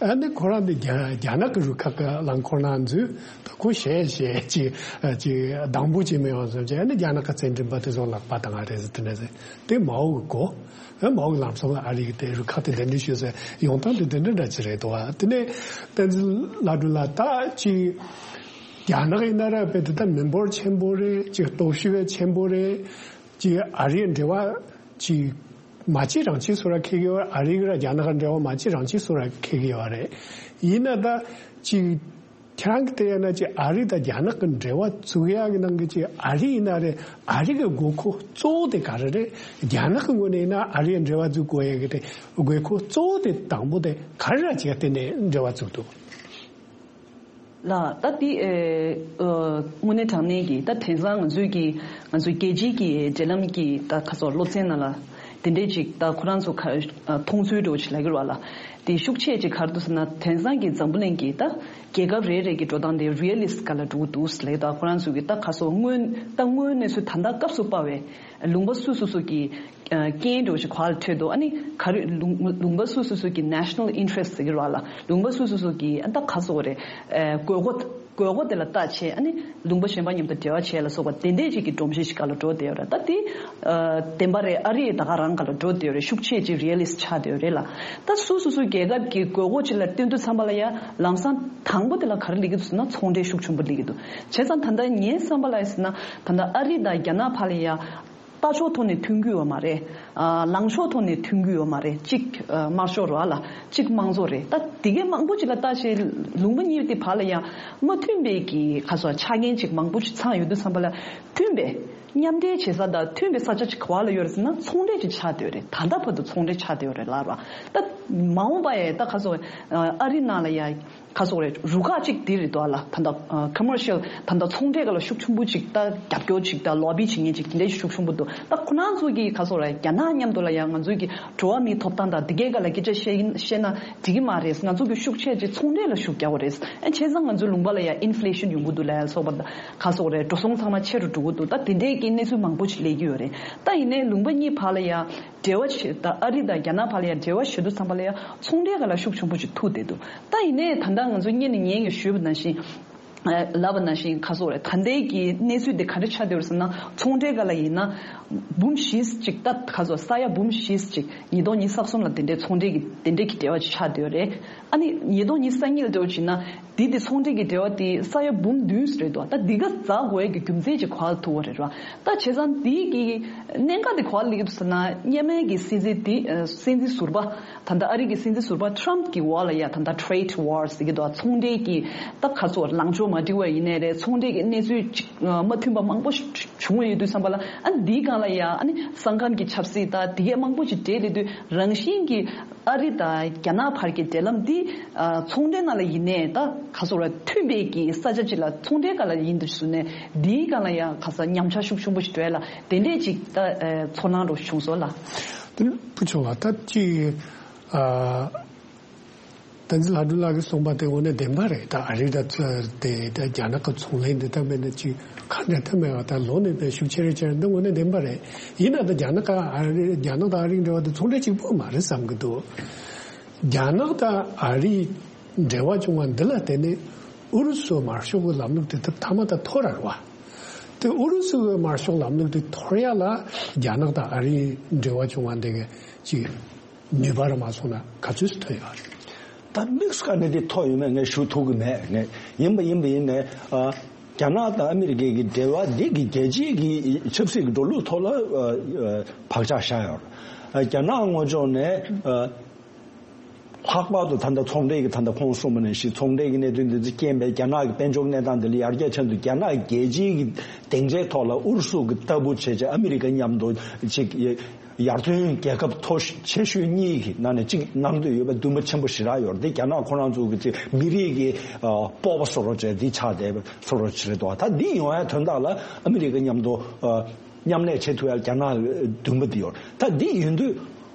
ཨ་ནི་ཁོ་རང་འདི་རྒྱ་རྒྱ་ནག་གི་རུ་ཁག་གི་རླངས་འཁོར་ནང་འཛུལ། ད་ཁོ་ཞེད་ཞེད་ཅིག་ཅིག་སྡང་པོ་ཅིག་མི་ཡོང་བསམ་ཅིག་ཨ་ནི་རྒྱ་ནག་གི་བཙན་འཛུལ་པ་དེ་ཚོ་ལག་པ་བཏང་བ་རེད་ཟེར། དེ་འདྲ་ཟེར། དེ་མའོ་གི་གོ་ཨ་མའོ་གི་ལམ་སང་ལ་ཨ་རི་གི་དེ་རུ་ཁག་དེ་འདི་འདྲ་ཞུས་ཟེར་ཡོང་སྟངས་དེ་འདི་འདྲ་འདྲ་ཅིག་རེད་འདུག་བ། དེ་ནས་བསྟན་འཛིན་ལྷ་སྒྲོན་ལགས། ད་ཅིག་རྒྱ་ནག་ཡིན་ན་ར་དཔེ་དེ་ད་མི་འབོར་ཆེན་པོ་རེད། ཅིག་སྟོབས་ཤུགས་ཆེན་པོ་རེད། ཅིག་ཨ་རིའི་འབྲེལ་བ་ཅིག་མ་གཅིག་རང་གཅིག་བཟོ་ར་འཁེལ་གི་ཡོད། ཨ་རི་གི་ར་རྒྱ་ནག་གི་འབྲེལ་བ་མ་གཅིག་རང་གཅིག་བཟོ་ར་འཁེལ་གི་ཡོད་རེད། ཡིན་ན་ད་ཅིག་ཁྱེད་རང་གི་དེ་ཡིན་ན་ཅིག་ཨ་རི་དང་རྒྱ་ནག་གི་འབྲེལ་བ་བཙུགས་ཡག་གི་ནང་གི་ཅིག་ཨ་རི་ཡིན་ན་རེད། ཨ་རི་གི་དགོས་མཁོ་གཙོ་བོ་དེ་ག་རེ་རེད། རྒྱ་ནག་གི་ངོས་ནས་ཡིན་ན་ཨ་རི་འབྲེལ་བ་འཛུགས་དགོས་ཡག་གི་དེ་དགོས་མཁོ་གཙོ་བོ་དེ་དང་པོ་དེ་ག་རེ་ར་ཅིག་བརྟེན་ནས་འབྲེལ་བ་བཙུགས་འདུག་ལ། ད་དེ་ཨེ་ཨ་དངོས་གནས་དྲང་གནས་ཀྱི་ད་དེང་སང་ང་ཚོའི་གི་ང་ཚོའི་རྒྱལ་སྤྱིའི་གི་འབྲེལ་ལམ་གྱི་ད་ཁ་སོ་སློབ་ཚན་ནང་ལ་དེ་འདྲས་ཅིག་ད་ཁོ་རང་ཚོ་ཁ་ཨ་མཐོང་ཚུལ་འདྲ་བོ་ཅིག་ལབ་ཀྱི་རེད་བ་ལ། དེ་ཤུགས་ཆེ་ཅིག་ག་རེ་འདུག་ཟེར་ན། དེང་སང་གི་འཛམ་བུ་གླིང་གི་ད་རྒྱལ་ཁབ་རེ་རེ་གི་འགྲོ་སྟངས་དེ་རི་ཡ་ལི་སི་ཊི་སྒང་ལ་འགྲོ་གི་འདུག་ལབ། ད་ཁོ་རང་ཚོ་གི་ད་ཁ་སོ་དངོས་ད་དངོས་གནས་ཚུལ་ད་ལྟ་སྐབས་སུ་བབས་པའི་ལུང་པ་སོ་སོ་སོ་གི་ཨ་རྐྱེན་འདྲ་བོ་ཞིག་གོ་བ་ལ་འཕྲོད་འདུག་ཨ་ནི་ག་རེ་ལུང་ལུང་པ་སོ་སོ་སོ་གི་national interest ཟེར་གྱི་རེད་བ་ལ། ལུང་པ་སོ་སོ་སོ་གི་ཨ་ད་ག་ཟེར་དགོས་རེད། ཨ་དགོས་མཁོ་དགོས་མཁོ་དེ་ལ་བལྟས་བྱས་ཨ་ནི་ལུང་པ་གཞན་པ་མཉམ་དུ་འབྲེལ་བ་བྱས་ལ་སོགས་པ་དེ་འདྲས་ཅིག་གི་སྒྲོམ་གཞི་ཞིག་སྒང་ལ་འགྲོ་བསྡད་ཡོད་རེད། ད་དེ་ཨ་བདེན་པ་རེད། ཨ་རི་ད་ག་རང་སྒང་ལ་འགྲོ་བསྡད་ཡོད་རེད། ཤུགས་ཆེ་ཅིག་རི་ཡ་ལི་སི་ཊི་ཆགས་བསྡད་ཡོད་རེད་ལ། ད་སོ་སོ་སོའི་རྒྱལ་ཁབ་ཀྱི་དགོས་མཁོ་ཅིག་ལ་བསྟུན་དུས་ཙམ་པ་ལ་ཡ་ལམ་སང་དང་པོ་དེ་ལ་ག་རེ་སླེབས་ཀྱི་འདུག་ཟེར་ན་ཚོང་འབྲེལ་ཤུགས་ཆེན་པོ་སླེབས་ཀྱི་འདུག་བྱས་ཙང་ད་ལྟ་ངའི་བསམ་པ་ལ་ཡ་ཟེར་ན་ད་ལྟ་ཨ་རི་དང་རྒྱ་ནག་བར་ལ་ཡ། ལྟ་ཕྱོགས་ཐོག་ནས་མཐུན་གྱི་ཡོད་མ་རེད། ཨ་ལངས་ཕྱོགས་ཐོག་ནས་མཐུན་གྱི་ཡོད་མ་རེད། གཅིག་ཨ་དམར་ཤོག་རེད་བ་ལ། གཅིག་དམངས་གཙོ་རེད། ད་དེ་གའི་མང་པོ་ཅིག་ལ་ལྟ་བྱས་ལུང་པ་གཉིས་དེ་བར་ལ་ཡང་མ་མཐུན་པའི་གི་ཁ་སོ་ཆ་རྐྱེན་ཅིག་མང་པོ་ཅིག་ཚང་ཡོད་དུས་ཙམ་པ་ལ་མཐུན་པའི་མཉམ་འབྲེལ་བྱེད་ས་དང་མཐུན་པའི་ས་ཆ་ཅིག་ག་བ་ལ་ཡོད་རེད་ཟེར་ན་ཚོང་འབྲེལ་ཅིག་ཆགས་བསྡད་ཡོད་རེད། ད་ལྟ་བར་དུ་ཚོང་འབྲེལ་ཆགས་བསྡད་ཡོད་རེད་ལབ་ར། ད་མ་འོངས་པ་ཡ་ད་ཁ་སོ་ཨ་རི་ནང་ལ་ཡ། ག་ཟེར་དགོས་རེད། རུ་ཁག་ཅིག་འདི་རེད་འདུག་ཨ་ལ། ད་ལྟ་ཨ་commercial ད་ལྟ་ཚོང་འབྲེལ་སྒང་ལ་ཤུགས་ཆེན་པོ་ཅིག་ད་རྒྱབ་སྐྱོར་ཅིག་ད་ལོ་བི་བྱེད་མཁན་ཅིག་དེ་འདྲ་ཤུགས་ཆེན་པོ་འདུག་ད་ཁོ་རང་ཚོ་གིས་ག་ཟེར་དགོས་རེད། རྒྱ་ནག་མཉམ་དུ་ལ་ཡང་ང་ཚོའི་གི་འགྲོ་བ་མིའི་ཐོབ་ཐང་དང་དེ་གའི་སྒང་ལ་སྐད་ཆ་བཤད་ཡིན་བཤད་ན་འགྲིག་གི་མ་རེད། ང་ཚོ་གི་ཤུགས་ཆེ་ཅིག་ཚོང་འབྲེལ་ལ་ཤུགས་རྒྱག་དགོས་རེད། ཨ་བྱས་ཙང་ང་ཚོའི་ལུང་པ་ལ་ཡང་inflation ཡོང་གི་འདུག་ལ་ཡང་སོགས་པ་ད་ག་ཟེར་དགོས་རེད། འགྲོ་སོང་ཚང་མ་ཆེ་རུ་འགྲོ་གི་འདུག་ད་དེ་འདྲའི་གི་གནས་ཚུལ་མང་པོ་ཅིག་སླེབས་ཀྱི་ཡོད་རེད། ད་ཡིན་ནའི་ལུང་པ་གཉིས་བར་ལ་ཡང་འབྲེལ་བ་བྱེད་ད་ཨ་རི་དང་རྒྱ་ནག་བར་ལ་ཡང་འབྲེལ་བ་བྱེད་དུས་ཙམ་པ་ལ་ཡང་ཚོང་འབྲེལ་སྒང་ལ་ཤུགས་ཆེན་པོ་ཅིག་ཐུག་བསྡད་འདུག་ད་ཡིན་ནའི་ད་ལྟ་ང་ཚོ་སྔོན་ནས་ངས་ཀྱང་ཞུས་པ་ནང་བཞིན། ལབ་པ་ནང་བཞིན་ག་ཟེར་དགོས་རེད། ད་ལྟའི་གི་གནས་ཚུལ་འདི་ག་འདྲ་ཆགས་བསྡད་ཡོད་རེད་ཟེར་ན་ཚོང་འབྲེལ་སྒང་ལ་ཡིན་ན་འབུམ་བཞི་ཅིག་ད་ག་ཟེར་ས་ཡ་འབུམ་བཞི་ཅིག་ཉིས་སྟོང་ཉི་ཤུ་རྩ་གསུམ་ལ་དེ་འདྲའི་ཚོང་འབྲེལ་གི་དེ་འདྲའི་གི་འབྲེལ་བ་ཅིག་ཆགས་བསྡད་ཡོད་རེད། ཨ་ནི་ཉིས་སྟོང་ཉི་ཤུ་རྩ་གཉིས་ལ་འབྲེལ་བ་བྱས་ན། དེ་དེ་ཚོང་འབྲེལ་གྱི་འབྲེལ་བ་དེ་ས་ཡ་འབུམ་བདུན་རེད་འདུག་ད་འདི་ག་འཛག་དགོས་ཀྱི་རྒྱུ་མཚན་ཅིག་ག་པར་ཐུག་པ་རེད་ར། ད་བྱས་ཙང་དེའི་གི་གནད་འགག་དེ་ག་པར་སླེབས་ཀྱི་འདུག་ཟེར་ན། སྔོན་མའི་གི་སྲིད་འཛིན་དེ་ཨ་སྲིད་འཛིན་ཟུར་པ་ད་ལྟ་ཨ་རི་གི་སྲིད་འཛིན་ཟུར་པ་ཊམ་གི་འོག་ལ་ཡ་ད་ལྟ་trade war ཟེར་གྱི་འདུག་ཚོང་འབྲེལ་གྱི་ད་ག་ཚོད་ལངས་ཕྱོགས་མ་འགྲིག་པ་ཡིན་ནའི་རེད། ཚོང་འབྲེལ་གྱི་གནས་ཚུལ་ཅིག་མ་མཐུན་པ་མང་པོ་བྱུང་བ་ཡོད་དུས་ཙམ་པ་ལ། ཨ་འདིའི་སྒང་ལ་ཡ་ཨ་ནི་ས་ཁམས་ཀྱི་ཆབ་སྲིད་ད་དེ་གས་མང་པོ་ཅིག་འདྲེས་སླེབས་དུས་རང་བཞིན་གྱི་ཨ་རི་དང་རྒྱ་ནག་བར་གྱི་འབྲེལ་ལམ་འདི་ཨ་ཚོང་འབྲེལ་ནང་ལ་ཡིན་ནའི་ད་ག་ཟེར་དགོས་རེད། མཐུན་པའི་གི་ས་ཆ་ཅིག་ལ་ཚོང་འབྲེལ་སྒང་ལ་ཡིན་དུ་ཞུ་ནས་འདིའི་སྒང་ལ་ཡང་ག་ས་ཉམས་ཆག་ཤུགས་ཆེན་པོ་ཞིག་འགྲོ་ཡ་ལ་དེ་འདྲས་ཅིག་ད་ཨ་ཚོར་སྣང་རུ་བྱུང་སོང་ལ། དེ་ནི་བུ་ཆུང་ལགས། ད་ཅིག་ཨ་བསྟན་འཛིན་ལྷ་སྒྲོན་ལགས་ཀྱིས་གསུངས་པ་དེ་དངོས་གནས་བདེན་པ་རེད། ད་ཨ་རི་དང་ཚ་དེ་ད་རྒྱ་ནག་གི་ཚོང་ལས་འདི་ད་མེད་ན་ཅིག་ག་འདྲ་ཐབས་མེད་པ་ད་ལོ་ནས་ད་ཤུགས་ཆེ་རེ་ཆེ་རེ་འདི་དངོས་གནས་བདེན་པ་རེད། ཡིན་ན་ད་རྒྱ་ནག་ག་ཨ་རི་རྒྱ་ནག་དང་ཨ་རིའི་འབྲེལ་བ་དེ་ཚོང་འབྲེལ་གཅིག་པོ་མ་རེད་བསམ་གྱི་འདུག་རྒྱ་ནག་དང་ཨ་རིའི་འབྲེལ་བ་བྱུང་བ་འདི་ལ་བརྟེན་ནས་ཨུ་རུ་སུ་དམར་ཤོག་གི་ལམ་ལུགས་དེ་ཐབས་མཐའ་མ་ད་འཐོར་ར་རེད་བ། དེ་ཨུ་རུ་སུ་གི་དམར་ཤོག་ལམ་ལུགས་དེ་འཐོར་ཡ་ལ་རྒྱ་ནག་དང་ཨ་རིའི་འབྲེལ་བ་བྱུང་བ་འདི་གི་ཅིག་ནུས་པ་ར་མ་སོང་ན་ག་ཚོད་ཐོན་ཡོད་རེད། ད་དམིགས་སུ་བཀར་ནས་དེ་ཐོག་ཡོད་མེད་ངས་ཞུ་ཐུབ་ཀྱི་མེད། ངས་ཡིན་པ་ཡིན་པ་ཡིན་ནས་ཨ་རྒྱ་ནག་དང་ཨ་མི་རི་ཀའི་གི་འབྲེལ་བ་འདི་གི་རྒྱལ་སྤྱིའི་གི་ཆབ་སྲིད་ཀྱི་འགྲོ་ལུགས་ཐོག་ལ་ཨ་ཨ་བག་ཆགས་བཞག་ཡོད་རེད། ཨ་རྒྱ་ནག་ངོས་ཕྱོགས་ནས་ཨ་ལྷག་པར་དུ་ད་ལྟ་ཚོང་འབྲེལ་གྱི་ད་ལྟ་ཁོང་གསུངས་པ་ནང་བཞིན་ཚོང་འབྲེལ་གྱི་གནད་དོན་འདི་ཚོ་རྐྱེན་པས་རྒྱ་ནག་གི་དཔལ་འབྱོར་གནས་སྟངས་འདི་ལ་ཡར་རྒྱས་ཕྱིན་འདུག་རྒྱ་ནག་གི་རྒྱལ་སྤྱིའི་གི་སྡིངས་ཆའི་ཐོག་ལ་ཨུ་རུ་སུ་གི་ལྟ་བུ་བྱས་བྱས་ཨ་མི་རི་ཀ་མཉམ་དུ་ཅིག་ཡར་ཐོན་རྒྱལ་ཁབ་མཐོ་ཤོས་ཆེ་ཤོས་གཉིས་ཀྱི་ནང་ནས་གཅིག་གནང་འདོད་ཡོད་པའི་འདུན་པ་ཆེན་པོ་ཞེ་དྲག་ཡོད་རེད། དེ་རྒྱ་ནག་ཁོ་རང་ཚོ་གི་ཅིག་མི་རིགས་ཀྱི་ཨ་སྤོབས་པ་བཟོ་འདྲ་བྱས་འདི་ཆགས་བསྡད་པ་བཟོ་འདྲ་ཅིག་རེད་འདུག་ད་འདི་ཡོང་ཡ་དོན་དག་ལ་ཨ་མི་རི་ཀ་མཉམ་དུ་ཨ་མཉམ་ལས་བྱེད་ཐུབ་ཡ་རྒྱ་ནག་འདུན་པ་འདི་ཡོད་རེད། ད་འདི་ཡིན་དུས།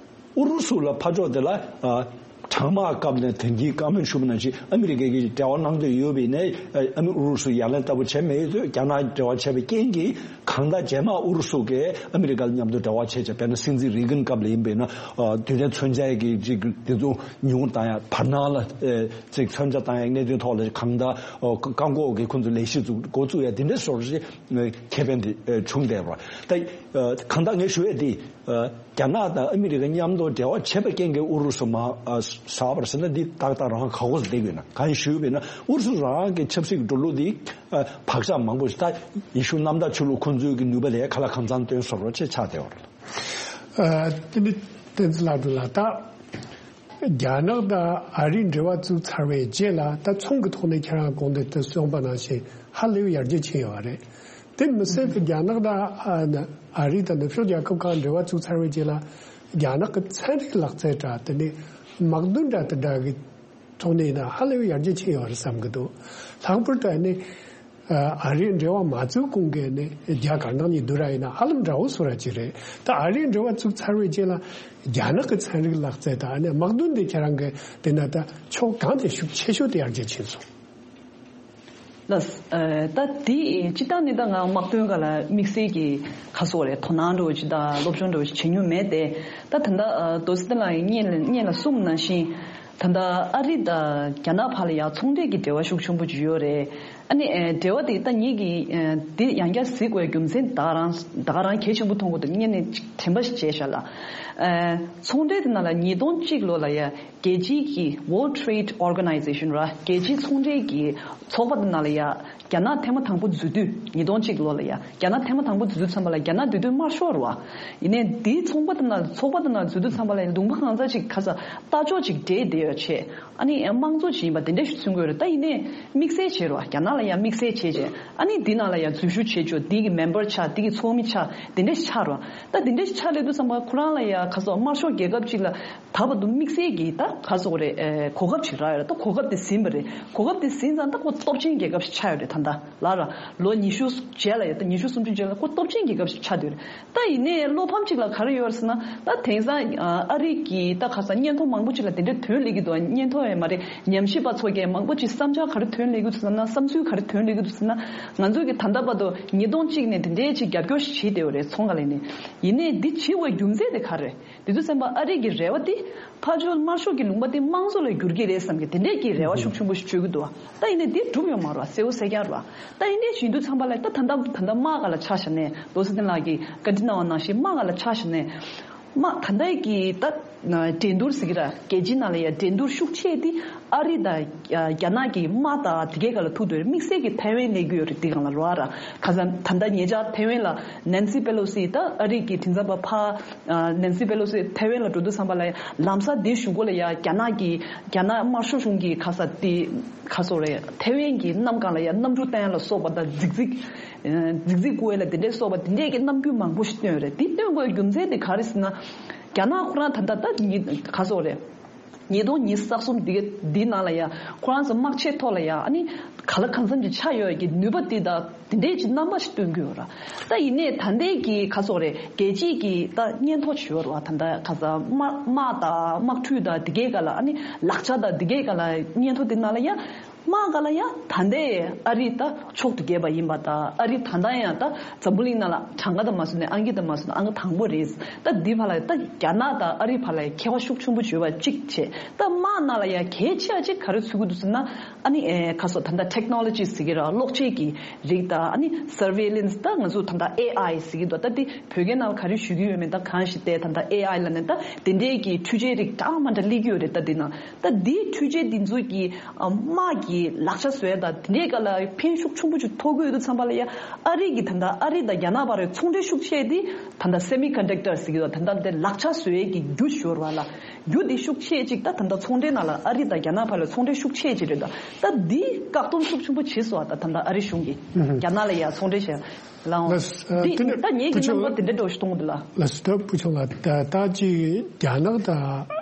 ཨུ་རུ་སུ་ལ་ཕར་ཕྱོགས་དེ་ལ་ཨ་ གྲང་དམག་སྐབས་ནས་དེང་གི་བཀའ་མོལ་ཞུ་བ་ནང་བཞིན་ཨ་མི་རི་ཀ་གིས་འབྲེལ་བ་གནང་འདོད་ཡོད་པ་ཡིན་ནའི་ཨ་མི་ཨུ་རུ་སུ་ཡ་ལན་ལྟ་བུ་བྱས་མེད་དུས། རྒྱ་ནག་འབྲེལ་བ་བྱས་པའི་རྐྱེན་གྱིས་གང་ལྟར་རྗེས་མ་ཨུ་རུ་སུ་གིས་ཨ་མི་རི་ཀ་ལ་མཉམ་དུ་འབྲེལ་བ་བྱས་བྱས། དཔེར་ན་སྲིད་འཛིན་རེ་གན་སྐབས་ལ་ཡིན་པས་ན། ཨ་དུས་ཚོད་མཚོན་ཆའི་གི་ཅིག་དེ་ཚོ་ཉུང་བཏང་ཡ། བར་སྣང་ལ་ཨེ་ཅིག་མཚོན་ཆ་བཏང་ཡ་གནད་དོན་ཐོག་ལ་གང་ལྟར་ཨོ་བཀག་འགོག་གི་ཁོང་ཚོ་ལས་གཞི་བཙུགས་འགོ་བཙུགས་ཡ་དེ་འདྲའི་བཟོ་འདྲ་ཅིག་ཁེ་ཕན་དེ་ཨེ་བྱུང་བསྡད་པ་རེད། ད་ཨ་གང་ལྟར་ངས་ཞུ་ཡ་དེ། ཨ་རྒྱ་ནག་དང་ཨ་མི་རི་ཀ་མཉམ་དུ་འབྲེལ་བ་བྱས་པའི་རྐྱེན་གྱིས་ཨུ་རུ་སུ་མ་ཨ་ཟ་བར་ཟེར་ན། འདི་ཏག་ཏག་རང་ཧ་གོ་ས་བསྡད་དགོས་ན། གང་ཞུས་པས་ན་ཨུ་རུ་སུ་རང་གི་ཆབ་སྲིད་ཀྱི་འགྲོ་ལུགས་འདི་ཨ་བག་ཆགས་མང་པོ་ཞིག་ད་ཡེ་ཤུ་གནམ་བདག་ཆོས་ལུགས་ཁོང་ཚོའི་གི་ནུས་པ་ལས་ཁ་ལག་གང་འཚམ་སྟོན་བཟོ་འདྲ་ཅིག་ཆགས་བསྡད་པ་རེད། ཨ་དེ་ནི་བསྟན་འཛིན་ལགས་འདུག་ལ། ད་རྒྱ་ནག་དང་ཨ་རིས་འབྲེལ་བ་བཙུགས་ཚར་བའི་རྗེས་ལ། ད་ཚོང་གི་ཐོག་ནས་ཁྱེད་རང་གོང་དུ་གསུངས་པ་ནང་བཞིན་ཧ་ལས་པའི་ཡར་རྒྱས་ཕྱིན་ཡོད་པ་རེད། དེ་མི་ཚད་དེ་རྒྱ་ནག་དང་ཨ་ཨ་རི་དང་ནུབ་ཕྱོགས་རྒྱལ་ཁབ་ཁག་འབྲེལ་བ་བཙུགས་ཚར་བའི་རྗེས་ལ། རྒྱ་ནག་གི་ཚན་རིག་ལག་རྩལ་འདྲ། དེ་ནས་དམག་དོན་འདྲ་དེ་འདྲ་གི་ཐོག་ནས་ཡིན་ན་ཧ་ལས་པའི་ཡར་རྒྱས་ཕྱིན་ཡོད་རེད་བསམ་གི་འདུག། ལྷག་པར་དུ་ཨ་ནི་ཨ་རིའི་འབྲེལ་བ་མ་བཙུགས་གོང་གི་ནི་རྒྱ་དཀར་ནག་གཉིས་བསྡུར་ར་ཡིན་ན་ཧ་ལམ་འདྲ་བོ་བཟོ་འདྲ་ཅིག་རེད། ད་ཨ་རིའི་འབྲེལ་བ་བཙུགས་ཚར་བའི་རྗེས་ལ་རྒྱ་ནག་གི་ཚན་རིག་ལག་རྩལ་དང་ཨ་ནི་དམག་དོན་དེ་ཁྱེད་རང་གི་དེ་ན་ད་ཕྱོགས་གང་དེ་ཤུགས་ཆེ་ཤོས་དེ་ཡར་རྒྱས་ཕྱིན་སོང་། ལགས། ཨ་ད་དེ་སྤྱིར་བཏང་ནི་ད་ང་དམག་དོན་སྒང་ལ་དམིགས་བསལ་གྱི་ཁ་སོགས་རེད། དོ་སྣང་འདྲ་བོ་ཅིག་དང་སློབ་སྦྱོང་འདྲ་བོ་ཅིག་བྱེད་མྱོང་མེད་དེ། ད་ད་ལྟ་ཨ་རྡོ་རྗེ་བསྟན་ལགས་ཀྱིས་སྔོན་ལ་སྔོན་ལ་གསུངས་ནང་བཞིན། ད་ལྟ་ཨ་རི་དང་རྒྱ་ནག་བར་ལ་ཡང་ཚོང་འབྲེལ་གྱི་འབྲེལ་བ་ཤུགས་ཆེན་པོ་ཅིག་ཡོད་རེད། ཨ་ནི་ཨ་འབྲེལ་བ་དེ་ད་ངེད་ཀྱིས་ཨ་འདི་ཡང་བསྐྱར་གཟིགས་དགོས་རྒྱུ་མཚན་ད་ག་རང་ད་ག་རང་གལ་ཆེན་པོ་མཐོང་གི་འདུག། སྔོན་ནས་ཅིག་དྲན་པ་ཞིག་བྱས་བཞག་ལ། ཨ་ཚོང་འབྲེལ་དེ་ནང་ལ་ཉིས་སྟོང་གཅིག་ལོ་ལ་ཡ་རྒྱལ་སྤྱིའི་གི་World Trade Organization ར། རྒྱལ་སྤྱིའི་ཚོང་འབྲེལ་གྱི་ཚོགས་པ་དེ་ནང་ལ་ཡ་རྒྱ་ནག་ཐེངས་མ་དང་པོ་འཛུལ་དུས། ཉིས་སྟོང་གཅིག་ལོ་ལ་ཡ་རྒྱ་ནག་ཐེངས་མ་དང་པོ་འཛུལ་དུས་ཙམ་པ་ལ་རྒྱ་ནག་དེ་དུས་དམར་ཤོག་རེད་བ། ཡིན་ནའི་འདིའི་ཚོགས་པ་དེ་ནང་ཚོགས་པ་དེ་ནང་འཛུལ་དུས་ཙམ་པ་ལ་ཡ་ལུང་པ་གང་ས་ཅིག་ཁ་ས་ལྟ་ཕྱོགས་ཅིག་འདྲེས་བསྡད་ཡོད་བྱས། ཨ་ནི་དམངས་གཙོ་ཅིག་ཡིན་པ་དེ་འདྲ་ཞིག་མཚོན་གྱི་ཡོད་རེད། ད་ཡིན་ནའི་དམིགས་བསལ་བྱས་རེད་བ། རྒྱ་ནག་ལ་ཡ་དམིགས་བསལ་བྱས་བྱས། ཨ་ནི་འདི་ནང་ལ་ཡ་འཛུལ་ཞུགས་བྱེད་ཆོག། འདི་གི་མེམ་བར་ཆགས། འདི་གི་ཚོགས་མི་ཆགས། དེ་འདྲ་ཞིག་ཆགས་རེད་བ། ད་དེ་འདྲ་ཞིག་ཆགས་སླེབས་དུས་ཙམ་པ་ཁོ་རང་ལ་ཡ་ཁ་སོགས་དམར་ཤོག་རྒྱལ་ཁབ་ཅིག་ལ་ད་བར་དུ་དམིགས་བསལ་གྱི་ད་ག་ཟེར་དགོས་རེད། ཨེ་གོ་སྐབས་ཅིག་རག་ཡོད་རེད། ད་གོ་སྐབས་དེ་ཟིན་པ་རེད། གོ་སྐབས་དེ་ཟིན་ཙང་ད་ཁོ་སྟོབས་ཆེན་རྒྱལ་ཁབ་ཞིག་ཆགས་ཡོད་རེད། ད་ལྟ་ལ་ར་ལོ་ཉི་ཤུ་རྗེས་ལ་ཡ། ད་ཉི་ཤུ་སུམ་ཅུ་རྗེས་ལ་ཁོ་སྟོབས་ཆེན་རྒྱལ་ཁབ་ཞིག་ཆགས་བསྡད་ཡོད་རེད། ད་ཡིན་ནའི་བློ་ཕམ་ཅིག་ལ་ག་རེ་ཡོད་རེད་ཟེར་ན། ད་དེང་སང་ཨ་རི་གི་ད་ཁ་སང་སྙན་ཐོ་མང་པོ་ཅིག་ལ་དེ་འདྲའི་ཐོན་སླེབས་ཀྱི་འདུག། སྙན་ཐོ་ཡང་མ་རེད། ཉམས་ཞིབ་པ་ཚོ་གིས་མང་པོ་ཅིག་བསམ་འཆར་ག་རེ་ཐོན་སླེབས་ཀྱི་འདུག་ཟེར་ན། བསམ་ཚུལ་ག་རེ་ཐོན་སླེབས་ཀྱི་འདུག་ཟེར་ན། ང་ཚོ་གི་ད་ལྟ་བར་དུ་ཉིས་སྟོང་གཅིག་ནས་དེ་འདྲའི་ཅིག་རྒྱབ་སྐྱོར་ཞིག་བྱེད་བསྡད་ཡོད་རེད། ཚོང་ཁ་ལས་ནས། ཡིན་ནའི་འདི་བྱེད་དགོས་རྒྱུ་མཚན་དེ་ག་རེ་རེད། དེ་དུས་ཙམ་པ་ཨ་རི་གི་རེ་བ་དེ་ཕར་ཕྱོགས་དམར་ཤོག་གི་ལུང་པ་དེ་དམངས་གཙོ་ལ་བསྒྱུར་གྱི་རེད་བསམ་གི་དེ་འདྲས་ཀྱི་རེ་བ་ཤུགས་ཆེན་པོ་ཞིག་བཅོལ་གྱི་འདུག་བ། ད་ཡིན་ནའི་འདི་འགྲུབ་ཡོད་མ་རེད་བ། གསལ་པོ་གསལ་རྐྱང་རེད་བ། ད་ཡིན་ནའི་བྱེད་དུས་ཙམ་པ་ལ་ད་ད་ལྟ་ད་ལྟ་དམག་སྒང་ལ་ཆ་བཞག་ནས། རྡོ་རྗེ་བསྟན་ལགས་ཀྱིས་བཀའ་འདྲི་གནང་བ་ནང་བཞིན་དམག་སྒང་ལ་ཆ་བཞག་ནས། དམག་ད་ལྟའི་གི་ད་འགྲན་བསྡུར་ཟེར་གྱི་ར། རྒྱལ་སྤྱིའི་ནང་ལ་ཡ་འགྲན་བསྡུར་ཤུགས་ཆེ་དེ་ཨ་རི་དང་རྒྱ་ནག་གི་དམག་དང་དེ་གའི་སྒང་ལ་ཐུག་འདུག་རེད། དམིགས་བསལ་གྱི་ཐའེ་ཝན་སླེབས་ཀྱི་ཡོད་རེད། དེ་སྒང་ལ་རེད་བ། ཁ་སང་ད་ལྟ་ཉེ་ཆར་ཐའེ་ཝན་ལ་ནན་སི་པེ་ལོ་སི། ད་ཨ་རི་གི་དེ་ཙམ་པ་ཕར་ཨ་ནན་སི་པེ་ལོ་སི་ཐའེ་ཝན་ལ་འགྲོ་དུས་ཙམ་པ་ལ་ཡ་ལམ་སང་དེའི་གཞུག་གུ་ལ་ཡ་རྒྱ་ནག་གི་རྒྱ་ནག་དམར་ཤོག་གཞུང་གི་ཁ་ས་དེ་ག་ཟེར་དགོས་རེད། ཐའེ་ཝན་གྱི་གནམ་སྒང་ལ་ཡ་གནམ་གྲུ་བཏང་ཡ་ལ་སོགས་པ་དང་རྫིག་རྫིག་ཨ་རྫིག་རྫིག་བཀོལ་ཡ་ལ་དེ་འདྲས་སོགས་པ་དེ་འདྲས་ཀྱི་རྣམ་འགྱུར་མང་པོ་ཞིག་བཏོན་ཡོད་རེད། དེ་བཏོན་དགོས་རྒྱུ་མཚན་དེ་ག་རེ་ཟེར་ན། རྒྱ་ནག་ཁོ་རང་ད་ལྟ་ད་ཉིས་ག་ཟེར་དགོས་རེད། ཉིས་སྟོང་ཉི་ཤུ་རྩ་གསུམ་འདི་ག་འདི་ནང་ལ་ཡ་ཁོ་རང་ཚོ་དམག་ཆས་ཐོག་ལ་ཡ་ཨ་ནི་ག་ལ་གང་འཚམ་ཅིག་ཆགས་ཡོད་ཀྱི་ནུས་པ་འདི་དང་དེ་འདྲའི་ཅིག་རྣམ་པ་ཞིག་སྟོན་གྱི་ཡོད་ར། ད་ཡིན་ནའི་ད་ལྟའི་གི་ག་ཟེར་དགོས་རེད། རྒྱལ་སྤྱིའི་གི་ད་སྙན་ཐོ་ཅིག་ཡོད་ར་བ། ད་ལྟ་ག་ས་དམག་དམག་དང་དམག་འཁྲུག་དང་དེ་གའི་སྒང་ལ་ཨ་ནི་ལག་ཆ་དང་དེ་གའི་སྒང་ལ་སྙན་ཐོ་དེ་ནང་ལ་ཡ། དམག་སྒང་ལ་ཡ་ད་ལྟའི་ཨ་རི་ད་ཕྱོགས་དེ་རྒྱས་པ་ཡིན་པ་དང་། ཨ་རི་ད་ལྟ་ཡང་ད་འཛམ་བུ་གླིང་ནང་ལ་གྲངས་ཀ་དང་མ་བཟུང་ནས་ཨང་ཀི་དང་མ་བཟུང་ནས་ཨང་ཀི་དང་པོ་རེད། ད་འདི་བར་ལ་ད་རྒྱ་ནག་དང་ཨ་རི་བར་ལ་ཁྱད་པར་ཤུགས་ཆེན་པོ་བྱུང་བ་གཅིག་བྱས། ད་དམག་ནང་ལ་ཡ་གལ་ཆེ་བ་གཅིག་ག་རེ་ཚུད་ཀྱི་འདུག་ཟེར་ན། ཨ་ནི་ཨེ་ག་ཟེར་ད་ལྟ་ཊེག་ནོ་ལོ་ཇི་ཟེར་གྱི་ར། གློག་ཆས་ཀྱི་རིགས་དང་། ཨ་ནི་སར་ཝེ་ལེན་སི། ད་ང་ཚོ་ད་ལྟ་ཨེ་ཨའི་ཟེར་གྱི་འདུག། ད་འདི་བོད་སྐད་ནང་ལ་ག་རེ་ཞུ་གི་ཡོད་མེད་ད་གང་ཞིག་བལྟས། ད་ལྟ་ཨེ་ཨའི་ལབ་ནས་ད་དེ་འདྲའི་གི་འཕྲུལ་ཆས་རིགས་གྲངས་མང་དྲགས་སླེབས་ཀྱི་ཡོད་རེད། ད་འདི་ནང་ད་འདིའི་འཕྲུལ་ཆས་འདི་ཚོ་གི་ཨ་དམག་གི་ལག་ཆ་བཟོ་ཡ་དང་དེ་འདྲའི་སྒང་ལ་ཕན་ཤུགས་ཆེན་པོ་ཅིག་ཐོགས་ཀྱི་ཡོད་དུས་ཙམ་པ་ལ་ཡ། ཨ་རི་གི་ད་ལྟ་ཨ་རི་དང་རྒྱ་ནག་བར་རེ་ཚོང་འབྲེལ་ཤུགས་ཆེ་དེ་ད་ལྟ་སེ་མི་ཀོན་ཌག་ཊར་ཟེར་གྱི་ཡོད། ད་ལྟ་དེ་ལག་ཆ་བཟོ་ཡས་ཀྱི་རྒྱུ་ཞོར་བ་ལ་རྒྱུ་དེ་ཤུགས་ཆེ་ཅིག་ད་ད་ལྟ་ཚོང་འབྲེལ་ནང་ལ་ཨ་རི་དང་རྒྱ་ནག་བར་ལ་ཚོང་འབྲེལ་ཤུགས་ཆེ་ཅིག་རེད། ད་ད་འདི་བཀག་སྡོམ་ཤུགས་ཆེན་པོ་བྱེད་སོང་བ། ད་ད་ལྟ་ཨ་རི་གཞུང་གིས་རྒྱ་ནག་ལ་ཡ་ཚོང་འབྲེལ་བྱས་ལའང་། ལགས་སོ། ཨ་འདི་དེ་ནས་ད་ངེད་ཀྱི་བུ་ཆུང་རྣམ་པ་དེ་འདྲ་འདྲ་བོ་ཞིག་གཏོང་གི་འདུག་ལ། ལགས་སོ། ད་བུ་ཆུང་ལགས། ད་ད་ཅིག་རྒྱ་ནག་དང་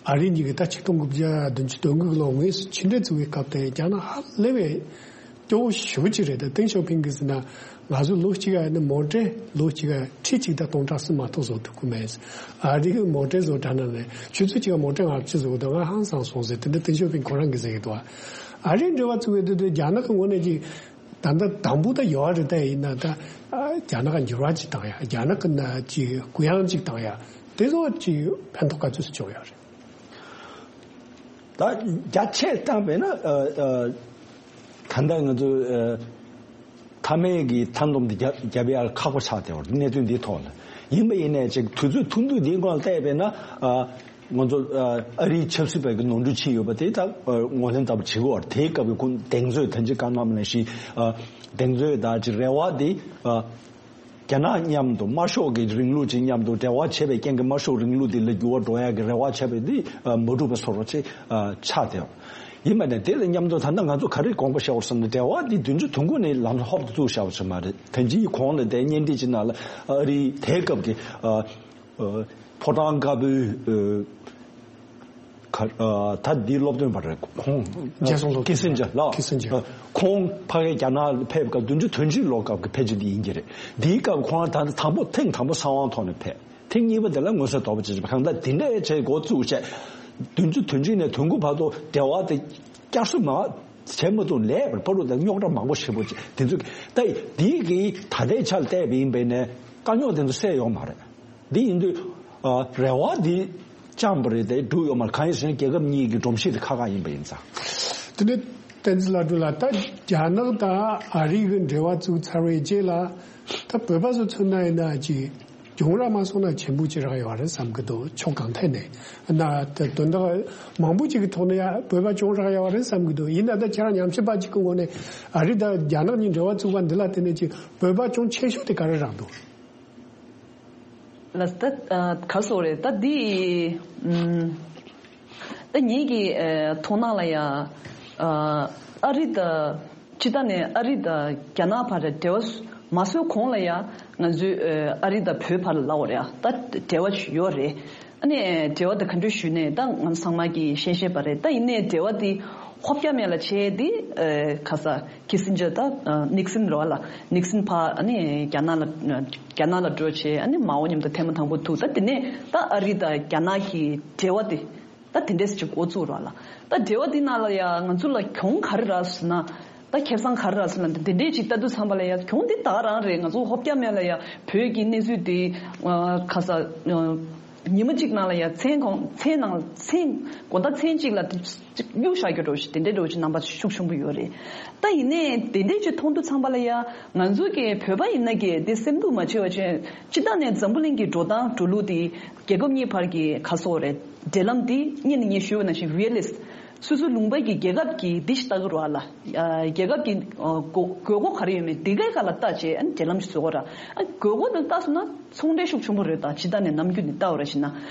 ཨ་རི་གཉིས་ཀྱིས་ད་ཆིག་སྟོང་དགུ་བརྒྱ་བདུན་ཅུ་དོན་དགུ་གི་ལོ་དངོས་སུ་ཕྱི་འབྲེལ་བཙུགས་པའི་སྐབས་དེ་རྒྱ་ནག་ཧ་ལས་པའི་ སྐྱོ་བོ་ཞེ་པོ་ཅིག་རེད། ད་ཏེང་ཞའོ་ཕིང་གིས་ཟེར་ན། ང་ཚོ་ལོ་གཅིག་ག་ནི་མོ་ཊ་ལོ་གཅིག་ག་ཁྲི་གཅིག་དང་སྟོང་ཕྲག་གསུམ་མ་གཏོགས་བཟོ་ཐུབ་ཀྱི་མེད། ཨ་རི་གི་མོ་ཊ་བཟོ་དྲགས་ན་ནི་ཆུ་ཚོད་གཅིག་ག་མོ་ཊ་ལྔ་བཅུ་བཟོ་གི་འདུག་ང་ཧང་སང་སོང་ཟེར། དེ་འདྲ་ཏེང་ཞའོ་ཕིང་ཁོ་རང་གིས་ཟེར་གྱི་འདུག་ཨ་རིའི་འབྲེལ་བ་བཙུགས་པའི་དུས་དུས་རྒྱ་ནག་གི་ངོས་ནས་ཀྱི་ད་ལྟ་དང་པོ་ད་ཡོད་རེད། ད་ཡིན་ན་ད་ཨ་རྒྱ་ནག་ག་འགྱུར་བ་ཅིག་བཏང་ཡ། རྒྱ་ནག་གི་ན་ཅིག་གུ་ཡངས་ཅིག་བཏང་ཡ། དེ་ཚོ་ཅིག་ཕན་ཐོགས་ག་ཚོད་ཅིག་བྱུང་ཡོད་རེད། ད་རྒྱ་ཆེ་བཏང་བས་ན་ཨ་ཨ་ད་ལྟ་ང་ཚོ་ཨ་མཐའ་མའི་གི་མཐའ་སྡོམ་འདི་རྒྱབ་རྒྱབ་ཡ་ཁག་པོ་ཆགས་བསྡད་པ་རེད། གནད་དོན་འདིའི་ཐོག་ལ་ཡིན་པ་ཡིན་ནའི་ཅིག་དུས་ཚོད་ཐུང་ཐུང་འདིའི་སྒང་ལ་བལྟས་པས་ན་ཨ་ང་ཚོ་ཨ་ཨ་རིའི་ཆབ་སྲིད་པའི་གི་ནོར་འཁྲུལ་ཕྱིན་ཡོད་པ་དེ་ད་ཨ་ངོས་ལེན་ལྟ་བུ་བྱེད་དགོས་པ་རེད། དེའི་སྐབས་ཀྱི་ཁོང་གདེང་ཚོད་ད་ཅིག་བཀའ་གནང་བ་ནང་བཞིན་ཨ་གདེང་ཚོད་ད་ཅིག་རེ་བ་དེ་ཨ་རྒྱ་ནག་མཉམ་དུ་དམར་ཤོག་གི་རིང་ལུགས་ཅིག་མཉམ་དུ་འབྲེལ་བ་བྱས་པའི་རྐྱེན་གྱིས་དམར་ཤོག་རིང་ལུགས་འདི་ལ་འགྱུར་བ་འགྲོ་ཡག་གི་རེ་བ་བྱས་པའི་འདི་མ་འགྲུབ་པ་བཟོ་འདྲ་ཅིག་ཆགས་བསྡད་ཡོད། ཡིན་པ་ནས་དེ་ལ་མཉམ་དུ་ད་ལྟ་ང་ཚོ་ག་རེ་དགོངས་པ་བཞེས་དགོས་བསམ་ན། འབྲེལ་བ་འདི་བདུན་ཅུ་དོན་དགུ་ནས་ལམ་ཧོབ་ཏེ་བཙུགས་བཞག་པ་ཞིག་མ་རེད། ད་ཅིའི་གོང་ལ་དེ་བརྙན་འཕྲིན་ཅིག་ནང་ལ་ཨ་རིའི་དེའི་སྐབས་ཀྱི་ཨ་ཨ་ཕོ་བྲང་དཀར་པོའི་ཨ་ག་ཨ་ད་འདིའི་སློབ་སྟོན་པ་རེད་ཁོང་། རྒྱལ་སོང་སློབ་ཀི་སིན་ཇར་ལགས། ཀི་སིན་ཇར། ཨ་ཁོང་ཕ་གིའི་རྒྱ་ནག་ལ་ཕེབས་སྐབས་བདུན་ཅུ་དོན་གཅིག་ལོ་སྐབས་ཀྱི་ཕལ་ཆེར་འདི་ཡིན་གྱི་རེད། འདིའི་སྐབས་ཁོང་ད་ལྟ་དང་པོ་ཐེངས་དང་པོ་གསང་བའི་ཐོག་ནས་ཕེབས། ཐེངས་གཉིས་པ་དེ་ལ་མངོན་གསལ་དོད་པོ་བྱེད་ཀྱི་རེད། གང་ལྟར་འདི་འདྲ་བྱས་འགོ་བཙུགས་བྱས། བདུན་ཅུ་དོན་གཅིག་ནས་དོན་དགུ་བར་དུ་འབྲེལ་བ་དེ་བསྐྱར་གསོ་མ་བྱས་མ་ཐུབ་ལས་པར་ཕ་རུ་དང་རྙོག་དྲ་མང་པོ་ཞེ་པོ་ཅིག་དེ་ཚོ་ད་འདི་གི་ད་ལྟའི་ཆར་བལྟས་པ་ཡིན་པས་ནས་དཀའ་རྙོག་དེ་ཚོ་སེལ་ཡོང་མ་རེད། འདི་ཡིན་དུས་ཨ་རེ་བ་འདི་བཅངས་པ་རེད་དེ་འགྲུབ་ཡོད་མ་རེད། གང་ཡིན་ཟེར་ན་རྒྱལ་ཁབ་གཉིས་ཀྱི་སྒྲོམ་གཞི་དེ་ཁག་ཁག་ཡིན་པ་ཡིན་ཙང་། དེ་ནས་བསྟན་འཛིན་ལྷ་སྒྲོན་ལགས། ད་རྒྱ་ནག་དང་ཨ་རི་གི་འབྲེལ་བ་བཙུགས་ཚར་བའི་རྗེས་ལ་ད་བོད་པ་ཚོ་མཚོན་ན་ཡིན་ན་ཅིག་གྱོང་རག་མ་སོང་ན་ཆེན་པོ་ཅིག་རག་ཡོད་རེད་བསམ་གི་འདུག་ཕྱོགས་གང་ཐད་ནས་ན་ད་དོན་དག་མང་པོ་ཅིག་གི་ཐོག་ནས་ཡ་བོད་པ་གྱོང་རག་ཡོད་རེད་བསམ་གི་འདུག་ཡིན་ན་ད་ཁྱེད་རང་ཉམས་ཞིབ་པ་ཅིག་གི་ངོས་ནས་ཨ་རི་དང་རྒྱ་ནག་གཉིས་འབྲེལ་བ་བཙུགས་པ་འདི་ལ་བརྟེན་ནས་ཅིག་བོད་པ་གྱོང་ཆེ་ཤོས་དེ་ག་རེ་རག་འདུག་ལགས། ད་ཨ་ག་སོགས་རེད། ད་འདི་ཨམ་ད་ངེད་ཀྱི་ཨ་མཐོང་སྣང་ལ་ཡ་ཨ་ཨ་རི་དང་སྤྱི་བཏང་ནས་ཨ་རི་དང་རྒྱ་ནག་བར་འབྲེལ་བ་མ་བཟོས་གོང་ལ་ཡ་ང་ཚོའི་ཨ་ཨ་རི་དང་བོད་བར་ལ་ལབ་དགོས་རེད་ཨ། ད་འབྲེལ་བ་ཡོད་རེད། ཨ་ནི་འབྲེལ་བ་དེ་ག་འདྲ་ཞུས་ནས་ད་ང་ཚང་མ་གིས་ཤེས་ཤེས་པ་རེད། ད་ཡིན་ནའི་འབྲེལ་བ་དེ་ཧོབ་རྒྱ་མེད་ལ་བྱས་དེ་ཨ་ག་ས་ཁི་སིན་ཇར་ད་ཨ་ནིག་སིན་རེད་བ་ལ། ནིག་སིན་ཕར་ཨ་ནི་རྒྱ་ནག་ལ་རྒྱ་ནག་ལ་འགྲོ་བྱས་ཨ་ནི་མའོ་མཉམ་དུ་ཐེངས་མ་དང་པོ་ཐུག་ད་དེ་ནས་ད་ཨ་རི་དང་རྒྱ་ནག་གི་འབྲེལ་བ་དེ་ད་དེ་འདྲས་ཅིག་འགོ་བཙུགས་རེད་བ་ལ། ད་འབྲེལ་བ་དེ་ནང་ལ་ཡ་ང་ཚོ་ལ་གྱོང་ག་རེ་རག་ཟེར་ན། ད་ཁེ་བཟང་ག་རེ་རག་ཟེར་ན་དེ་འདྲས་ཅིག་ལྟ་དུས་ཙམ་པ་ལ་ཡ་གྱོང་དེ་ད་ག་རང་རེད། ང་ཚོ་ཧོབ་རྒྱ་མེད་ལ་ཡ་བོད་ཀྱི་གནས་ཚུལ་དེ་ཨ་ག་ས་ཨ་ཉི་མ་གཅིག་ནང་ལ་ཡ་མཚན་གང་མཚན་ནང་མཚན་དགོང་དག་མཚན་གཅིག་ལ་དེ་གཅིག་གཡུག་བཞག་རྒྱུ་འདྲ་བོ་ཞིག་དེ་འདྲའི་འདྲ་བོ་ཞིག་རྣམ་པ་ཤུགས་ཆེན་པོ་ཡོད་རེད། ད་ཡིན་ནའི་དེ་འདྲའི་ཅིག་མཐོང་དུས་ཙམ་པ་ལ་ཡ་ང་ཚོ་གི་བོད་པ་ཡིན་ན་གི་དེ་སེམས་སྡུག་མ་བྱེད་པ་བྱས་སྤྱི་བཏང་ནས་འཛམ་བུ་གླིང་གི་འགྲོ་སྟངས་འགྲོ་ལུགས་དེ་རྒྱལ་ཁབ་གཉིས་བར་གྱི་ག་སོགས་རེད། འབྲེལ་ལམ་དེ་སྔོན་ནས་ངས་ཞུས་པ་ནང་བཞིན་རི་ཡ་ལི་སི་ཊི། སོ་སོའི་ལུང་པ་གི་རྒྱལ་ཁབ་ཀྱི་འདི་ཞིག་ལྟ་གི་རེད་བ་ལ། ཨ་རྒྱལ་ཁབ་ཀྱི་ཨ་དགོས་དགོས་མཁོ་ག་རེ་ཡོད་མེད་འདི་གའི་སྒང་ལ་བལྟས་བྱས་ཨ་ནི་འབྲེལ་ལམ་ཞིག་བཟོ་དགོས་ར། ཨ་དགོས་མཁོ་དེ་བལྟས་སོང་ན་ཚོང་འབྲེལ་ཤུགས་ཆེན་པོ་རེད། ད་སྤྱི་བཏང་ནས་ནམ་རྒྱུན་ནས་བལྟ་བ་ར་བྱས་ན།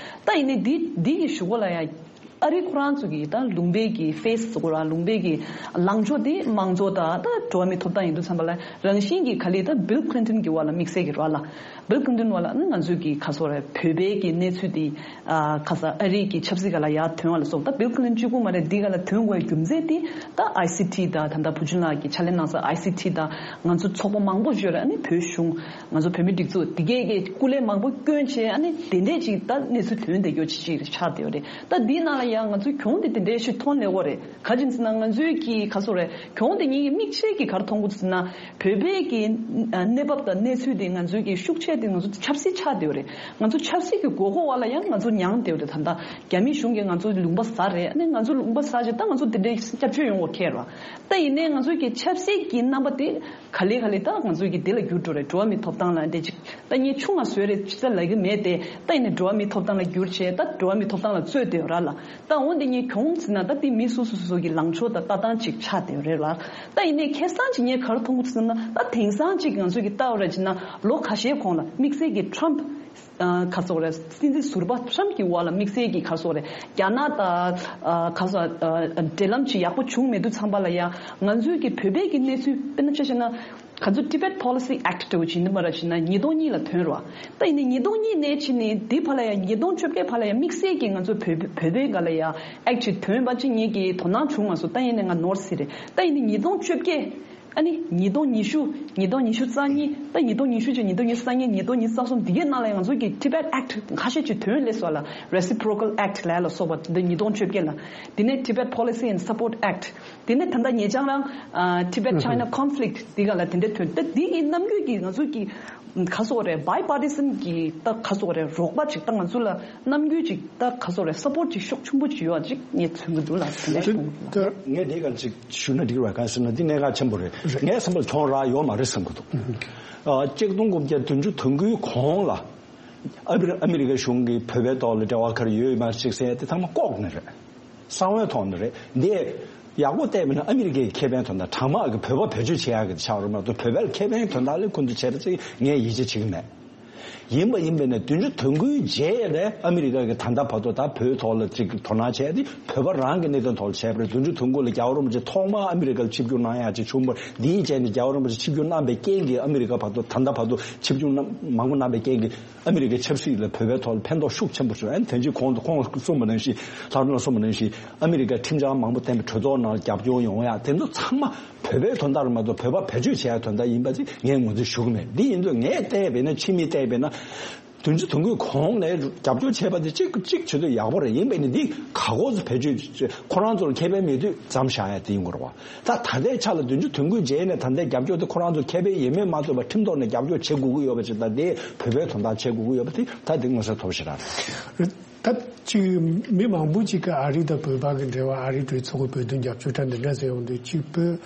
ད་ཡིན་ནའི་འདི་འདི་གི་གཞུག་གུ་ལ་ཡང་ཨ་རི་ཁོ་རང་ཚོ་གི་ད་ལུང་པའི་གི་ཕེ་སི་བཟོ་དགོས་ར། ལུང་པའི་གི་ལངས་ཕྱོགས་དེ་དམངས་གཙོ་དང་ད་འགྲོ་བ་མིའི་ཐོབ་ཐང་ཡིན་དུས་ཙམ་པ་ལ་རང་བཞིན་གྱི་ག་ལེར་ད་བིལ་ཁི་ལིན་ཊོན་གྱི་འོག་ལ་དམིགས་བསལ་གྱི་ར་ལ། བིལ་ཁི་ལིན་ཊོན་འོག་ལ་ཨ་ནི་ང་ཚོའི་གི་ག་སོགས་རེད། བོད་པའི་གི་གནས་ཚུལ་དེ། ཨ་ཁ་སང་ཨ་རི་གི་ཆབ་སྲིད་སྒང་ལ་ཡར་ཐོན་པ་ལ་སོགས། ད་བིལ་ཁི་ལིན་གཅིག་པུ་མ་རེད། འདི་སྒང་ལ་ཐོན་དགོས་རྒྱུ་མཚན་དེ་ད་ཨའི་སི་ཊི་དང་ད་ལྟ་བུ་ཆུང་ལགས་ཀྱིས་ཕྱག་ལས་གནང་ས་ཨའི་སི་ཊི་དང་ང་ཚོ་ཚོགས་པ་མང་པོ་ཞིག་ཡོད་རེད། ཨ་ནི་བོད་གཞུང་ང་ཚོ་བོད་མིའི་སྒྲིག་འཛུགས་འདི་གས་ཀྱི་སྐུ་ལས་མང་པོ་བསྐྱོན་བྱས་ཨ་ནི་དེ་འདྲས་ཅིག་ད་གནས་ཚུལ་ཐོན་བསྡད་རྒྱུ་ཅིག་ཆགས་བསྡད་ཡོད་རེད། ད་འདིའི་ནང་ལ་ཡང་ང་ཚོའི་གྱོང་དེ་དེ་འདྲས་ཞིག་མཐོང་སླེབས་ཡོད་རེད། ག་རེ་ཡིན་ཟེར་ན་ང་ཚོའི་གི་ག་སོགས་རེད། གྱོང་དེ་ངེད་ཀྱི་མིག་ཤེལ་གྱིས་ག་རེ་མཐོང་གི་ཟེར་ན། བོད་པའི་གི་གནས་བབ་དང་གནས་ཚུལ་དེ་ང་ཚོའི་གི་ཤུགས་ཆེ་དེ་ང་ཚོ་ཆབ་སྲིད་ཆགས་བསྡད་ཡོད་རེད། ང་ཚོ་ཆབ་སྲིད་ཀྱི་དགོས་མཁོ་བ་ལ་ཡང་ང་ཚོ་མྱངས་བསྡད་ཡོད་རེད། ད་ལྟ་རྒྱ་མི་གཞུང་གིས་ང་ཚོ་ལུང་པ་ཟ་རེད། ཨ་ནི་ང་ཚོ་ལུང་པ་ཟ་བྱས་ད་ང་ཚོ་དེ་འདྲའི་སྐྱབས་བཅོལ་ཡོང་བ་ཁེལ་ར། ད་ཡིན་ནའི་ང་ཚོའི་གི་ཆབ་སྲིད་ཀྱི་རྣམ་པ་དེ་ག་ལེ་ག་ལེ་ད་ང་ཚོའི་གི་དེ་ལ་འགྱུར་འགྲོ་རེད། འགྲོ་བ་མིའི་ཐོབ་ཐང་ལ་འདྲ་ཅིག་ད་ངས་ཆུང་ང་བཟོས་རེད་ཅི་ཙམ་ལབ་གི་མེད་དེ། ད་ཡིན་ནའི་འགྲོ་བ་མིའི་ཐོབ་ཐང་ལ་འགྱུར་བྱས་ད་འགྲོ་བ་མིའི་ཐོབ་ཐང་ལ་རྩོད་བསྡད་ཡོད་ར་ལ། ད་འོ་འདི་ངས་གྱོང་ཟེར་ན་ད་འདི་མི་སོ་སོ་སོ་སོ་གི་ལངས་ཕྱོགས་དང་ལྟ་སྟངས་ཅིག་ཆགས་བསྡད་ཡོད་རེད་ལ། ད་ཡིན་ནའི་ཁེ་བཟང་ཅིག་ངས་ག་རེ་མཐོང་གི་ཟེར་ན། ད་དེང་སང་ཅིག་ང་ཚོ་གི་ལྟ་བ་ར་བྱས་ན་ལོ་ཁ་ཤས་གོང་ལ་དམིགས་བསལ་གྱི་ཊམ་ཕི་ཨ་ག་སོགས་རེད། སྲིད་འཛིན་ཟུར་པ་ཊམ་ཕི་གི་འོག་ལ་དམིགས་བསལ་གྱི་ག་སོགས་རེད། རྒྱ་ནག་དང་ཨ་ག་སོགས་ཨ་འབྲེལ་ལམ་ཅིག་ཡག་པོ་བྱུང་མེད་དུས་ཙམ་པ་ལ་ཡང་ང་ཚོའི་གི་བོད་པའི་གི་གནས་ཚུལ་དཔེར་ན་ཆ་བཞག་ན། ག་ཚོད་Tibet Policy Act་འདྲ་བོ་ཅིག་ཡིན་པ་ར་བྱས་ན་ཉིས་སྟོང་གཉིས་ལ་ཐོན་རོགས། ད་ཡིན་ནའི་ཉིས་སྟོང་གཉིས་ནས་ཕྱིན་ནས་འདི་བར་ལ་ཡང་ཉིས་སྟོང་བཅོ་བརྒྱད་བར་ལ་ཡང་དམིགས་བསལ་གྱི་ང་ཚོ་བོད་བོད་པའི་སྒང་ལ་ཡང་ཨེཀ་ཅིག་ཐོན་པ་ཅིག་ངེད་ཀྱི་དོ་སྣང་བྱུང་མ་སོང་། ད་ཡིན་ནའི་ང་ནོར་སྲིད་རེད། ད་ཡིན་ནའི་ཉིས་སྟོང་བཅོ་བརྒྱད་ ཨ་ནི་ཉིས་སྟོང་ཉི་ཤུ། ཉིས་སྟོང་ཉི་ཤུ་རྩ་གཉིས། ད་ཉིས་སྟོང་ཉི་ཤུ་བཅུ། ཉིས་སྟོང་ཉི་ཤུ་རྩ་གཉིས། ཉིས་སྟོང་ཉི་ཤུ་རྩ་གཉིས། ཉིས་སྟོང་ཉི་ཤུ་རྩ་གསུམ། འདི་གའི་ནང་ལ་ཡང་ང་ཚོ་གི་Tibet Act ཁ་ཤས་ཅིག་ཐོན་སླེབས་སོང་ལ། Reciprocal Act ལབ་ལ་སོགས་པ་འདི་ཉིས་སྟོང་བཅོ་བརྒྱད་ལ། དེ་ནས་Tibet Policy and Support Act། དེ་ནས་ད་ལྟ་ཉེ་ཆར་རང་ཨ། Tibet China Conflict འདི་ག་ལ་དེ་འདྲ་ཐོན། ད་འདི་གི་རྣམ་འགྱུར་གྱི་ང་ཚོ་གི་ག་སོགས་རེད། Bipartisan གི་ད་ག་སོགས་རེད། རོགས་པ་ཅིག་ད་ང་ཚོ་ལ་རྣམ་འགྱུར་ཅིག་ད་ག་སོགས་རེད། Support ཅིག་ཤུགས་ཆེན་པོ་ཅིག་ཡོད་ཅིག་ངས་མཚོན་གྱི་འདུག་ལ། དེ་འདྲ་ཞིག་ད་ངས་འདི་ག་ཅིག་ཞུ་ན་འགྲིག་ར། ག་ཟེར་ན་འདི་གནད་འགག་ཆེན་པོ་རེད། ངས་བསམ་པར་གྱོང་རག་ཡོད་མ་རེད་བསམ་གྱི་འདུག་ཨ། ཆིག་སྟོང་དགུ་བརྒྱ་བདུན་ཅུ་དོན་དགུའི་གོང་ལ་ཨ་རི་ཨ་མི་རི་ཀ་གཞུང་གིས་བོད་པའི་ཐོག་ལ་འབྲེལ་བ་ག་རེ་ཡོད་མེད་ཅིག་ཟེར་ཡ་དེ་ཚང་མ་ལྐོག་ནས་རེད། གསང་བའི་ཐོག་ནས་རེད། འདི་ཡག་པོ་བལྟས་པ་ན་ཨ་མི་རི་ཀའི་ཁེ་ཕན་དོན་དག་དྲང་མ་གི་བོད་པ་བེད་སྤྱོད་བྱེད་ཡག་གི་ཆགས་རེད་མ་གཏོགས། བོད་པའི་ཁེ་ཕན་དོན་དག་ལ་ཁོང་ཚོས་བྱས་པ་ཅིག་ངས་ཡིད་ཆེས་བྱེད་ཀྱི་མེད། ཡིན་པ་ཡིན་པས་ན་བདུན་ཅུ་དོན་དགུའི་རྗེས་ལ་ཨ་མི་རི་ཀ་གིས་ད་ལྟ་བར་དུ་ད་བོད་ཐོག་ལ་ཅིག་དོ་སྣང་བྱས་ཏེ་བོད་པ་རང་གི་གནད་དོན་ཐོག་ལ་བྱས་པ་རེད། བདུན་ཅུ་དོན་དགུ་ལ་རྒྱལ་བ་རིན་པོ་ཆེ་ཐོག་མར་ཨ་མི་རི་ཀར་ཆིབས་བསྒྱུར་གནང་ཡག་ཅིག་བྱུང་བ་རེད། འདིའི་རྗེས་ནས་རྒྱལ་བ་རིན་པོ་ཆེ་ཆིབས་བསྒྱུར་གནང་པའི་རྐྱེན་གྱིས་ཨ་མི་རི་ཀ་བར་དུ་ད་ལྟ་བར་དུ་ཆིབས་བསྒྱུར་གནང་མང་པོ་གནང་པའི་རྐྱེན་གྱིས་ཨ་མི་རི་ཀའི་ཆབ་སྲིད་ལ་བོད་པའི་ཐོག་ལ་ཕན་ཐོགས་ཤུགས་ཆེན་པོ་བྱུང་། ཨ་ནི་དོན་གཅིག་ཁོང་ཁོང་གསུངས་པ་ནང་བཞིན། ལྷ་རམས་ལགས་གསུངས་པ་ནང་བཞིན་ཨ་མི་རི་ཀའི་ཁྲིམས་འཆར་མང་པོ་བཏོན་པའི་གྲོས་ཚོགས་ནང་རྒྱབ་སྐྱོར་ཡོང་ཡག་དེ་ཚོ་ཚང་མ་བོད་པའི་དོན་དག་རེད་མ་གཏོགས་བོད་པ་བེད་སྤྱོད་བྱེད་ཡག་དོན་དག་ཡིན་པ་ཅིག་ངས་ངོས་འཛིན་ཞུ་གི་མེད། འདི་ཡིན་དུས་ངས་བལྟས་པས་ན། ཕྱི་མིག་བལྟས་པས་ན། བདུན་ཅུ་དོན་དགུའི་གོང་ལ་རྒྱབ་སྐྱོར་བྱས་པ་དེ་གཅིག་གཅིག་བྱེད་དུས་ཡག་པོ་རེད། ཡིན་པས་ནི་འདི་ག་གོ་ཚོ་བེད་སྤྱོད་ཁོ་རང་ཚོར་ཁེ་ཕན་མེད་དུས་མཚམས་བཞག་ཡ་དེ་ཡིན་དགོས་རེད་བ། ད་ད་ལྟའི་ཆ་ལ་བདུན་ཅུ་དོན་དགུའི་རྗེས་ནས་ད་ལྟའི་རྒྱབ་སྐྱོར་དེ་ཁོ་རང་ཚོར་ཁེ་ཕན་ཡོད་མེད་མ་ལྟོས་པར་ཁྲིམས་ཐོག་ནས་རྒྱབ་སྐྱོར་བྱེད་དགོས་ཀྱི་ཡོད་པ་ཅིག་དང་། དེ་བོད་པའི་དོན་དག་བྱེད་དགོས་ཀྱི་ཡོད་པ་དེ་ད་དེ་མངོན་གསལ་དོད་པོ་ཞིག་རེད། ད་ཅིག་མི་མང་པོ་ཅིག་གིས་ཨ་རི་དང་བོད་པ་གི་འབྲེལ་བ། ཨ་རིའི་གྲོས་ཚོགས་ཀྱི་བོད་དོན་རྒྱབ་སྐྱོར་འདྲ་འདི་འདྲ་ཟེར་ཡོང་དུས། ཅིག་བོད་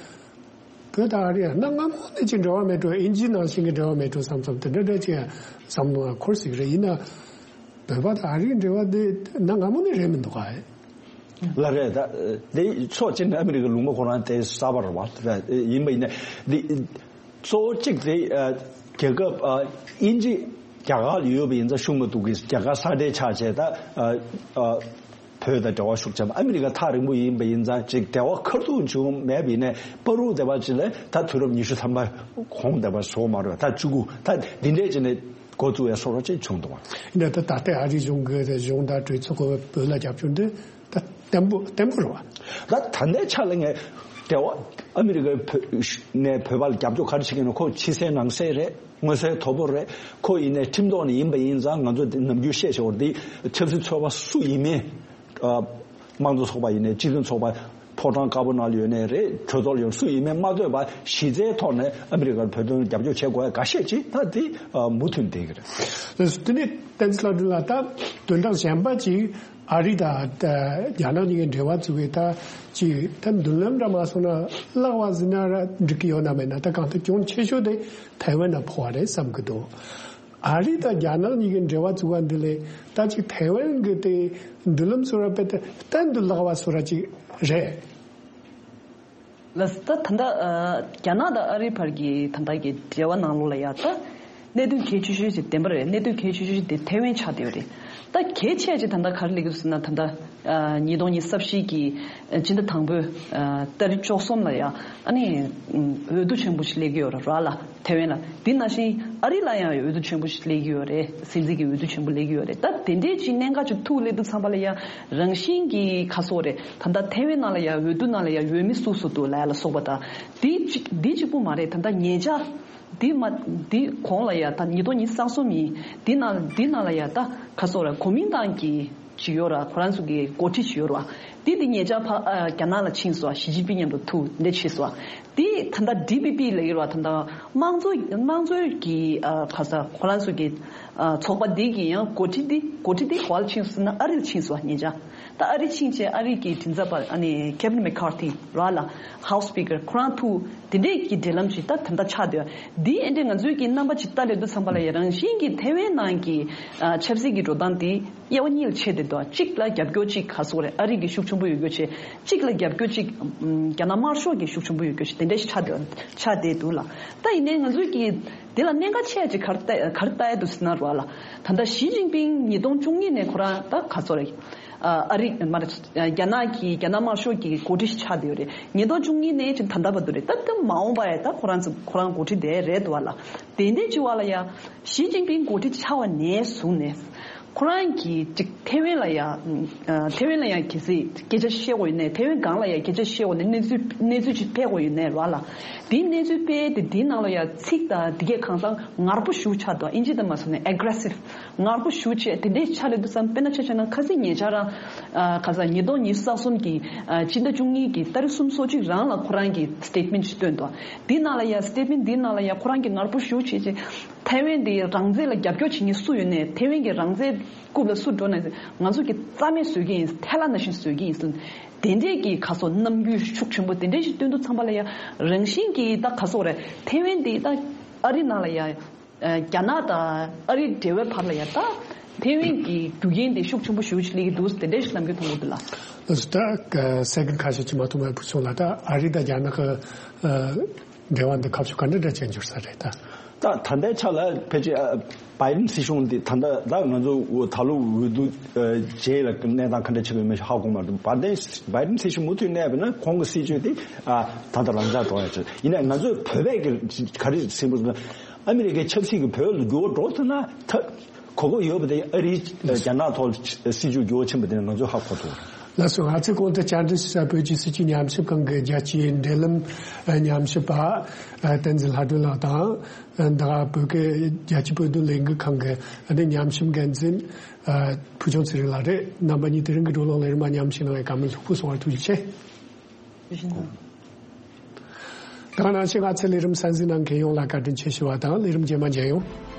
བོད་དང་ཨ་རི་ཡང་གནའ་སྔ་མོ་ནས་ཅིག་འབྲེལ་བ་མེད་འགྲོ། ཨིན་ཇི་ནང་བཞིན་གྱི་འབྲེལ་བ་མེད་འགྲོ་བསམ་བསམ་དེ་འདྲ་འདྲ་ཅིག་བསམ་བློ་འཁོར་སྲིད་ཀྱི་རེད། ཡིན་ན་བོད་པ་དང་ཨ་རིའི་འབྲེལ་བ་དེ་གནའ་སྔ་མོ་ནས་རེད་མི་འདུག་ག། ལགས་རེད། ད་དེ་ཕྱོགས་གཅིག་ནས་ཨ་མི་རི་ཀའི་ལུང་པ་ཁོ་རང་དེ་གསར་པ་རེད་བ། ད་ཡིན་པ་ཡིན་ན་འདི་གཙོ་བོ་གཅིག་དེ་རྒྱལ་ཁབ་དབྱིན་ཇི་རྒྱ་གར་ལ་ཡོད་པ་ཡིན་ཙང་ཤུགས་མ་གཏོགས་ཀྱི་རྒྱ་གར་ས་འབྲེལ་ཆགས་བྱས། ད་བོད་དང་འབྲེལ་བ་ཤུགས་ཆེན་པོ། ཨ་མི་རི་ཀ་ཐག་རིང་པོ་ཡིན་པ་ཡིན་ཙང་ཅིག་འབྲེལ་བ་ཁ་ཐུག་བྱུང་མེད་པ་ཡིན་ནའི་བར་དུ་དེ་བ་ཅིག་ལ་ད་དུས་རབས་ཉི་ཤུ་ཐམ་པ་གོང་དེ་བ་སོང་མ་རེད། ད་བཅུ་དགུ་ད་འདི་འདྲས་ཅིག་ནས་འགོ་བཙུགས་ཡ་སོགས་ར་ཅིག་བྱུང་འདུག་བ། ཡིན་ན་ད་ད་ལྟའི་ཨ་རིའི་གཞུང་གི་གཞུང་དང་གྲོས་ཚོགས་ཀྱི་བོད་ལ་རྒྱབ་སྐྱོར་འདི་ད་བརྟན་པོ་བརྟན་པོ་རེད་བ། ད་ད་ལྟའི་ཆ་ལ་ངས་འབྲེལ་བ་ཨ་མི་རི་ཀའི་བོད་ནས་བོད་པ་ལ་རྒྱབ་སྐྱོར་ག་རེ་བྱེད་ཀྱི་ཡོད་ན། ཁོ་ཕྱི་གསལ་ནང་གསལ་རེད། མངོན་གསལ་དོད་པོ་རེད། ཁོ་ཡིན་ནའི་ཁྲིམས་ཐོག་ནས་ཡིན་པ་ཡིན་ཙང་། ང་ཚོ་དེ་ནམ་རྒྱུན་བཤད་བཞག་པ་རེད། དེ་ཆབ་སྲིད་ཚོགས་པ་སུ་ཡིན་མིན། ཨ། དམངས་གཙོ་ཚོགས་པ་ཡིན་ནའི། སྤྱི་མཐུན་ཚོགས་པ་ཕོ་བྲང་དཀར་པོ་ནང་ལ་ཡོད་ནའི་རེད། གྲོས་ཚོགས་ལ་ཡོད་སུ་ཡིན་མིན་མ་ལྟོས་པར་གཞི་རྩའི་ཐོག་ནས་ཨ་མི་རི་ཀར་བོད་དོན་རྒྱབ་སྐྱོར་བྱེད་དགོས་ཡ་འགའ་ཤས་ཅིག་ད་དེ་མུ་མཐུད་བསྡད་ཀྱི་རེད། དེ་ནས་བསྟན་འཛིན་ལྷ་སྒྲོན་ལགས། ད་དོན་དག་གཞན་པ་ཅིག་ཨ་རི་དང་ད་རྒྱ་ནག་གཉིས་ཀྱི་འབྲེལ་བ་བཙུགས་པའི་ད་ཅིག་ད་མདུན་ལམ་འདྲ་མ་སོང་ན་བརླག་པ་ཟེར་ན་ར་འགྲིག་གི་ཡོད་ན་མེད་ན། ད་གང་ལྟར་གྱོང་ཆེ་ཤོས་དེ་ཐའེ་ཝན་ལ་ཕོག་པ་རེད་བསམ་གྱི་འདུག། ཨ་རི་དང་རྒྱ་ནག་གཉིས་ཀྱི་འབྲེལ་བ་བཙུགས་པ་འདི་ལས་ད་ཅིག་ཐའེ་ཝན་གྱི་དེ་མདུན་ལམ་བཟོ་ར་དཔེ་དེ་གཏན་དུ་བརླག་པ་བཟོ་ར་ཅིག་རེད། ལགས། ད་ད་ལྟ་ཨ་རྒྱ་ནག་དང་ཨ་རིའི་བར་གྱི་ད་ལྟ་གི་འབྲེལ་བ་ནང་ལོགས་ལ་ཡ་ད་གནད་དོན་གལ་ཆེ་ཤོས་ཤིག་བདེན་པ་རེད། གནད་དོན་གལ་ཆེ་ཤོས་ཤིག་དེ་ཐའེ་ཝན་ཆགས་བསྡད་ཡོད་རེད། ད་གལ་ཆེ་ཅིག་ད་ལྟ་ག་རེ་སླེབས་ཀྱི་འདུག་ཟེར་ན། ད་ལྟ་ཨ་ཉིས་སྟོང་ཉི་ཤུ་རྩ་བཞི་གི་ཨ་སྤྱི་ཟླ་དང་པོའི་ཨ་ཏ་རིག་བཅུ་གསུམ་ལ་ཡ་ཨ་ནི་འོས་བསྡུ་ཆེན་པོ་ཞིག་སླེབས་ཀྱི་ཡོད་རེད་ར་ལ། ཐའེ་ཝན་ལ། དེ་ནང་བཞིན་ཨ་རི་ལ་ཡང་འོས་བསྡུ་ཆེན་པོ་ཞིག་སླེབས་ཀྱི་ཡོད་རེད། སྲིད་འཛིན་གྱི་འོས་བསྡུ་ཆེན་པོ་སླེབས་ཀྱི་ཡོད་རེད། ད་དེ་འདྲའི་ཅིག་གནད་འགག་ཅིག་ཐུག་སླེབས་དུས་ཙམ་པ་ལ་ཡ་རང་བཞིན་གྱིས་ག་སོགས་རེད། ད་ལྟ་ཐའེ་ཝན་ནང་ལ་ཡ་འོས་བསྡུ་ནང་ལ་ཡ་འོས་མི་སུ་སུ་འདུག་ལབ་ཡ་ལ་སོགས་པ་དང་། དེ་གཅིག་དེ་གཅིག་པུ་མ་རེད། ད་ལྟ་ཉེ་ཆར་དེ་མ་དེ་གོང་ལ་ཡ་ད་ཉིས་སྟོང་ཉི་ཤུ་རྩ་གསུམ་ཡིན། དེ་ནང་དེ་ནང་ལ་ཡ་ད་ག་སོགས་རེད། གོ་མིན་ཏང་གི་ཅིག་ཡོད་ར། ཁོ་རང་ཚོ་གི་འགོ་ཁྲིད་ཅིག་ཡོད་ར་བ། དེ་དེ་ཉེ་ཆར་ཕ་ཨ་རྒྱ་ནག་ལ་ཕྱིན་སོང་། ཞི་ཅིན་ཕིང་མཉམ་དུ་ཐུག་འདྲ་བྱས་སོང་། དེ་ད་ལྟ་ཌི་པི་པི་ལབ་ཡོད་ར་བ། ད་ལྟ་དམངས་གཙོ་དམངས་གཙོའི་གི་ཨ་ག་ས་ཁོ་རང་ཚོ་གི་ཨ་ཚོགས་པ་དེ་གི་ཡང་འགོ་ཁྲིད་དེ་འགོ་ཁྲིད་དེ་ག་པར་ཕྱིན་སོང་ཟེར་ན་ཨ་རི་ལ་ཕྱིན་སོང་ཉེ་ཆར། ད་ཨ་རི་ཕྱིན་བྱས་ཨ་རི་གི་མགྲིན་ཚབ་པ་ཨ་ནི་ཁེ་ཝིན་མེ་ཁར་ཐི་ར་ལ་ཧའུ་སི་སི་པི་ཀར་ཁོ་རང་ཐུག་དེ་འདྲས་ཀྱི་འབྲེལ་ལམ་ཞིག་ད་ད་ལྟ་ཆགས་བསྡད་ཡོད། འདི་ཨེ་འདྲས་ང་ཚོའི་གི་རྣམ་པ་ཅིག་ལྟ་སླེབས་དུས་ཙམ་པ་ལ་ཡ་རང་བཞིན་གྱི་ཐའེ་ཝན་ནང་གི་ཨ་ཆབ་སྲིད་ཀྱི་འགྲོ་སྟངས་འདི་དབྱེ་བ་གཉིས་ལ་ཕྱེ་བསྡད་འདུག། གཅིག་ལ་རྒྱབ་སྐྱོར་གཅིག་ག་སོགས་རེད། ཨ་རི་གི་ཤུགས་ཆེན་པོ་ཡོད་རྒྱུ་བྱས། གཅིག་ལ་རྒྱབ་སྐྱོར་གཅིག་ཨམ་རྒྱ་ནག་དམར་ཤོག་གི་ཤུགས་ཆེན་པོ་ཡོད་རྒྱུ་བྱས། དེ་འདྲས་ཤིག་ཆགས་བསྡད་ཆགས་བསྡད་འདུག་ལ། ད་ཡིན་ནའི་ང་ཚོའི་གི་དེ་ལ་གནད་འགག་ཆེ་ཅིག་ག་རེ་ལྟ་ག་རེ་ལྟ་ཡ་འདུག་ཟེར་ན་ར་ལ། ད་ལྟ་ཞི་ཅིན་ཕིང་ཉིས་སྟོང་བཅུ་གཉིས་ནས་ཁོ་རང་ད་ག་སོགས་རེད། ཨ་ཨ་རི་མ་རེད། རྒྱ་ནག་གི་རྒྱ་ནག་དམར་ཤོག་གི་འགོ་ཁྲིད་ཆགས་བསྡད་ཡོད་རེད། ཉིས་སྟོང་བཅུ་གཉིས་ནས་ཅིག་ད་ལྟ་བར་དུ་རེད། ད་ལྟ་མ་འོངས་པ་ཡ་ད་ཁོ་རང་ཚོ་ཁོ་རང་འགོ་ཁྲིད་དེ་རེད་འདུག་བ་ལ། དེ་འདྲའི་ཅིག་བ་ལ་ཡ་ཞི་ཅིན་ཕིང་འགོ་ཁྲིད་ཆགས་པ་ནས་བཟུང་ནས་ ཁོ་རང་གིས་ཅིག་ཐེ་ཝན་ལ་ཡ་ཨ་ཐེ་ཝན་ལ་ཡ་གལ་སྲིད་སྐད་ཆ་བཤད་དགོས་ཡོད་ནའི་ཐེ་ཝན་སྒང་ལ་ཡ་སྐད་ཆ་བཤད་དགོས་ནའི་གནས་ཚུལ་གནས་ཚུལ་ཅིག་སྤེལ་དགོས་ཡོད་ནའི་ར་ལ། དེའི་གནས་ཚུལ་སྤེལ་ཏེ་དེའི་ནང་ལ་ཡ་ཚིག་དང་དེ་གས་གང་ལྟར་ངར་པོ་ཞེ་པོ་ཆགས་འདུག་ཨིན་ཇི་དང་མ་སོང་ནས་ཨེག་རེ་སིབ་ངར་པོ་ཞེ་པོ་བྱས་དེ་འདྲའི་ཆགས་ལས་འདུག་བསམ། དཔེར་ན་ཆ་བཞག་ན་ཁ་སང་ཉེ་ཆར་རང་ཨ་ཁ་སང་ཉིས་སྟོང་ཉི་ཤུ་རྩ་གསུམ་གྱི་ཨ་སྤྱི་ཟླ་བཅུ་གཉིས་ཀྱི་ཏ་རིག་སུམ་ཅུ་སོ་གཅིག་རང་ལ་ཁོ་རང་གིས་སི་ཊེཊ་མེན་ཊི་ཞིག་བཏོན་འདུག་དེའི་ནང་ལ་ཡ་སི་ཊེཊ་མེན་ཊི་དེའི་ནང་ལ་ཡ་ཁོ་རང་གིས་ངར་པོ་ཞེ་པོ་བྱས་བྱས་ཐའེ་ཝན་དེ་རང་བཙན་ལ་རྒྱབ་སྐྱོར་བྱེད་མཁན་སུ་ཡོད་ནའི་ཐའེ་ཝན་གྱི་རང་བཙན་རྐུབ་ལ་སུ་འགྲོ་ན་ང་ཚོ་གི་རྩ་མེད་བཟོ་གི་ཡིན། ཐལ་བ་ནང་བཞིན་བཟོ་གི་ཡིན་ཟེར། དེ་འདྲས་ཀྱི་ཁ་སོ་རྣམ་འགྱུར་ཤུགས་ཆེན་པོ་དེ་འདྲས་ཞིག་སྟོན་དུས་ཙམ་པ་ལ་ཡ་རང་བཞིན་གྱིས་ད་ག་སོ་རེད། ཐའེ་ཝན་དེ་ད་ཨ་རི་ནང་ལ་ཡ་ཨ་རྒྱ་ནག་དང་ཨ་རི་འབྲེལ་བའི་བར་ལ་ཡ་ད་ཐའེ་ཝན་གྱི་རྒྱུ་རྐྱེན་དེ་ཤུགས་ཆེན་པོ་ཞེ་པོ་ཅིག་སླེབས་ཀྱི་འདུག་དེ་འདྲས་ཞིག་ནམ་རྒྱུན་མཐོང་གི་འདུག་ལ། ལགས་སོ། ད་ག་སེ་ཀན་ཁ་ཤས་ཅིག་མ་ཐུབ་པ་ཕུལ་སོང་ལ། ད་ཨ་རི་དང་རྒྱ་ནག་གི་ཨ་འབྲེལ་བ་འདི་ཁ་ཕྱོགས་ག་འདྲ་འདྲ་ཅན་འགྱུར་ས་རེད་ད། ད་ད་ལྟའི་ཆ་ལ་ཕལ་ཆེར་ཨ་བྷའི་ཌེན་སྲིད་གཞུང་འདི་ད་ལྟ་ད་ང་ཚོ་ད་ལོ་འོས་བསྡུ་ཨ་རྗེས་ལ་གནས་སྟངས་ག་འདྲ་ཆགས་ཡོད་མེད་ཧ་གོ་མ་ཐུབ། བྷའི་ཌེན་བྷའི་ཌེན་སྲིད་གཞུང་མུ་མཐུད་གནས་པ་ན་ཁོང་གི་སྲིད་ཇུས་དེ་ཨ་ད་ལྟ་རང་འཇགས་འགྲོ་ཡ་ཆེ། ཡིན་ནའི་ང་ཚོས་བོད་པས་ཀྱི་ག་རེ་ཟིན་པ་ཟེར་ན་ཨ་མི་རི་ཀའི་ཆབ་སྲིད་ཀྱི་བོད་ལ་འགྱུར་བ་འགྲོ་ཐུབ་ན་ད་གོ་སྐབས་ཡོད་པ་དེ་ཨ་རིའི་རྒྱ་ནག་ཐོག་སྲིད་ཇུས་འགྱུར་བ་ཕྱིན་པ་དེ་ནས་ང་ཚོས་ཧ་གོ་ཐུབ། ལགས་སོ། ང་ཚོའི་གོང་དུ་བཅར་འདྲི་ཞུ་ས་བོད་ཀྱི་སྲིད་བྱུས་ཉམས་ཞིབ་ཁང་གི་རྒྱལ་སྤྱིའི་འབྲེལ་ལམ་ཉམས་ཞིབ་པ་བསྟན་འཛིན་ལྷ་སྒྲོན་ལགས་དང་། ད་བོད་ཀྱི་རྒྱལ་སྤྱིའི་བོད་དོན་ལས་འགུལ་ཁང་གི་ཉམས་ཞིབ་འགན་འཛིན་ཕུལ་བྱུང་ཚེ་རིང་ལགས་རེད། རྣམ་པ་གཉིས་དེ་རིང་གི་བགྲོ་གླེང་ལས་རིམ་མ་ཉམས་ཞིབ་གནང་བའི་བཀའ་མོལ་ལྷུག་པོ་གསུང་བར་ཐུགས་རྗེ་ཆེ། ད་ག་ནང་བཞིན་ང་ཚོའི་ལས་རིམ་གསན་གཟིགས་གནང་མཁན་ཡོངས་ལ་བཀའ་དྲིན་ཆེ་ཞུ་བ་དང་། ལས་རིམ་རྗེས་མ་མཇལ་ཡོང་།